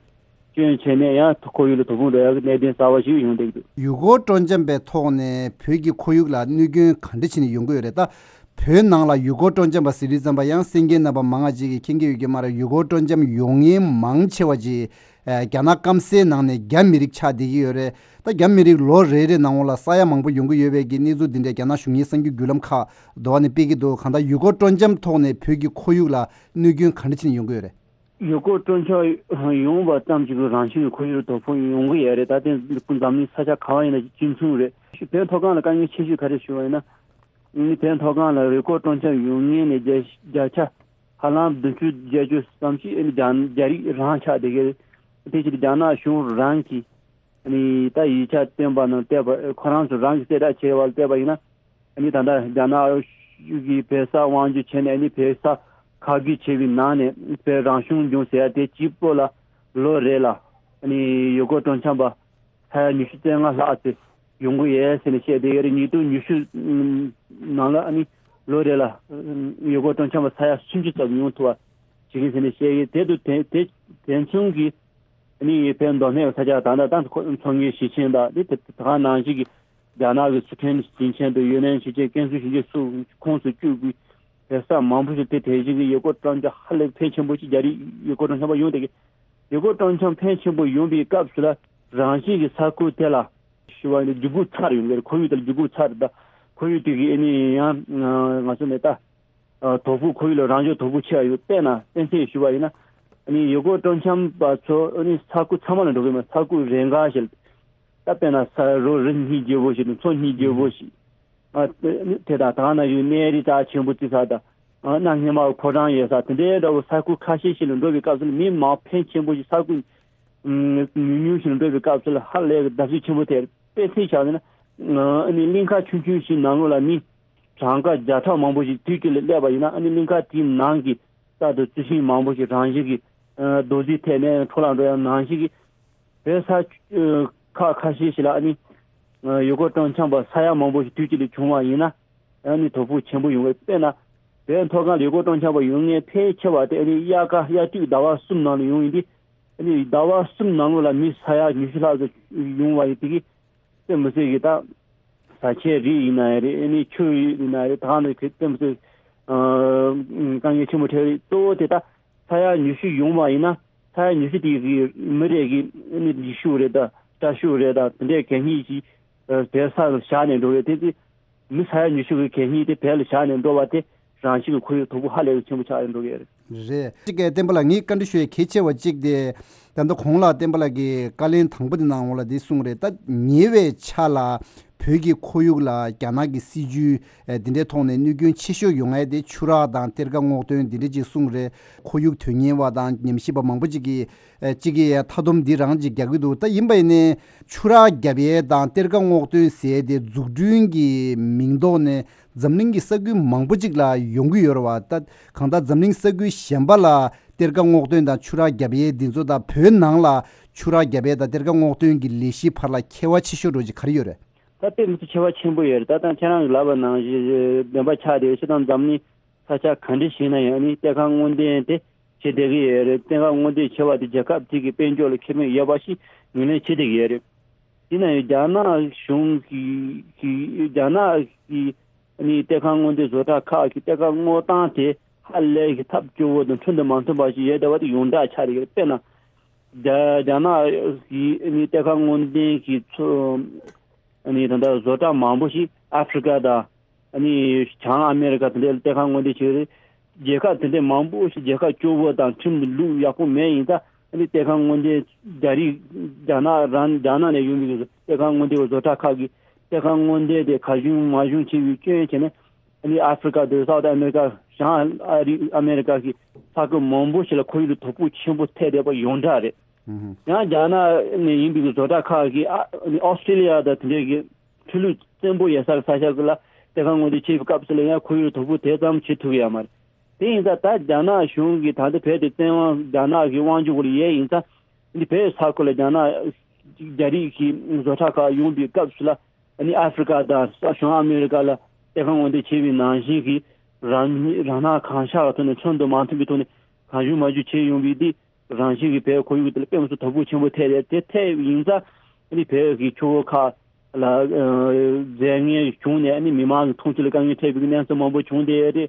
སྐྱོན་བྱས་ནས། ཡང་ཁོར་ཡུག་ལ་དོ་ཕོག་འགྲོ་ཡག་གི་གནད་དོན་གསར་པ་ཞིག་ཡོང་བསྡད་ཀྱི་འདུག་ཡུལ་སྐོར་སྤྲོ་འཆམ་པའི་ཐོག་ནས་བོད་ཀྱི་ཁོར་ཡུག་ལ་གནོད་སྐྱོན་ག་འདྲ་བྱས་ནས་ཡོང་གི་ཡོད་རེད། ད་བོད་ནང་ལ་ཡུལ་སྐོར་སྤྲོ་འཆམ་པ་ཟེར་དུས་ཙམ་པ། ཡང་གསན་མཁན་རྣམ་པ་མང་ང་ཅིག་གིས་མཁྱེན་གྱི་ཡོད་ཀྱི་མ་རེད། ཡུལ་སྐོར་སྤྲོ་འཆམ་ཡོང་མཁན་མང་ཆེ་བ་ཅིག་ཨ། རྒྱ་ནག་སྐམ་སའི་ནང་ནས་རྒྱ་མི་རིགས་ཆགས་བསྡད་ཀྱི་ཡོད་རེད། ད་རྒྱ་མི་རིགས་ལོ་རེ་རེ་ནང་ལ་ས་ཡ་མང་པོ་ཡོང་གི་ཡོད་པའི་གི་གནས་ཚུལ་འདི་འདྲ་རྒྱ་ནག་གཞུང་གིས་གསར་འགྱུར་བརྒྱུད་ལམ་ཁག་འདྲ་བ་ནས་སྤེལ་གྱི་འདུག་གང་ལྟར་ཡུལ་སྐོར་སྤྲོ་འཆམ་ཐོག་ནས་བོད་ཀྱི་ཁོར་ཡུག་ལ་གནོད་སྐྱོན་ག་འདྲ་བྱས་ནས་ཡོང་གི་ཡོད་རེད། ཡུལ་སྐོར་སྤྲོ་འཆམ་ཡོང་བ་ཙམ་གྱིས་རང་བཞིན་གྱི་ཁོར་ཡུག་ལ་དོ་ཕོག་ཡོང་གི་ཡོད་རེད། ད་དེ་འཛམ་གླིང་ས་ཆ་ག་བ་ཡིན་ན་གཅིག་མཚུངས་རེད། བོད་མཐོ་སྒང་ལ་དཀའ་ངལ་ཆེ་ཤོས་ག་རེ་ཞུ་བ་ཡིན་ན། ཨ་ནི་བོད་མཐོ་སྒང་ལ་ཡུལ་སྐོར་སྤྲོ་འཆམ་ཡོང་མཁན་ནི་བརྒྱ་བརྒྱ་ཆ་ཧ་ལམ་བདུན་ཅུ་བརྒྱད་ཅུ་ཙམ་ཞིག་ཨ་ནི་རྒྱ་རྒྱ་རིགས་རང་ཆགས་བསྡད་ཀྱི་རེད། དེ་ཕྱིར་རྒྱ་ནག་གཞུང་རང་གིས་ཨ་ནི་ད་ཡིག་ཆ་བཏོན་པ་ནང་བལྟས་པ། ཁོ་རང་ཚོ་རང་གིས་གསལ་བསྒྲགས་བྱས་པ་ལ་བལྟས་པ་ཡིན་ན། ཨ་ནི་ད་ལྟ་རྒྱ་ནག་གཞུང་གིས་བོད་ས་དབང་བསྒྱུར་བྱས་ནས། ཨ་ནི་བོད་ས་ཁ་བསྒྱུར་བྱས་པའི་ནང་ནས་བོད་རང་སྐྱོང་ལྗོངས་ཟེར་ཡ་དེ་གཅིག་པོ་ལ་ལོ་རེ་ལ་ཨ་ནི་ཡུལ་སྐོར་སྤྲོ་འཆམ་པ་ས་ཡ་ཉི་ཤུ་རྩ་ལྔ་ལྷག་ཙམ་ ཡོང་གི་ཡོད་ཟེར་ནས་བཤད་བསྡད་ཡོད་རེད། ཉིས་སྟོང་ཉི་ཤུ་ནང་ལ་ཨ་ནི་ལོ་རེ་ལ་ཡུལ་སྐོར་སྤྲོ་འཆམ་པ་ས་ཡ་སུམ་ཅུ་ཙམ་ཡོང་ཐུབ་པ་བྱེད་ཀྱི་ཟེར་ནས་བཤད་ཡོད། དེ་དུ་དེ་དེ་དེ་མཚུངས་ཀྱི་ཨ་ནི་བོད་མདོ་སྨད་ས་ཆ་ད་ལྟ་ད་མཚོ་སྔོན་ཞིང་ཆེན་དང་དེ་དེ་ག་ནང་བཞིན་གྱི་རྒྱ་ནག་གི་སི་ཁྲོན་ཞིང་ཆེན་དང་ཡུན་ནན་ཞིང་ཆེན་ཀན་སུའུ་ཞིང་ཆེན་སོགས་ཁོངས་སུ་བཅུག་པའི་བོད་ས་མང་པོ་ཞིག་དེ་དེ་བཞིན་གྱི་ཡུལ་སྐོར་སྤྲོ་འཆམ་ཧ་ལས་ཕལ་ཆེན་པོ་ཞིག་རྒྱ་རིགས་ཡུལ་སྐོར་སྤྲོ་འཆམ་པ་ཡོང་བསྡད་ཀྱི། ཡུལ་སྐོར་སྤྲོ་འཆམ་ཕལ་ཆེན་པོ་ཡོང་བའི་སྐབས་སུ་ལ་རང་བཞིན་གྱི་ས་ཁུལ་དེ་ལ་ཞུ་བ་ཡིན་ན་རྒྱུ་གུ་ཚ་རུ་ཡོང་གི་རེད། ཁོར་ཡུག་དེ་ལ་རྒྱུ་གུ་ཚ་རུ་དང་ཁོར་ཡུག་དེ་གི་ཨ་ནི་ཡང་ང་ཚོ་ནས་ད་དོ་ཕོག་ཁོར་ཡུག་ལ་རང་བྱུང་དོ་ཕོག་ཆེ་བ་ཡོད། དཔེར་ན་གཏན་ཚིགས་ཞུ་བ་ཡིན་ན་ཨ་ནི་ཡུལ་སྐོར་སྤྲོ་འཆམ་པ་ཚོ་ཨ་ནི་ས་ཁུལ་ཚང་མ་ལ་འགྲོ་གི་མ། ས་ཁུལ་རེ་འགའ་ཞིག་ད་དཔེར་ན་ས་རོ་རི་སྙིང་རྗེ་བོ་ཞིག་དང་མཚོ་སྙིང་རྗེ་བོ་ཞིག་ཨ་དེ་དང་ད་ན་ཡོད་གནས་རི་རྩ་ཆེན་པོ་རྩི་ས་དང་ཨ་གནའ་སྔ་མ་ཕོ་བྲང་ཡོད་ས་དེ་འདྲའི་འདྲ་བོ་ས་ཁུལ་ཁ་ཤས་ཤིག་ལ་འགྲོ་བའི་སྐབས་སུ་ལ་མི་མང་ཕོན་ཆེན་པོ་ཞིག་ས་ཁུལ་ཉུང་ཉུང་ཞིག་ལ་འགྲོ་བའི་སྐབས་སུ་ལ་ཧ་ལས་གི་བརྡབ་གསིག་ཆེན་པོ་ཐེབས། དཔེ་མཚོན་བཞག་ན་ཨ་ནི་གླིང་ག་ཆུང་ཆུང་ཞིག་ནང་ལོགས་ལ་མི་གྲངས་ཀ་བརྒྱ་ཕྲག་མང་པོ་ཞིག་དུས་གཅིག་ལ་སླེབས་པ་ཡིན་ན་ཨ་ནི་གླིང་ག་དེའི་ནང་གི་རྩྭ་དང་རྩི་ཤིང་མང་པོ་ཞིག་རང་བཞིན་གྱི་རྡོ་རྫིས་ཐད་ནས་འཕྲོ་བརླག་འགྲོ་ཡ་ནང་བཞིན་གྱི་བོད་ས་ཁག་ཁ་ཤས་ཤིག་ལ་ཨ་ནི་ཡུལ་སྐོར་སྤྲོ་འཆམ་པ་ས་ཡ་མང་པོ་ཞིག་དུས་གཅིག་ལ་བྱུང་བ་ཡིན་ན་ཨ་ནི་དོ་ཕོག་ཆེན་པོ་ཡོང་གི། དཔེར་ན་བོད་མཐོ་སྒང་ལ་ཡུལ་སྐོར་སྤྲོ་འཆམ་པ་ཡོང་མཁན་ཕལ་ཆེ་བ་དེ་ཨ་ནི་དབྱར་ཁ་དབྱར་དུས་ཟླ་བ་གསུམ་ནང་ལ་ཡོང་ཡིན་དུས་ཨ་ནི་ཟླ་བ་གསུམ་ནང་ལོགས་ལ་མི་ས་ཡ་ཉི་ཤུ་ལྷག་ཙམ་ཡོང་བ་ཡིན་དེ་གི་དེ་མི་སྲིད་གི་ད་བཟའ་ཆས་རིགས་ཡིན་ན་ཡང་རེད། ཨ་ནི་ཆུ་ཡིན་ན་ཡང་རེད། ད་ག་ནང་བཞིན་དེ་མི་སྲིད་དཀའ་ངལ་ཆེན་པོ་འཕྲད་རེད། གཙོ་བོ་དེ་ད་ས་ཡ་ཉི་ཤུ་ཡོང་བ་ཡིན་ན་ས་ཡ་ཉི་ཤུ་དེ་གི་མི་རེ་གི་ཨ་ནི་ལི་ཤུགས་རེད་ད་སྐྲ་ཤུགས་རེད་ད་དེ་འདྲའི་གད་སྙིགས་ཤིག་བོད་ས་ལ་བཞག་ནས་འགྲོ་བས། དེ་དེ་མི་ས་ཡ་ཉི་ཤུ་གི་གད་སྙིགས་དེ་བོད་ལ་བཞག་ནས་འགྲོ་བ་དེ་རང་བཞིན་གྱི་ཁོར་ཡུག་དོ་ཕོག་ཧ་ལས་པའི་ཆེན་པོ་ཆགས་ཡོང་འགྲོ་གི་རེད། རེད། གཅིག་གིས་བསྟན་པ་ལགས་ངས་བཀའ་འདྲི་ཞུ་ཡས་གལ་ཆེ་བ་གཅིག་དེ། ད་ལྟ་གོང་ལ་བསྟན་པ་ལགས་ཀྱིས་བཀའ་ལན་དང་པོ་དེ་གནང་བ་ལ་འདི་གསུངས་རེད། ད་ཉེ་བའི་ཆར་ལ་བོད་ཀྱི་ཁོར་ཡུག་ལ་རྒྱ་ནག་གི་སྲིད་ཇུས་འདི་འདྲའི་ཐོག་ནས་གནོད་སྐྱོན་ཆེ་ཤོས་ཡོང་ཡས་དེ་ཆུ་རགས་དང་གཏེར་ཁ་སྔོག་འདོན་འདི་འདྲ་ཅིག་གསུངས་རེད། ཁོར་ཡུག་དོན་གཉེར་བ་དང་ཉམས་ཞིབ་པ་མང་པོ་ཅིག་གིས་ཨེ་གཅིག་གིས་མཐའ་སྡོམ་འདི་རང་ཅིག་རྒྱག་གི་འདུག་ད་ཡིན་པ་ཡིན་ནའི་ཆུ་རགས་བརྒྱབ་ཡས་དང་གཏེར་ཁ་སྔོག་འདོན་ཟེར་ཡས་དེ་འཛུགས་སྐྲུན་གྱི་མིང་ཐོག་ནས་འཛམ་གླིང་གི་ས་ཁུལ་མང་པོ་ཅིག་ལ་ཡོང་གི་ཡོད་རེད་བ། ད་གང་ལྟར་འཛམ་གླིང་ས་ཁུལ་གཞན་པ་ལ་གཏེར་ཁ་སྔོག་འདོན་དང་ཆུ་རགས་བརྒྱབ་ཡས་འདི་ཚོ་དང་བོད་ནང་ལ་ཆུ་རགས་བརྒྱབ་ཡས་དང་གཏེར་ཁ་སྔོག་འདོན་གྱི་ལས་གཞིའི་བར་ལ་ཁྱད་པར་ཆེ་ཤོས་འདྲ་ཅིག་ག་རེ་ཡོད་རེད། ད་དཔེ་མི་སྲིད་ཁྱད་པར་ཆེན་པོ་ཡོད་རེད། ད་ད་ཁྱེད་རང་གིས་ལབ་པ་ནང་བཞིན་བདེན་པ་ཆགས་བསྡད་ཡོད། སྤྱིར་བཏང་འཛམ་གླིང་ས་ཆ་ག་འདྲ་ཞིག་ན་ཡང་ནི་གཏེར་ཁ་སྔོག་འདོན་དེ་བྱེད་བསྡད་ཀྱི་ཡོད་རེད། གཏེར་ཁ་སྔོག་འདོན་བྱེད་པ་དེ་རྒྱལ་ཁབ་དེ་གི་དཔལ་འབྱོར་ལ་ཁེ་ཕན་ཡོད་པ་ཞིག་ངོས་ལེན་བྱེད་བསྡད་ཀྱི་ཡོད་རེད། ཡིན་ན་ཡང་རྒྱ་ནག་གཞུང་གི་གི་རྒྱ་ནག་གི་ནི་གཏེར་ཁ་སྔོག་འདོན་བཟོ་གྲྭ་ཁག་གི་གཏེར་ཁ་སྔོག་སྟངས་དེ་ཧ་ལས་ཀྱི་ཐབས་སྐྱོ་བོ་དང་ཁྲིམས་དང་མ་མཐུན་པ་ཞིག་ཡོད་བསྡད་པ་དེ་ཡོངས་གྲགས་ཆགས་བསྡད་ཀྱི་རེད། དཔེར་ན་རྒྱ་རྒྱ་ནག་གི་ནི་གཏེར་ཁ་སྔོག་འདོན་གྱི་ཚོ་ནི་ད་ལྟ་བཟོ་གྲྭ་མང་པོ་ཞིག་ཨ་ཧྥེ་རི་ཀ་དང་ནི་བྱང་ཨ་མེ་རི་ཀ་དེ་འདྲའི་གཏེར་ཁ་སྔོག་འདོན་བྱེད་ཀྱི་རེད། རྒྱལ་ཁབ་དེ་འདྲའི་མང་པོ་ཞིག་རྒྱལ་ཁབ་སྐྱོ་བོ་དང་ཁྲིམས་ལུགས་ཡག་པོ་མེད་ཡིན་ཙང་ཨ་ནི་གཏེར་ཁ་སྔོག་འདོན་རྒྱ་རིགས་རྒྱ་ནག་རང་རྒྱ་ནག་ནས་ཡོང་བའི་གཏེར་ཁ་སྔོག་འདོན་བཟོ་གྲྭ་ཁག་གིས་གཏེར་ཁ་སྔོག་འདོན་དེ་གར་བྱུང་མར་བྱུང་བྱས་པའི་སྐྱོན་བྱས་ནས་ཨ་ནི་ཨ་ཧྥེ་རི་ཀ་དང་སའུ་ཐི་ཨ་མེ་རི་ཀ་བྱང་ཨ་རི་ཨ་མེ་རི་ཀ་གི་ས་ཁུལ་མང་པོ་ཞིག་ལ་ཁོར་ཡུག་ལ་དོ་ཕོག་ཆེན་པོ་ཐེབས་བསྡད་པ་ཡོངས་གྲགས་རེད། ཡང་རྒྱ་ནག་ནས་ཡིན་པའི་བཟོ་གྲྭ་ཁག་གིས་ཨ་ནི་ཨོ་སི་ཀྲི་ལི་ཡ་དང་དེ་འདྲའི་གི་ཆུ་ལུད་བཙན་པོ་ཡོད་ས་ས་ཆ་གི་ལ་གཏེར་ཁ་སྔོག་འདོན་བྱེད་པའི་སྐབས་སུ་ལ་ཡང་ཁོར་ཡུག་ལ་དོ་ཕོག་དེ་ཙམ་བྱེད་ཐུབ་ཀྱི་ཡོད་མ་རེད། དེ་ཡིན་ཙང་ད་རྒྱ་ནག་གཞུང་གིས་ད་ལྟ་བོད་དེ་བཙན་དབང་རྒྱ་ནག་གི་དབང་སྒྱུར་འོག་ལ་ཡོད་ཡིན་ཙང་འདི་བོད་ས་ཁུལ་ལ་རྒྱ་ནག་རྒྱ་རིགས་ཀྱི་བཟོ་གྲྭ་ཁག་ཡོང་པའི་སྐབས་སུ་ལ་ཨ་ནི་ཨ་ཧྥེ་རི་ཀ་དང་བྱང་ཨ་མེ་རི་ཀ་ལ་གཏེར་ཁ་སྔོག་འདོན་བྱེད་པའི་ནང་བཞིན་གྱི་རང་རང་སྣང་གང་ཤར་བའི་ཐོག་ནས་ཁྲིམས་དང་མ་མཐུན་པའི་ཐོག་ནས་གང་བྱུང་མང་བྱུང་བྱེད་ཡོང་བའི་འདི་རང་བཞིན་གྱི་བོད་ཁོར་ཡུག་དེ་ལ་དཔེ་མི་སྲིད་དོ་ཕོག་ཆེན་པོ་ཐེབས་རེད། དེ་ཐེབས་ཡིན་ཙང་ཨ་ནི་བོད་ཀྱི་ཆུ་བོ་ཁག་ལ་ཨ་རྫས་ངན་བྱུང་ནས་ཨ་ནི་མི་མང་གི་འཐུང་ཆུ་ལ་དཀའ་ངལ་འཕྲད་པའི་གནས་ཚུལ་མང་པོ་བྱུང་བསྡད་རེད། དེ་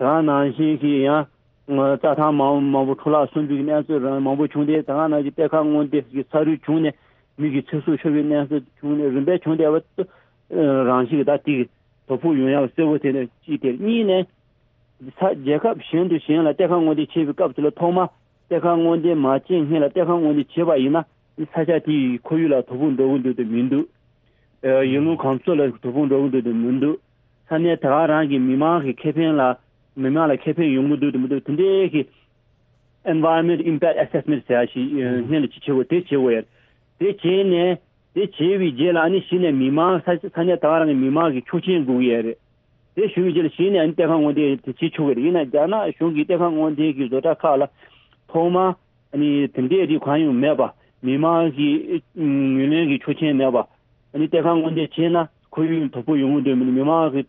ག་ནང་བཞིན་གྱི་ཡང་རྩྭ་ཐང་མང་མང་པོ་འཕྲོ་བརླག་སོང་པའི་གནས་ཚུལ་རང་མང་པོ་བྱུང་སྟེ་དེ་ག་ནང་བཞིན་གཏེར་ཁ་སྔོག་འདོན་གྱི་ས་རུད་བྱུང་ནས་མི་གི་ཚེ་སྲོག་ཤོར་བའི་གནས་ཚུལ་བྱུང་ནས་རིམ་པས་བྱུང་བསྡད་པ་རང་བཞིན་གྱི་ད་དེ་གི་དོ་ཕོག་ཡོང་ཡག་གསལ་པོ་དེ་ནས་གཅིག་དེ་གཉིས་ནས། ས་རྒྱལ་ཁབ་གཞན་དུ་གཞན་ལ་གཏེར་ཁ་སྔོག་འདོན་བྱེད་པའི་སྐབས་དེ་ལ་ཐོག་མ་གཏེར་ཁ་སྔོག་འདོན་མ་བྱས་སྔོན་ལ་གཏེར་ཁ་སྔོག་འདོན་བྱས་པ་ཡིན་ན་ས་ཆ་དེའི་ཁོར་ཡུག་ལ་དོ་ཕོག་འགྲོ་གི་འདུག་དང་མི་འདུག་ཡུལ་ལུང་གོམས་སྲོལ་ལ་དོ་ཕོག་འགྲོ་གི་འདུག་དང་མི་འདུག་ས་གནས་ད་ག་རང་གི་མི་མང་གི་ཁེ་ཕན་ལ་མི་མང་ལ་ཁེ་ཕན་ཡོང་གི་འདུག་དང་མི་འདུག་དེ་འདྲའི་གི་Environment Impact Assessment་ཟེར་ཡ་ཞིག་སྔོན་ལ་ཅིག་བྱེད་དགོས། དེ་བྱེད་དགོས་ཡ་དེ་བྱས་ནས། དེ་བྱས་པའི་རྗེས་ལ་ཨ་ནི་གཞི་ནས་མི་མང་ས་ས་གནས་ད་ག་རང་གི་མི་མང་གི་ཆོག་མཆན་དགོས་ཀྱི་ཡོད་རེད། དེ་ཞུ་བའི་རྗེས་ལ་གཞི་ནས་ཨ་ནི་གཏེར་ཁ་སྔོག་འདོན་དེ་བྱེད་ཆོག་གི་རེད། ཡིན་ན་རྒྱ་ནག་གཞུང་གིས་གཏེར་ཁ་སྔོག་འདོན་གྱི་བཟོ་གྲྭ་ཁག་ལ་ཐོག་མ་ཨ་ནི་དེ་འདྲའི་རིགས་གང་ཡང་མེད་པ། མི་མང་གི་ངོས་ལེན་གྱི་ཆོག་མཆན་མེད་པ། ཨ་ནི་གཏེར་ཁ་སྔོག་འདོན་བྱས་ན་ཁོར་ཡུག་ལ་དོ་ཕོག་ཡོང་གི་འདུག་མི་འདུག་མི་མང་གི་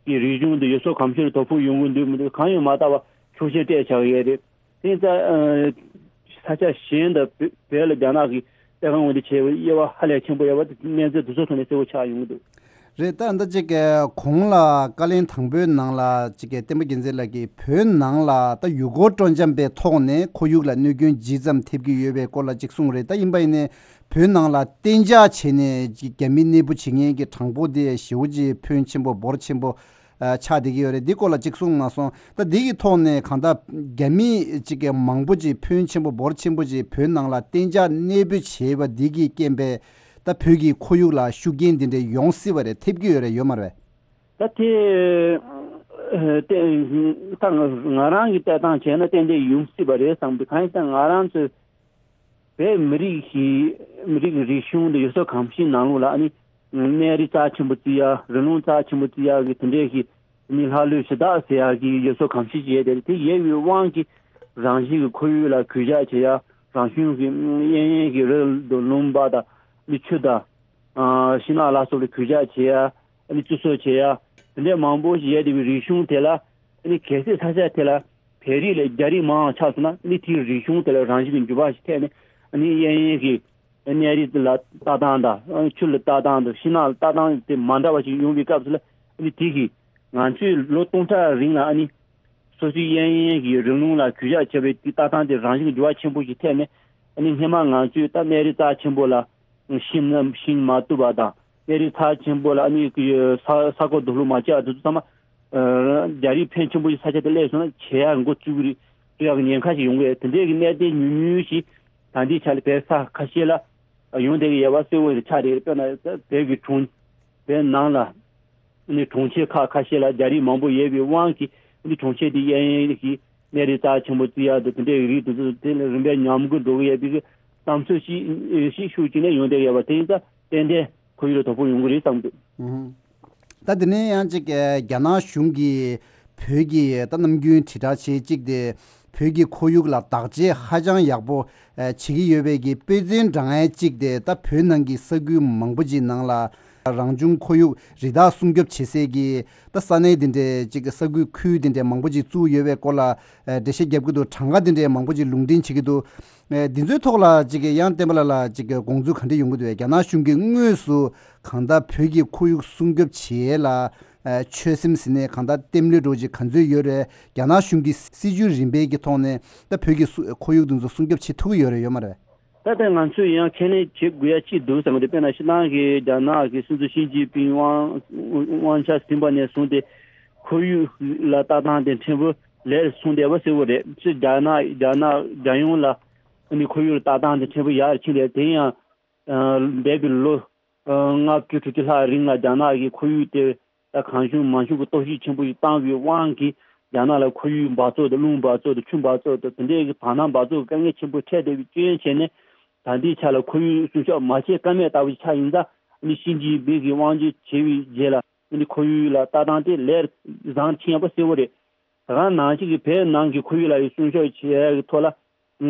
གི་རིག་གཞུང་དང་ཡུལ་སྲོལ་གོམས་གཤིས་ལ་དོ་ཕོག་ཡོང་གི་འདུག་མི་འདུག་གང་ཡང་མ་བལྟ་བར་ཆོག་མཆན་སྤྲད་བཞག་ཡོད་རེད། དེ་ཡིན་ཙང་ས་ཆ་གཞན་དང་བོད་བོད་ལ་རྒྱ་ནག་གིས་གཏེར་ཁ་སྔོག་འདོན་བྱས་པའི་དབྱེ་བ་ཧ་ལས་ཆེན་པོ་ཡོད་པ་དེ་གནས་ཚུལ་དེ་ཚོ་ཐོག་ནས་གསལ་པོ་ཆགས་ཡོང་གི་འདུག་རེད། ད་ལྟ་ཅིག་གོང་ལ་བཀའ་ལན་དང་པོའི་ནང་ལ་ཅིག་བསྟན་པ་རྒྱལ་མཚན་ལགས་ཀྱིས་བོད་ནང་ལ་ད་ཡུལ་སྐོར་སྤྲོ་འཆམ་པའི་ཐོག་ནས་ཁོར་ཡུག་ལ་གནོད་སྐྱོན་ཇི་ཙམ་ཐེབས་ཀྱི་ཡོད་པའི་སྐོར་ལ་ཅིག་གསུངས་རེད། ད་ཡིན་པ་ཡིན་ནའི་བོད་ནང་ལ་གཏན་འཇགས་བྱས་ནས་ཅིག་རྒྱ་མི་གནས་སྤོ་བྱེད་མཁན་གྱི་གྲངས་འབོར་དེ་ཞེ་པོ་ཅིག་ཕོན་ཆེན་པོ་འབོར་ཆེན་པོ་ཨ་ཆགས་བསྡད་ཀྱི་ཡོད་རེད། འདི་སྐོར་ལ་ཅིག་གསུངས་མ་སོང་། ད་འདི་གི་ཐོག་ནས་གང་ལྟར་རྒྱ་མི་ཅིག་གི་མང་པོ་ཅིག་ཕོན་ཆེན་པོ་འབོར་ཆེན་པོ་ཅིག་བོད་ནང་ལ་གཏན་འཇགས་གནས་སྤོས་བྱས་པ་འདི་གི་རྐྱེན་པས་ད་བོད་ཀྱི་ཁོར་ཡུག་ལ་ཤུགས་རྐྱེན་འདི་འདྲ་ཡོང་སྲིད་པ་རེད། ཐེབས་ཀྱི་ཡོད་རེད། ཡོད་མ་རེད་པས། ད་དེ་ཨ་ཏན་ད་ང་རང་གི་ལྟ་སྟངས་བྱས་ན་ཏན་ཏན་ཡོང་སྲིད་པ་རེད་བསམ་གི། གང་ཡིན་ཟེར་ན་ང་རང་ཚོའི་བོད་མི་རིགས་ཀྱི་མི་རིགས་ཀྱི་རིག་གཞུང་དང་ཡུལ་སྲོལ་གོམས་གཤིས་ནང་ལོགས་ལ་ཨ་ནི་གནས་རི་རྩ་ཆེན་པོ་བརྩི་ཡ། རི་ལུང་རྩ་ཆེན་པོ་བརྩི་ཡ་གི་དེ་འདྲའི་གི་ཨ་ནི་ལྷ་ཀླུ་གཞི་བདག་ཟེར་ཡ་གི་ཡུལ་སྲོལ་གོམས་གཤིས་ཅིག་ཡོད་དེ། དེ་ཡོད་པའི་དབང་གིས་རང་བཞིན་གྱི་ཁོར་ཡུག་ལ་གུས་ཞབས་བྱེད་ཡ། རང་བྱུང་གི་གཡས་གཡོན་གྱི་རི་དང་ལུང་པ་དང་ཨ་ནི་ཆུ་དང་ཨ་ཤིང་ནགས་ལ་སོགས་ལ་གུས་ཞབས་བྱེད་ཡ། ཨ་ནི་བརྩི་སྲུང་བྱེད་ཡ། དེ་འདྲའི་མང་པོ་ཞིག་ཡོད་བསྡད་པའི་རིག་གཞུང་དེ་ལ་ཨ་ནི་གལ་སྲིད་ས་ཆ་དེ་ལ་བོད་རིགས་ལས་རྒྱ་རིགས་མང་བ་ཆགས་སོང་ན་ཨ་ནི་དེའི་རིག་གཞུང་དེ་ལ་རང་བཞིན་གྱི་འགྱུར་བ་ཞིག་ཐེབས་ནས་ཨ་ནི་གཡས་གཡོན་གྱི་གནས་རི་ལ་ལྟ་སྟངས་དང་ཨ་ནི་ཆུ་ལ་ལྟ་སྟངས་དང་ཤིང་ནགས་ལ་ལྟ་སྟངས་དེ་མ་འདྲ་བ་ཞིག་ཡོང་བའི་སྐབས་སུ་ལ་ཨ་ནི་དེ་གིས་ང་ཚོས་ལོ་སྟོང་ཕྲག་རིང་ལ་ཨ་ནི་སོ་སོའི་གཡས་གཡོན་གྱི་རི་ལུང་ལ་གུས་ཞབས་བྱེད་པའི་དེ་ལྟ་སྟངས་དེ་རང་བཞིན་གྱི་འགྱུར་བ་ཆེན་པོ་ཞིག་ཐེབས་ནས་ཨ་ནི་སྔོན་མ་ང་ཚོས་ད་གནས་རི་རྩ་ཆེན་པོ་ལ་ཤིང་ཤིང་མ་གཏུབ་པ་དང་གནས་རི་རྩ་ཆེན་པོ་ལ་ཨ་ནི་ས་ས་རྐོ་རྡོ་སློག་མ་བྱེད་པ་དེ་ཚོ་ཚང་མ་རྒྱ་རིགས་ཕོན་ཆེན་པོ་ཞིག་ས་ཆ་དེ་སླེབས་སོང་ན་བྱེད་ཡག་འགོ་བཙུགས་ཀྱི་རེད། བཙུགས་ཡག་གི་ཉེན་ཁ་ཞིག་ཡོང་གི་རེད། དེ་འདྲའི་གི་གནད་དོན་ཉུང་ཉུང་ཞིག་ད་ལྟའི་ཆ་ལ་བོད་ས་ཁ་ཤས་ལ་ཡོང་བསྡད་ཀྱི་ཡོད་པ་གསལ་པོ་ཆགས་བསྡད་ཀྱི་རེད། དཔེར་ན་བོད་ཀྱི་གྲོང་བོད་ནང་ལ་ནི་གྲོང་ཁྱེར་ཁག་ཁ་ཤས་ལ་རྒྱ་རིགས་མང་པོ་ཡོད་པའི་དབང་གིས་ནི་གྲོང་ཁྱེར་དེ་གཡས་གཡོན་གྱི་གནས་རི་རྩ་ཆེན་པོ་བརྩི་ཡག་དང་དེ་འདྲའི་རིགས་དེ་ཚོ་དེ་ལ་རིམ་པས་ཉམས་རྒུད་འགྲོ་གི་ཡོད་པའི་གི་བསམ་ཚུལ་ཞིག་ཞིག་ཤུགས་ཅིག་ནས་ཡོང་བསྡད་ཡོད་པ་དེ་ཡིན་ཙང་ཏན་ཏན་ཁོར་ཡུག་ལ་དོ་ཕོག་ཡོང་གི་རེད་བསམ་འདུག་ད་དེ་ནས་ཡང་ཅིག་རྒྱ་ནག་གཞུང་གིས་བོད་ཀྱི་ད་ནམ་རྒྱུན་དྲིལ་བསྒྲགས་བྱེད་ཅིག་དེ་བོད་ཀྱི་ཁོར་ཡུག་ལ་བདག་གཅེས་ཧ་ཅང་ཡག་པོ་ཨ་བྱེད་ཀྱི་ཡོད་པའི་གི་དཔེ་མཚོན་དྲངས་ཡས་གཅིག་དེ་ད་བོད་ནང་གི་ས་ཁུལ་མང་པོ་ཅིག་ནང་ལ་རང་བྱུང་ཁོར་ཡུག་རི་དྭགས་སྲུང་སྐྱོབ་བྱེད་སའི་གི་ད་ས་གནས་དེ་འདྲའི་ཅིག་ས་ཁུལ་ཁུལ་དེ་འདྲའི་མང་པོ་ཅིག་བཙུགས་ཡོད་པའི་སྐོར་ལ་ཨ་འགྲེལ་བཤད་རྒྱབ་ཀྱི་འདུག་གྲངས་ཀ་དེ་འདྲའི་མང་པོ་ཅིག་ལུང་འདྲེན་བྱེད་ཀྱི་འདུག་ཨ་འདི་ཚོའི་ཐོག་ལ་ཅིག་ཡང་བསྟན་པ་ལགས་ལ་ཅིག་དགོངས་ཚུལ་ག་འདྲ་ཡོང་གི་འདུག་རྒྱ་ནག་གཞུང་གིས་དངོས་སུ་གང་ལྟར་བོད་ཀྱི་ཁོར་ཡུག་སྲུང་སྐྱོབ་བྱེད་ཡས་ལ་ཨ་ཆོད་སེམས་ཟིན་ནས་གང་ལྟར་བརྟན་ལྷིང་འགྲོ་ཅིག་ག་ཚོད་ཡོད་རེད། རྒྱ་ནག་གཞུང་གི་སྲིད་ཇུས་རིམ་པའི་གི་ཐོག་ནས་ད་བོད་ཀྱི་སུ་ཁོར་ཡུག་དེ་ཚོ་སྲུང་སྐྱོབ་བྱེད་ཐུབ་ཀྱི་ཡོད་རེད་ཡོད་མ་རེད། ད་ལྟ་ང་ཚོས་ཡང་ཁས་ལེན་བྱེད་དགོས་ཡ་གཅིག་འདུག་བསམ་གི་འདུག་དཔེར་ན་ཕྱི་ནང་གི་རྒྱ་ནག་གི་སྲིད་འཛིན་ཞི་ཅིན་ཕིང་དབང་དབང་ཆ་ཟིན་པ་ནས་བཟུང་སྟེ་ཁོར་ཡུག་ལ་ལྟ་སྟངས་དེ་ཕྲན་བུ་ལེགས་སོང་བསྡད་པ་གསལ་པོ་རེད། ཕྱི་རྒྱ་ནག་རྒྱ་ནག་རྒྱལ་ཡོངས་ལ་ཨ་ནི་ཁོར་ཡུག་ལ་ལྟ་སྟངས་དེ་ཕྲན་བུ་ཡར་ཕྱིན་རེད། དེ་ཡང་འདས་པའི་ལོ་ལྔ་བཅུ་དྲུག་ཅུ་ལྷག་རིང་ལ་རྒྱ་ནག་གི་ཁོར་ཡུག་དེ་ད་གང་བྱུང་མང་བྱུང་གི་གཏོར་བཤིག་ཆེན་པོ་ཞིག་བཏང་བའི་དབང་གིས་རྒྱ་ནག་ལ་ཁོར་ཡུག་འབག་བཙོག་དང་རླུང་འབག་བཙོག་དང་ཆུ་འབག་བཙོག་དང་དེ་འདྲའི་གི་བར་སྣང་འབག་བཙོག་གི་དཀའ་ངལ་ཆེན་པོ་འཕྲད་བསྡད་པའི་རྐྱེན་བྱས་ནས་ད་ལྟའི་ཆ་ལ་ཁོར་ཡུག་སྲུང་སྐྱོབ་མ་བྱས་ཀ་མེད་ལྟ་བུ་ཞིག་ཆགས་ཡིན་ཙང་ཨ་ནི་ཞི་ཅིན་ཕིང་གིས་དབང་སྒྱུར་བྱས་པའི་རྗེས་ལ་ཨ་ནི་ཁོར་ཡུག་ལ་ལྟ་སྟངས་དེ་ལས་བཟང་ཕྱིན་ཡོད་པ་གསལ་པོ་རེད། ད་ག་ནང་བཞིན་གྱི་བོད་ནང་གི་ཁོར་ཡུག་ལ་ཡང་སྲུང་སྐྱོབ་བྱེད་ཡག་གི་ཐོག་ལ་ཨ་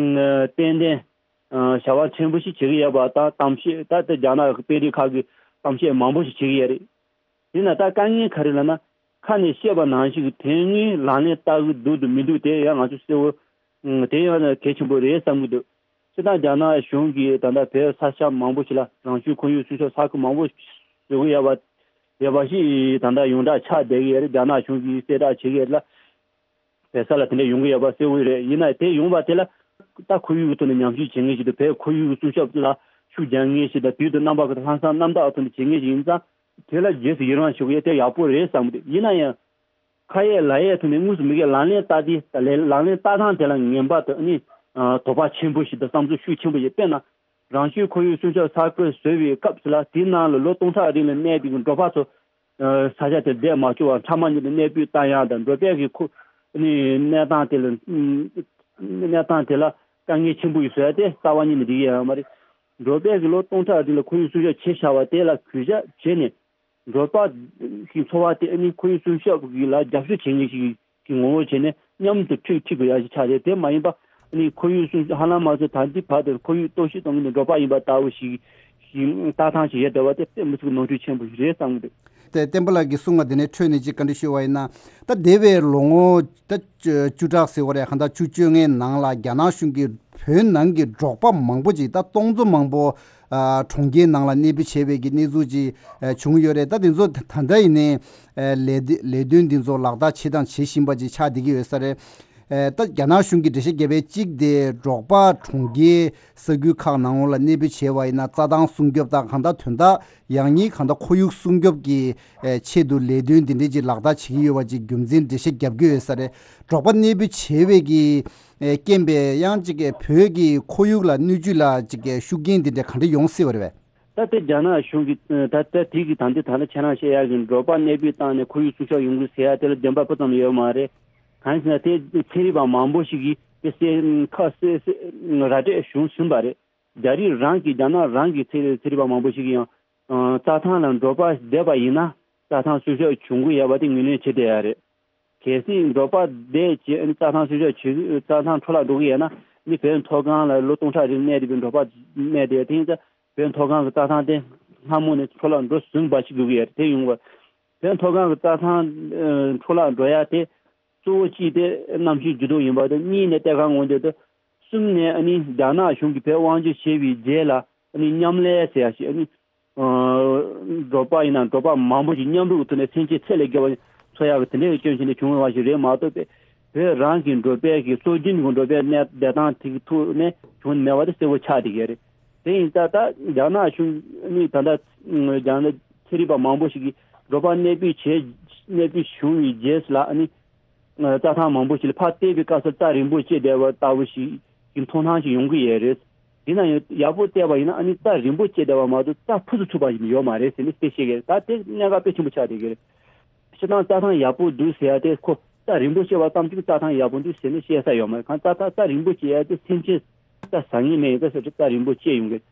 ཏན་ཏན་ཨ་བྱ་བ་ཕྲན་བུ་ཞིག་བྱེད་ཀྱི་ཡོད་པ་དང་གཏམ་བཤད་ད་ལྟ་རྒྱ་ནག་གི་དཔོན་རིགས་ཁག་གིས་གཏམ་བཤད་མང་པོ་ཞིག་བྱེད་ཀྱི་ཡོད་རེད། དེས་ན་ད་དཀའ་ངལ་ག་རེ་ལབ་ན་ཁ་ནས་བཤད་པ་ནང་བཞིན་གྱི་དོན་དངོས་ལག་ལེན་བསྟར་གྱི་འདུག་དང་མི་འདུག་དེ་ཡང་ང་ཚོ་གསལ་པོ་ཨང་དེ་ཡང་གལ་ཆེན་པོ་རེད་བསམ་གྱི་འདུག་སྤྱིར་བཏང་རྒྱ་ནག་གཞུང་གིས་ད་ལྟ་བོད་ས་ཆ་མང་པོ་ཞིག་ལ་རང་བྱུང་ཁོར་ཡུག་སྲུང་སྐྱོབ་ས་ཁུལ་མང་པོ་བཟོ་གི་ཡོད་པ་ཡོད་པ་ཞིག་ད་ལྟ་ཡོངས་གྲགས་ཆགས་བསྡད་ཀྱི་ཡོད་རེད། རྒྱ་ནག་གཞུང་གིས་གསལ་བསྒྲགས་བྱེད་ཀྱི་ཡོད་རེད་ལ། བོད་ས་ལ་དེ་འདྲ་ཡོང་གི་ཡོད་པ་གསལ་པོ་རེད། ཡིན་ན་དེ་ཡོང་བ་དེ་ལ་ད་ཁོར་ཡུག་གི་ཐོག་ནས་ཉམས་ཞིབ་བྱེད་མཁན་ཞིག་དང་བོད་ཁོར་ཡུག་གི་སྲུང་སྐྱོབ་ལ་ཤུགས་རྒྱག་མཁན་ཞིག་དང་དུས་དང་རྣམ་པ་ཀུན་ཏུ་ལྷག་བསམ་རྣམ་དག་ཐོག་ནས་བྱེད་མཁན་ཞིག་ཡིན་ཙང་དེ་ལ་རྗེས་སུ་ཡི་རང་ཞུ་གི་ཡོད། དེ་ཡག་པོ་རེད་བསམ་གི་འདུག་ཡིན་ན་ཡང་ཁ་ཡས་ལག་ཡས་ཐོག་ནས་དངོས་སུ་མི་སྒེར་ལག་ལེན་བསྟར་དུས་ད་ལས་ལག་ལེན་བསྟར་སྟངས་དེ་ལ་ངན་པ་དང་ནི་དོགས་པ་ཆེན་པོ་ཞིག་དང་བསམ་ཚུལ་ཤུགས་ཆེན་པོ་ཞིག་དཔེར་ན། རང་བྱུང་ཁོར་ཡུག་སྲུང་སྐྱོབ་ས་ཁུལ་བཟོས་པའི་སྐབས་སུ་ལ་དེའི་ནང་ལ་ལོ་སྟོང་ཕྲག་རིང་ལ་གནས་པའི་འབྲོག་པ་ཚོ་ས་ཆ་དེར་བསྡད་མ་བཅུག་པར་ཕྲ་མ་ཉིད་དུ་གནས་སྤོས་བཏང་ཡག་དང་འབྲོག་པའི་གི་ཁོ་ནི་གནས་སྟངས་དེ་ལ་གནས་སྟངས་དེ་ལ་དཀའ་ངལ་ཆེན་པོ་ཞིག་བཟོ་ཡ་དེ་རྩ་བ་ཉིད་ནས་འགྲིག་ཡ་ཡོད་མ་རེད། འབྲོག་པའི་གི་ལོ་སྟོང་ཕྲག་རིང་ལ་ཁོར་ཡུག་སྲུང་སྐྱོབ་བྱས་བཞག་པ་དེ་ལ་གུས་ཞབས་བྱས་ནས། འབྲོག་པ་གི་འཚོ་བ་དེ་ཨ་ནི་ཁོར་ཡུག་སྲུང་སྐྱོབ་ཀྱི་ལ་རྒྱབ་སྐྱོར་བྱེད་མཁན་ཞིག་གི་ངོ་བོ་བྱས་ནས་མཉམ་དུ་འཁྲིད་འཁྲིད་དགོས་ཡ་ཞིག་ཆགས་རེད། དེ་མ་ཡིན་པ་ཨ་ནི་ཁོར་ཡུག་སྲུང་ཧ་ལམ་ང་ཚོ་ད་ལྟའི་བར་དུ་ཁོར་ཡུག་གཏོར་བཤིག་གཏོང་མཁན་ནི་འབྲོག་པ་ཡིན་པ་ལྟ་བུ་ཞིག་ ཞིག་ལྟ་སྟངས་ཤིག་ཡོད་བསྡད་པ་དེ་དཔེ་མི་སྲིད་ཀྱི་ནོར་འཁྲུལ་ཆེན་པོ་ཞིག་རེད་བསམ་གྱི་འདུག་དེ་བསྟན་པ་ལགས་ཀྱིས་གསུངས་པ་དེ་ནས་འཕྲོས་ནས་ཅིག་བཀའ་འདྲི་ཞུ་བ་ཡིན་ན། ད་འདས་པའི་ལོ་ངོ་ད་བཅུ་བཅུ་ཕྲག་ཟེར་བ་རེད། གང་ལྟར་བཅུ་བཅོ་ལྔའི་ནང་ལ་རྒྱ་ནག་གཞུང་གིས་བོད་ནང་གི་འབྲོག་པ་མང་པོ་ཅིག་ད་སྟོང་ཚོ་མང་པོ་ཨ་གྲོང་ཁྱེར་ནང་ལ་གནས་སྤོས་བྱས་པའི་གི་གནས་ཚུལ་ཅིག་ཨ་བྱུང་ཡོད་རེད། ད་དེ་ཚོ་ད་ལྟ་ཡིན་ནའི་ཨ་ལས་དེ་ལས་དོན་འདི་ཚོ་ལག་བསྟར་བྱས་དང་བྱེད་བཞིན་པ་ཅིག་ཆགས་བསྡད་ཀྱི་ཡོད་ས་རེད། ཨ་ད་རྒྱ་ནག་གཞུང་གིས་འགྲེལ་བཤད་བརྒྱབ་པའི་གཅིག་དེ་འབྲོག་པ་གྲོང་ཁྱེར་ས་ཁུལ་ཁག་ནང་ལོགས་ལ་གནས་སྤོས་བྱས་པ་ཡིན་ན་རྩྭ་ཐང་སྲུང་སྐྱོབ་དང་གང་ལྟར་དོན་དག་ཡང་སྙིང་གང་ལྟར་ཁོར་ཡུག་སྲུང་སྐྱོབ་ཀྱི་ཨེ་ཆེད་དུ་ལས་དོན་འདི་འདྲས་ཀྱི་ལག་བསྟར་བྱེད་ཀྱི་ཡོད་པ་ཅིག་རྒྱུ་མཚན་འགྲེལ་བཤད་བརྒྱབ་ཀྱི་ཡོད་ས་རེད། འབྲོག་པ་གནས་སྤོས་བྱས་པའི་གི་ཨེ་རྐྱེན་པས་ཡང་ཅིག་གི་བོད་ཀྱི་ཁོར་ཡུག་ལ་སྣོད་བཅུད་ལ་ཅིག་གི་ཤུགས་རྐྱེན་འདི་འདྲས་ག་འདྲས་ཡོང་སྲིད་པ་རེད་པས། ད་ལྟ་རྒྱ་ནག་གཞུང་གིས་ད་ལྟ་དེ་གི་ད་ལྟ་ད་ལྟ་ཁྱེད་རང་བཤད་ཡག་གི་འབྲོག་པ་གནས་སྤོས་བཏང་ནས་ཁོར་ཡུག་སྲུང་སྐྱོབ་ཡོང་གི་ཟེར་ཡ་དེ་ལ་བདེན་པ་སྤུ་ཙམ་ཡོད་མ་རེད། གང་ཡིན་ཟེར་ན་དེ་ཚན་རིག་པ་མང་པོ་ཞིག་གིས་དེ་གསལ་ཁ་གསལ་གསལ་ར་སྤྲོད་བྱུང་ཟིན་པ་རེད། རྒྱ་རིགས་རང་གི་རྒྱ་ནག་རང་གི་ཚན་ཚན་རིག་པ་མང་པོ་ཞིག་གིས་ཡང་ཨ་རྩྭ་ཐང་ལ་འབྲོག་པ་བསྡད་པ་ཡིན་ན་རྩྭ་ཐང་སྲུང་སྐྱོབ་བྱུང་གི་ཡོད་པ་དེ་ངོས་ལེན་བྱེད་བསྡད་ཡ་རེད། གལ་སྲིད་འབྲོག་པ་བསྡད་བྱས་ཨ་ནི་རྩྭ་ཐང་སྲུང་སྐྱོབ་བྱེད་རྩྭ་ཐང་འཕྲོ་བརླག་འགྲོ་གི་ཡོད་ན་ནི་བོད་མཐོ་སྒང་ལ་ལོ་སྟོང་ཕྲག་རིང་གནས་བསྡད་པའི་འབྲོག་པ་གནས་བསྡད་དེ་ཡིན་ཙང་བོད་མཐོ་སྒང་གི་རྩྭ་ཐང་དེ་སྔ་མོ་ནས་འཕྲོ་བརླག་འགྲོ་ཟིན་པ་ཞིག་དགོས་ཀྱི་ཡོད་རེད། དེ་ཡོང་བ་བོད་མཐོ་སྒང་གི་རྩྭ་ཐང་ཨ་འཕྲོ་བརླག་འགྲོ་ཡ་དེ་གཙོ་བོ་གཅིག་དེ་གནམ་གཤིས་འགྱུར་ལྡོག་ཡིན་པ་དང་གཉིས་ནས་གཏེར་ཁ་སྔོག་འདོན་དང་གསུམ་ནས་ཨ་ནི་རྒྱ་ནག་གཞུང་གིས་བོད་དབང་སྒྱུར་བྱས་པའི་རྗེས་ལ་ཨ་ནི་མཉམ་ལས་ཟེར་ཡ་ཞིག་ཨ་ནི་ཨ་འབྲོག་པ་ཡིན་ན་འབྲོག་པ་མང་པོ་ཞིག་མཉམ་རུབ་ཀྱི་ཐོག་ནས་སེམས་ཅན་ཚད་ལས་བརྒལ་བ་འཚོ་ཡག་གི་དེ་འདྲའི་སྐྱོན་ཆེན་དེ་བྱུང་བ་ཞིག་རེད་མ་གཏོགས་པས་བོད་རང་གི་འབྲོག་པའི་གི་སྲོལ་རྒྱུན་གྱི་འབྲོག་པའི་གནས་བསྡད་སྟངས་དེ་གི་ཐོག་ནས་བྱུང་མེད་པ་དེ་གསལ་པོ་ཆགས་བསྡད་ཀྱི་རེད། དེ་ཡིན་ཙང་ད་རྒྱ་ནག་གཞུང་ནི་ད་ལྟ་རྒྱ་ནག་ཚན་རིག་པ་མང་པོ་ཞིག་གིས་འབྲོག་པ་གནས་སྤོས་བྱས་གནས་སྤོས་བྱུང་བའི་རྗེས་སུ་ལ་ཨ་ནི་རྩྭ་ཐང་མང་པོ་ཞིག་ལ་ཕར་བལྟས་པའི་སྐབས་སུ་རྩྭ་རིང་པོ་སྐྱེས་བསྡད་པ་ལྟ་བུ་ཞིག་གི་མཐོང་སྣང་ཞིག་ཡོང་གི་ཡོད་རེད། ཡིན་ན་ཡང་ཡག་པོ་བལྟས་པ་ཡིན་ན་ཨ་ནི་རྩྭ་རིང་པོ་སྐྱེས་བསྡད་པ་མ་གཏོགས་རྩྭ་ཕུད་དུ་ཚུགས་པ་ཞིག་ཡོད་མ་རེད་ཟེར་ནས་དེ་བཤད་ཀྱི་རེད། ད་དེ་གནད་འགག་དཔེ་ཆེན་པོ་ཆགས་བསྡད་ཀྱི་རེད། སྤྱིར་བཏང་རྩྭ་ཐང་ཡག་པོ་འདུག་ཟེར་ཡ་དེ་ཁོ་རྩྭ་རིང་པོ་སྐྱེས་པ་ཙམ་གྱིས་རྩྭ་ཐང་ཡག་པོ་འདུག་ཟེར་ནས་བཤད་ས་ཡོད་མ་རེད། གང་ལྟར་རྩྭ་རིང་པོ་སྐྱེས་ཡ་དེ་སེམས་ཅན་རྩྭ་ཟ་མཁན་མེད་ཡིན་ཙང་ཟེར་རྩྭ་རིང་པོ་སྐྱེས་ཡོང་གི་རེད།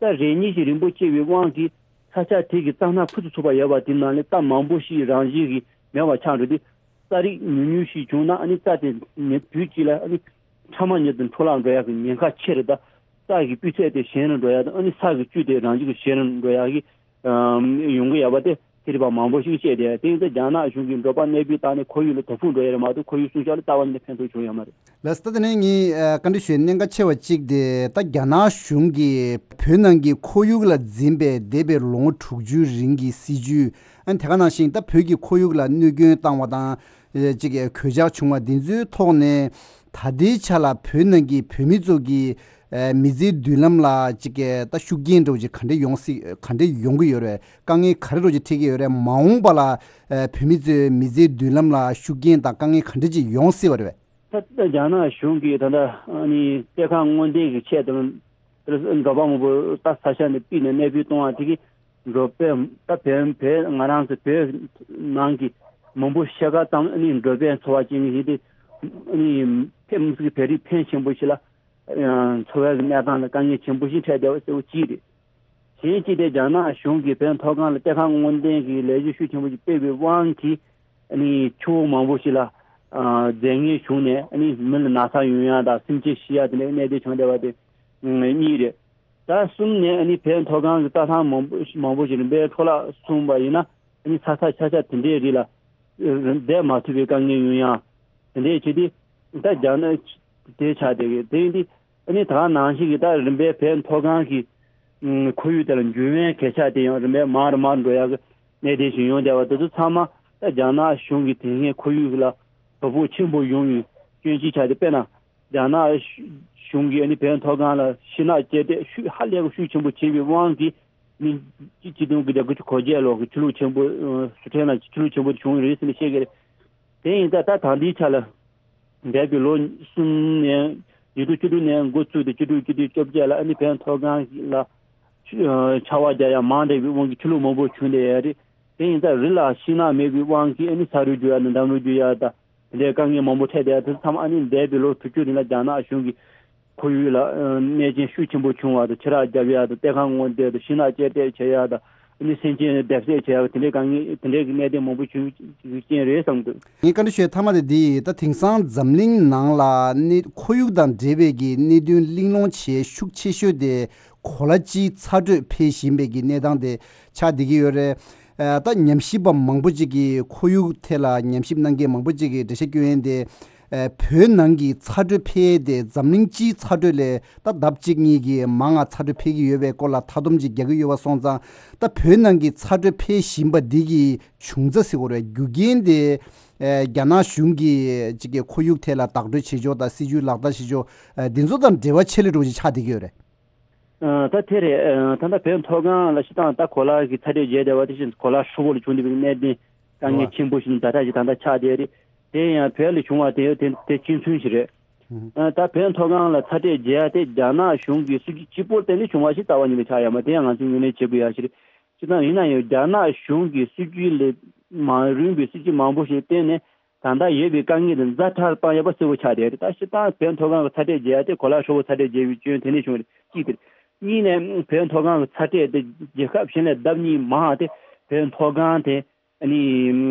རྩྭ་རེ་གཉིས་ཤིག་རིང་པོ་སྐྱེས་པའི་དབང་གིས་ས་ཆ་དེ་གི་རྩྭ་སྣ་ཕུད་དུ་ཚུགས་པ་ཡོད་པ་དེ་ནང་ལས་རྩྭ་མང་པོ་ཞིག་རང་བཞིན་གྱིས་མེད་པ་ཆགས་འགྲོ་དུས་རྩྭ་རིགས་ཉུང་ཉུང་ཞིག་བྱུང་ན་ཨ་ནི་རྩྭ་དེ་ཉིན་དུས་གཅིག་ལ་ཨ་ནི་ཕྲ་མ་ཉིད་དུ་འཕྲོ་བརླག་འགྲོ་ཡག་གི་ཉེན་ཁ་ཆེ་རེད། ད་རྩྭ་གི་སྤུས་ཚད་དེ་ཞན་རུ་འགྲོ་ཡག་དང་ཨ་ནི་ས་གི་བཅུད་དེ་རང་བཞིན་གྱིས་ཞན་རུ་འགྲོ་ཡག་གི་ཡོང་གི་ཡོད་པ་དེ་ཚན་རིག་པ་མང་པོ་ཞིག་བཤད་དེ་དེ་ཡིན་ཙང་རྒྱ་ནག་གཞུང་གིས་འབྲོག་པ་གནས་སྤོས་བཏང་ནས་ཁོར་ཡུག་ལ་དོ་ཕོག་འགྲོ་ཡ་རེད་མ་གཏོགས་ཁོར་ཡུག་སྲུང་སྐྱོབ་ལ་རྩ་བ་ནས་ཕན་ཐོགས་བྱུང་ཡོད་མ་རེད། ལགས་སོ། ད་དེ་ནས་ངས་ཨ་བཀའ་འདྲི་ཞུ་ཡའི་གནད་འགག་ཆེ་བ་གཅིག་དེ་ད་རྒྱ་ནག་གཞུང་གིས་བོད་ནང་གི་ཁོར་ཡུག་ལ་འཛིན་པའི་འདས་པའི་ལོ་ངོ་དྲུག་ཅུའི་རིང་གི་སྲིད་ཇུས་ཨ་ནི་དེ་ག་ནང་བཞིན་ད་བོད་ཀྱི་ཁོར་ཡུག་ལ་གནོད་སྐྱོན་བཏང་བ་དང་ཨ་ཅིག་གོད་ཆག་བྱུང་བ་འདི་ཚོའི་ཐོག་ནས་ད་ལྟའི་ཆ་ལ་བོད་ནང་གི་བོད་མི་ཚོ་གི་ཨ་མི་ཚེའི་མདུན་ལམ་ལ་ཅིག་ད་ཤུགས་རྐྱེན་འདྲ་བོ་ཅིག་ག་འདྲ་ཡོང་སྲིད་ག་འདྲ་ཡོང་གི་ཡོད་རེད། དཀའ་ངལ་ག་རེ་འདྲ་བོ་ཅིག་འཕྲད་ཀྱི་ཡོད་རེད། མ་འོངས་པ་ལ་ཨ་བོད་མི་ཚོའི་མི་ཚེའི་མདུན་ལམ་ལ་ཤུགས་རྐྱེན་དང་དཀའ་ངལ་ག་འདྲ་ཅིག་ཡོང་སྲིད་པ་རེད་པས། ད་ལྟ་རྒྱ་ནག་གཞུང་གིས་ད་ལྟ་ཨ་ནི་གཏེར་ཁ་སྔོག་འདོན་གྱི་ཆེད་དུ་འབྲོག་པ་མང་པོ་ད་ས་ཆ་ནས་ཕུད་ནས་གནས་སྤོས་གཏོང་བ་དེ་གིས་འབྲོག་པས་ད་བོད་བོད་ང་རང་ཚོ་བོད་ནང་གི་མང་པོ་ཤ་ཁ་ཙམ་ཨ་ནི་འབྲོག་པའི་འཚོ་བ་སྐྱེལ་མཁན་ཞིག་དེ་ཨ་ནི་ཕེབས་མི་སྲིད་བོད་རིགས་ཕོན་ཆེན་པོ་ཞིག་ལ་འཚོ་བའི་གནས་སྟངས་ལ་དཀའ་ངལ་ཆེན་པོ་ཞིག་འཕྲད་བསྡད་པ་གཙོ་བོ་གཅིག་རེད། གཞན་གཅིག་དེ་རྒྱ་ནག་གཞུང་གིས་བོད་མཐོ་སྒང་ལ་གཏེར་ཁ་སྔོག་འདོན་གྱི་ལས་གཞི་ཤུགས་ཆེན་པོ་ཞིག་སྤེལ་བའི་དབང་གིས་ཨ་ནི་ཆུ་བོ་མང་པོ་ཞིག་ལ་ཨ་རྫས་ངན་ཞུགས་ནས་ཨ་ནི་མི་ལ་ན་ཚ་ཡོང་ཡ་དང་སེམས་ཅན་ཤི་ཡ་དེ་འདྲའི་གནད་དོན་བྱུང་བསྡད་པ་དེ་གཉིས་རེད། ད་གསུམ་ནས་ཨ་ནི་བོད་མཐོ་སྒང་གི་རྩྭ་ཐང་མང་པོ་མང་པོ་ཞིག་རིམ་པས་འཕྲོ་བརླག་སོང་བ་ཡིན་ན་ཨ་ནི་ས་ཆ་ཆ་ཆ་དེ་འདྲའི་རིགས་ལ་བསྡད་མ་ཐུབ་པའི་དཀའ་ངལ་ཡོང་ཡ་དེ་འདྲའི་བྱས་ཏེ་ད་རྒྱ་ནག་དེ་ཆགས་བསྡད་ཀྱི་དེ་ཡིན་དུས། ཨ་ནི་ད་ག་ནང་བཞིན་གྱི་ད་རིམ་པས་བོད་མཐོ་སྒང་གི་ཨུམ་ཁོར་ཡུག་དེ་ལ་འགྱུར་བའི་གོད་ཆག་དེ་ཡང་རིམ་པས་མང་རུ་མང་རུ་འགྲོ་ཡག་གི་གནད་དོན་ཞིག་ཡོང་བསྡད་པ་དེ་ཚོ་ཚང་མ་ད་རྒྱ་ནག་གཞུང་གིས་དེ་སྔའི་ཁོར་ཡུག་ལ་དོ་ཕོག་ཆེན་པོ་ཡོང་བའི་སྐྱོན་གཞི་ཆགས་ཏེ། དཔེར་ན་རྒྱ་ནག་གཞུང་གིས་ཨ་ནི་བོད་མཐོ་སྒང་ལ་ཤིང་ནགས་བཅད་འདེད་ཤུགས་ཧ་ལས་པའི་ཤུགས་ཆེན་པོ་བྱས་པའི་དབང་གིས་ཨ་ནི་སྤྱི་སྤྱི་སྟོང་དགུ་བརྒྱ་དགུ་བཅུ་གོ་བརྒྱད་ལོ་གི་ཆུ་ལོག་ཆེན་པོ་ཨ་སི་ཁྲོན་ལ་ཆུ་ལོག་ཆེན་པོ་དེ་བྱུང་ཡོད་རེད་ཟེར་ནས་བཤད་ཀྱི་རེད། དེ་ཡིན་ཙང་ད་ད་ལྟའི་ཆ་ལ་འདས་པའི་ལོ་གསུམ་ནས་ཉིས་སྟོང་བཅུ་དྲུག་ནས་འགོ་བཙུགས་ཏེ་བཅུ་དྲུག་བཅུ་བདུན་བཅོ་བརྒྱད་ལ་ཨ་ནི་བོད་མཐོ་སྒང་ལ་ཆར་པ་རྒྱག་ཡ་མང་དྲགས་པའི་དབང་གིས་ཆུ་ལོག་མང་པོ་བྱུང་བསྡད་ཡོད་རེད། དེ་ཡིན་ཙང་རི་ལ་ཤིང་ནགས་མེད་པའི་དབང་གིས་ཨ་ནི་ས་རུད་རྒྱུག་ཡ་དང་འདམ་རུད་རྒྱུག་ཡ་དང་དེ་འདྲའི་དཀའ་ངལ་མང་པོ་འཕྲད་བསྡད་ཡ་དེ་ཚོ་ཚང་མ་ཨ་ནི་འདས་པའི་ལོ་དྲུག་ཅུ་རིང་ལ་རྒྱ་ནག་གཞུང་གིས་ཁོར་ཡུག་ལ་ཨ་གནོད་སྐྱོན་ཤུགས་ཆེན་པོ་བྱུང་བ་དང་། ཆུ་རགས་བརྒྱབ་ཡ་དང་། གཏེར་ཁ་སྔོག་འདོན་དང་། ཤིང་ནགས་བཅད་འདེད་བྱེད་ཡ་དང་། ཨ་ནི་སེམས་ཅན་བརྡབ་གསིག་བྱེད་ཡ་དེ་འདྲའི་དཀའ་ངལ་དེ་འདྲའི་གི་གནད་དོན་མང་པོ་བྱུང་རྐྱེན་རེད་བསམ་འདུག་ངས་བཀའ་འདྲི་ཞུ་ཡ་མཐའ་མ་དེ་འདི་ཡིན། ད་དེང་སང་འཛམ་གླིང་ནང་ལ་གནས་ཁོར་ཡུག་དང་འབྲེལ་བའི་གི་གནད་དོན་གླེང་སློང་བྱེད་ཤུགས་ཆེ་ཤོས་དེ་ གོ་ལ་སྤྱིའི་ཚ་དྲོད་འཕེལ་བཞིན་པའི་གི་གནས་སྟངས་དེ་ཆགས་བསྡད་ཀྱི་ཡོད་རེད། ཨ། ད་ཉམས་ཞིབ་པ་མང་པོ་ཅིག་གིས་ཁོར་ཡུག་ཐད་ལ་ཉམས་ཞིབ་གནང་མཁན་མང་པོ་ཅིག་གིས་འགྲེལ་བཤད་སྐྱོན་ཡས་དེ། ཨ། བོད་ནང་གི་ཚ་དྲོད་འཕེལ་ཡས་དེ་འཛམ་གླིང་སྤྱིའི་ཚ་དྲོད་ལས་ད་ལྡབ་གཅིག་གཉིས་ཀྱིས་མང་ང་ཚ་དྲོད་འཕེལ་གྱི་ཡོད་པའི་སྐོར་ལ་མཐའ་སྡོམ་ཅིག་རྒྱག་གི་ཡོད་པ་སོང་ཙང་། ད་བོད་ནང་གི་ཚ་དྲོད་འཕེལ་བཞིན་པ་འདི་གི་བྱུང་རྩ་ཟེར་དགོས་རེད། རྒྱུ་རྐྱེན་དེ། ཨ། རྒྱ་ནག་གཞུང་གིས་ཅིག་གི་ཁོར་ཡུག་ཐད་ལ་བདག་སྤྲོད་བྱེད་ཕྱོགས་དང་སྲིད་ཇུས་ལག་བསྟར་བྱེད་ཕྱོགས། ཨ། འདི་ཚོ་དང་འབྲེལ་བ་ཆེ་ལེ་འགྲོ་ཅིག་ཆགས་བསྡད་ཀྱི་ཡོད་རེད། ཨ། ད་དེ་རེད། ཨ། ད་ལྟ་བོད་མཐོ་སྒང་ལ་སྤྱིར་བཏང་ད་གོ་ལ་གི་ཚ་དྲོད་རྒྱས་བསྡད་པ་དེ་བཞིན་གོ་ལ་ཧྲིལ་པོ་ལ་བྱུང་བསྡད་པའི་གནད་དོན་དཀའ་ངལ་ཆེན་པོ་ཞིག་ད་ལྟ་ཞིག་ད་ལྟ་ཆགས་བསྡད་རེད། དེ་ཡང་བོད་ལ་བྱུང་བ་དེ་དེ་དེ་གཅིག་མཚུངས་ཤིག་རེད། ཨ། ད་བོད་མཐོ་སྒང་ལ་ཚ་དྲོད་རྒྱས་ཡ་དེ་རྒྱ་ནག་གཞུང་གི་སྲིད་ཇུས་གཅིག་པོར་བརྟེན་ནས་བྱུང་བ་ཞིག་རྩ་བ་ཉིད་ནས་ཆགས་ཡོད་མ་རེད། དེ་ཡང་ང་ཚོས་ངོས་ལེན་བྱེད་དགོས་ཡ་ཞིག་རེད། སྤྱིར་བཏང་ཡིན་ན་ཡང་རྒྱ་ནག་གཞུང་གི་སྲིད་ཇུས་ལས་མང་རུང་གི་སྲིད་ཇུས་མང་པོ་ཞིག་བརྟེན་ནས། ད་ལྟ་ཡོད་པའི་དཀའ་ངལ་དེ་ཛ་དྲག་བཏང་ཡོད་པ་གསལ་པོ་ཆགས་བསྡད་རེད། ད་སྤྱིར་བཏང་བོད་མཐོ་སྒང་གི་ཚ་དྲོད་རྒྱས་ཡ་དེ་གོ་ལ་ཧྲིལ་པོ་ཚ་དྲོད་རྒྱས་པའི་རྐྱེན་དེ་ནས་བྱུང་བ་རེད། གཅིག་དེ་རེད། གཉིས་ནས་བོད་མཐོ་སྒང་གི་ཚ་དྲོད་དེ་རྒྱལ་ཁབ་གཞན་ལས་ལྡབ་གཉིས་མང་བ་དེ་བོད་མཐོ་སྒང་དེ་ཨ་ནི་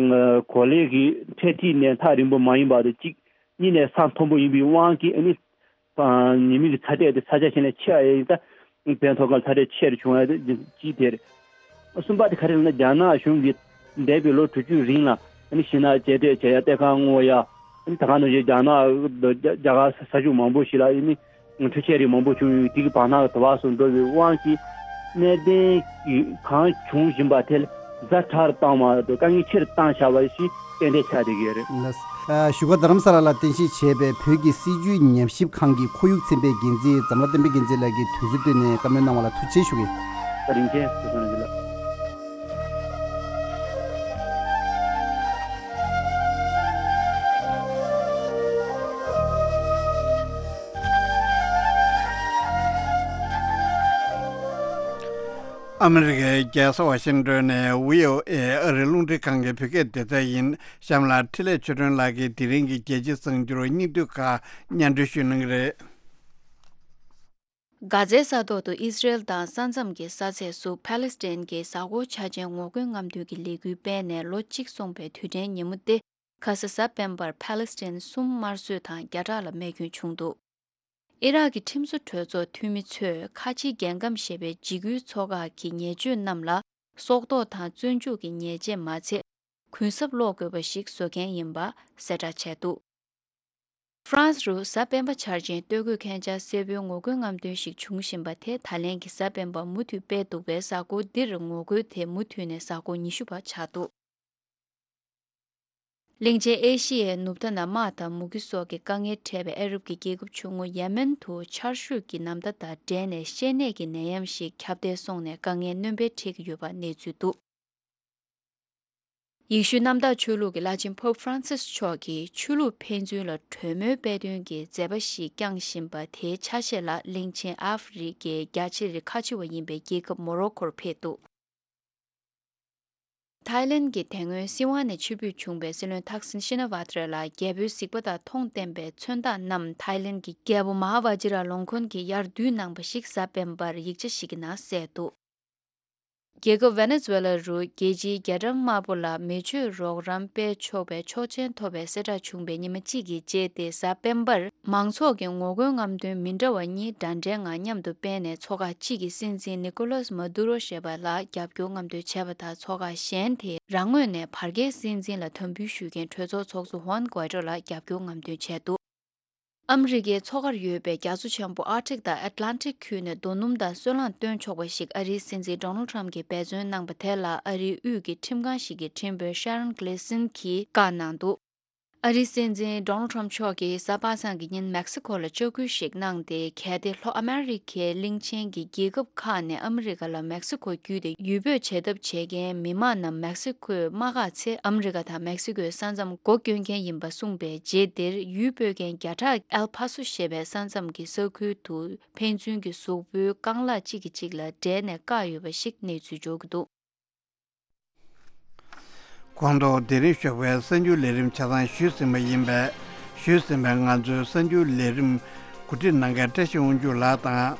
གོ་ལའི་གི་འཕྲེད་ཐིག་ནས་ཐག་རིང་པོ་མ་ཡིན་པ་དེ་གཅིག་གཉིས་ནས་ས་མཐོན་པོ་ཡིན་པའི་དབང་གིས་ཨ་ནི། ཨ། ཉི་མའི་གི་ཚ་དྲོད་དེ་ས་ཆ་གཞན་ལས་ཆེ་བ་ཡིན་ད། བོད་མཐོ་སྒང་ཚ་དྲོད་ཆེ་རུ་བྱུང་བ་དེ་གཅིག་དེ་རེད། གསུམ་པ་དེ་ག་རེ་ལབ་ན་རྒྱ་ནག་གཞུང་གིས་འདས་པའི་ལོ་དྲུག་ཅུའི་རིང་ལ་ཨ་ནི་ཤིང་ནགས་གཅེས་སྤྲས་བྱས་ཡ་གཏེར་ཁ་སྔོག་ཡ། ཨ་ནི་ད་ག་ནང་བཞིན་རྒྱ་ནག་རྒྱ་གར་ས་ཆ་མང་པོ་ཞིག་ལ་ཨ་ནི་འཕྲུལ་ཆས་རིགས་མང་པོ་བྱུང་ཡོད། དེ་གི་བར་ན་དུ་བ་སོགས་འགྲོ་བའི་དབང་གིས་གནད་དོན་གང་བྱུང་བཞིན་པ་དེ་ཛ་དྲག་བཏང་བ་དང་དཀའ་ངལ་ཆེ་རུ་བཏང་བཞག་པ་ཞིག་ཏན་ཏན་ཆགས་བསྡད་ཀྱི་ཡོད་རེད། ལགས། ཨ། བཞུགས་སྒར་རྡ་རམ་ས་ལ་ལ་རྟེན་གཞི་བྱས་པའི་བོད་ཀྱི་སྲིད་བྱུས་ཉམས་ཞིབ་ཁང་གི་ཁོར་ཡུག་ཚན་པའི་འགན་འཛིན་འཛམ་ལྷ་བསྟན་འཕེལ་རྒྱལ་མཚན་ལགས་ཀྱིས་དུས་ཚོད་བཏོན་ནས་བཀའ་མོལ་གནང་བ་ལ་ཐུགས་རྗེ་ཆེ་ཞུ་གི་ཡིན། བཀའ་དྲིན་ཆེ། བཀའ་དྲིན་ཆེ། ཨ་མི་རི་ཀའི་རྒྱལ་ས་ཝ་ཤིང་ཏོན་ནས་བྷི་ཨོ་ཨེ་ཨ་རིའི་རླུང་འཕྲིན་ཁང་གི་བོད་སྐད་སྡེ་ཚན་ཡིན། གཤམ་ལ་འཕྲིན་ལས་ཆོས་སྒྲོན་ལགས་ཀྱིས་དེ་རིང་གི་རྒྱལ་སྤྱིའི་གསར་འགྱུར་སྙིང་བསྡུས་ཁག་སྙན་སྒྲོན་ཞུ་གནང་གི་རེད། གྷ་ཛའི་ས་ཐོག་ཏུ་ཨི་སི་རེལ་དང་ས་མཚམས་ཀྱི་ས་ཚད་སུ་ཕཱ་ལེ་སི་ཐན་གྱི་གཟའ་འཁོར་འཆར་ཅན་ངོ་རྒོལ་རྔམ་སྟོན་གྱི་ལས་འགུལ་སྤེལ་ནས་ལོ་གཅིག་སོང་པའི་དུས་དྲན་ཉིན་མོ་སྟེ། ཁ་ས་གཟའ་སྤེན་པར་ཕཱ་ལེ་སི་ཐན་གསུམ་དམར་གསོད་དང་བརྒྱ་ཕྲག་ལ་རྨས་སྐྱོན་བྱུང་འདུག་ཨི་རག་གི་ཁྲིམས་བཟོ་གྲོས་ཚོགས་འཐུས་མི་ཚོས་ཁ་ཆེའི་རྒྱལ་ཁམས་ཞེས་པའི་འཇིགས་སྐུལ་ཚོགས་ཁག་གི་ཉེས་སྤྱོད་རྣམས་ལ་སྲོག་ཐོག་དང་བཙོན་འཇུག་གི་ཉེས་ཆད་མ་ཚད། གུན་གསབ་སློག་དགོས་པ་ཞིག་བཟོ་མཁན་ཡིན་པ་གསལ་བསྒྲགས་བྱས་འདུག་ཧྥ་རན་སི་རུ་གཟའ་སྤེན་པ་འཆར་ཅན་སྟོད་གོས་མཁན་ཆ་སེར་པོའི་ངོ་རྒོལ་རྔམ་སྟོན་ཞིག་བྱུང་བཞིན་པ་དེ་ད་ལན་གྱི་གཟའ་སྤེན་པ་མུ་མཐུད་སྤེལ་འདུག་པས། གཟའ་འཁོར་འདིར་ངོ་རྒོལ་དེ་མུ་མཐུད་ནས་གཟའ་འཁོར་ཉི་ཤུ་པ་ཆགས་འདུག་གླིང་ཆེན་ཨེ་ཤི་ཡའི་ནུབ་མཐའ་ན་དམག་དང་མུ་གེ་སོགས་ཀྱི་དཀའ་ངལ་འཕྲད་པའི་ཨ་རབ་ཀྱི་རྒྱལ་ཁབ་ཆུང་ངུ་ཡེ་མེན་དུ་ཆར་ཞོད་ཀྱི་ནམ་ཟླ་དང་འབྲེལ་ནས་བཤལ་ནད་ཀྱི་ནད་ཡམས་ཤིག་ཁྱབ་གདལ་སོང་ནས་དཀའ་ངལ་སྣོན་པ་འཕྲད་ཀྱི་ཡོད་པ་གནས་ཚུལ་འདུག་ཡེ་ཤུའི་གནམ་བདག་ཆོས་ལུགས་ཀྱི་བླ་ཆེན་Pope Francis་མཆོག་གིས་ཆོས་ལུགས་ཕན་ཚུན་ལ་གྲོས་མོལ་སྤེལ་དོན་གྱི་མཛད་པ་ཞིག་བསྐྱངས་བཞིན་པ་དེའི་ཆ་ཤས་ལ་གླིང་ཆེན་ཨ་ཧྥེ་རི་ཁའི་རྒྱ་ཆེ་རིགས་ཁ་ཆེ་བ་ཡིན་པའི་རྒྱལ་ཁབ་མོ་རོ་ཁོར་ཕེབས་འདུག་ཐའི་ལེན་གྱི་དེ་སྔོན་སྲིད་དབང་ནས་ཕྱིར་འབུད་བྱུང་བའི་སྲིད་བློན་ཐག་སིན་ཤི་ན་ཝ་ཏྲ་ལ་རྒྱལ་པོའི་གཟིགས་པ་དང་མཐོང་བསྟན་པའི་མཚོན་རྟགས་རྣམས་ཐའི་ལེན་གྱི་རྒྱལ་པོ་མ་ཧཱ་ཝ་ཇི་ར་ལོང་ཁོན་གྱིས་ཡར་བསྡུས་གནང་པ་ཞིག་གཟའ་སྤེན་པར་ཡིག་ཆ་ཞིག་གི་ནང་གསལ་འདུག་རྒྱལ་ཁབ་ཝེ་ནེ་ཛུ་ཝེ་ལ་རུ་རྒྱལ་སྤྱིའི་རྒྱ་གྲམ་དམར་པོ་ལ་མེ་མཆོད་རོགས་རམ་སྤེལ་ཆོག་པའི་ཆོག་མཆན་ཐོབ་པའི་གསལ་བསྒྲགས་བྱུང་བའི་ཉི་མ་གཅིག་གི་རྗེས་ཏེ་གཟའ་སྤེན་པར་མང་ཚོགས་ཀྱི་ངོ་རྒོལ་རྔམ་སྟོན་མི་འདྲ་བ་གཉིས་འདྲ་འདྲའི་ངང་མཉམ་དུ་སྤེལ་ནས་ཚོགས་ཁག་གཅིག་གིས་སྲིད་འཛིན་ནི་ཀོ་ལོས་མ་དུ་རོ་ཞེས་པ་ལ་རྒྱབ་སྐྱོར་རྔམ་སྟོན་བྱས་པ་དང་། ཚོགས་ཁག་གཞན་དེས་རང་ངོས་ནས་བར་བརྒལ་སྲིད་འཛིན་ལ་དམ་འབུལ་ཞུ་མཁན་གྲོས་ཚོགས་ཚོགས་གཙོ་ཧུའན་གུའེ་ཏྲོ་ལ་རྒྱབ་སྐྱོར་རྔམ་སྟོན་བྱས་འདུག་ཨ་མི་རི་ཀའི་མཚོ་ཁར་ཡོད་པའི་རྒྱ་མཚོ་ཆེན་པོ་ཨར་ཀ་ཊིག་དང་ཨེཊ་ལན་ཊིག་ཁུལ་ནས་རྡོ་སྣུམ་དང་སོལ་རླངས་བཏོན་ཆོག་པ་ཞིག་ཨ་རིའི་སྲིད་འཛིན་ཌོ་ནལ་ཊམ་གྱིས་འབད་བརྩོན་གནང་པ་དེ་ལ་ཨ་རིའི་དབུས་ཀྱི་ཁྲིམས་ཁང་ཞིག་གི་ཁྲིམས་དཔོན་ཤ་རོན་གྷི་ལི་སིན་གྱིས་བཀའ་གནང་འདུག་ཨ་རིའི་སྲིད་འཛིན་ཌོ་ནལ་ཊམ་མཆོག་གིས་གཟའ་པ་སངས་ཀྱི་ཉིན་མེག་སི་ཁོ་ལ་ལྕག་སྐུལ་ཞིག་གནང་སྟེ། གལ་ཏེ་ལྷོ་ཨ་མེ་རི་ཁའི་གླིང་ཆེན་གྱི་རྒྱལ་ཁབ་ཁག་ནས་ཨ་མི་རི་ཀ་ལ་མེག་སི་ཁོ་བརྒྱུད་དེ་ཡུལ་སྤོས་བྱེད་ཐབས་བྱེད་མཁན་མི་མང་རྣམས་མེག་སི་ཁོས་མ་བཀག་ཚེ། ཨ་མི་རི་ཀ་དང་མེག་སི་ཁོའི་ས་མཚམས་སྒོ་སྐྱོན་མཁན་ཡིན་པ་གསུངས་པའི་རྗེས་དེར། ཡུལ་སྤོས་མཁན་བརྒྱ་ཕྲག་ཨེལ་ཕ་སོ་ཞེས་པའི་ས་མཚམས་ཀྱི་ས་ཁུལ་དུ་ཕན་ཚུན་གྱི་གཟུགས་པོའི་རྐང་ལག་གཅིག་གིས་གཅིག་ལ་འབྲད་ནས་བཀག་ཡོད་པ་ཞིག་གནས་ཚུལ་འབྱོར་གྱི་འདུག་གོང་དུ་དེ་རིང་ཞོགས་པའི་གསར་འགྱུར་ལས་རིམ་ཆ་ཚང་ཞུས་ཟིན་པ་ཡིན་པས། ཞུས་ཟིན་པའི་ང་ཚོའི་གསར་འགྱུར་ལས་རིམ་གོ་སྒྲིག་གནང་མཁན་བཀྲ་ཤིས་དབང་ཕྱུག་ལགས་དང་།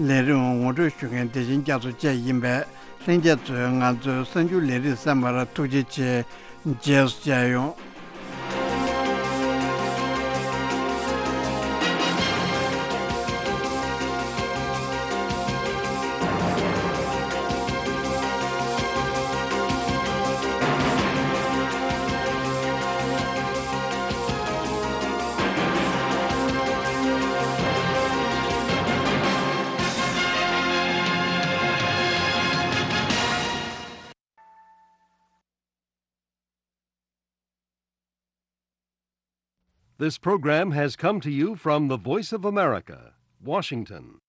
ལས་རིམ་ངོ་སྤྲོད་ཞུ་མཁན་བདེ་ཆེན་རྒྱ་མཚོ་བཅས་ཡིན་པས། ལྷན་རྒྱས་ཚོས་ང་ཚོའི་གསར་འགྱུར་ལས་རིམ་གསན་པར་ཐུགས་རྗེ་ཆེ། རྗེས་སུ་མཇལ་ཡོང་། This program has come to you from the Voice of America, Washington.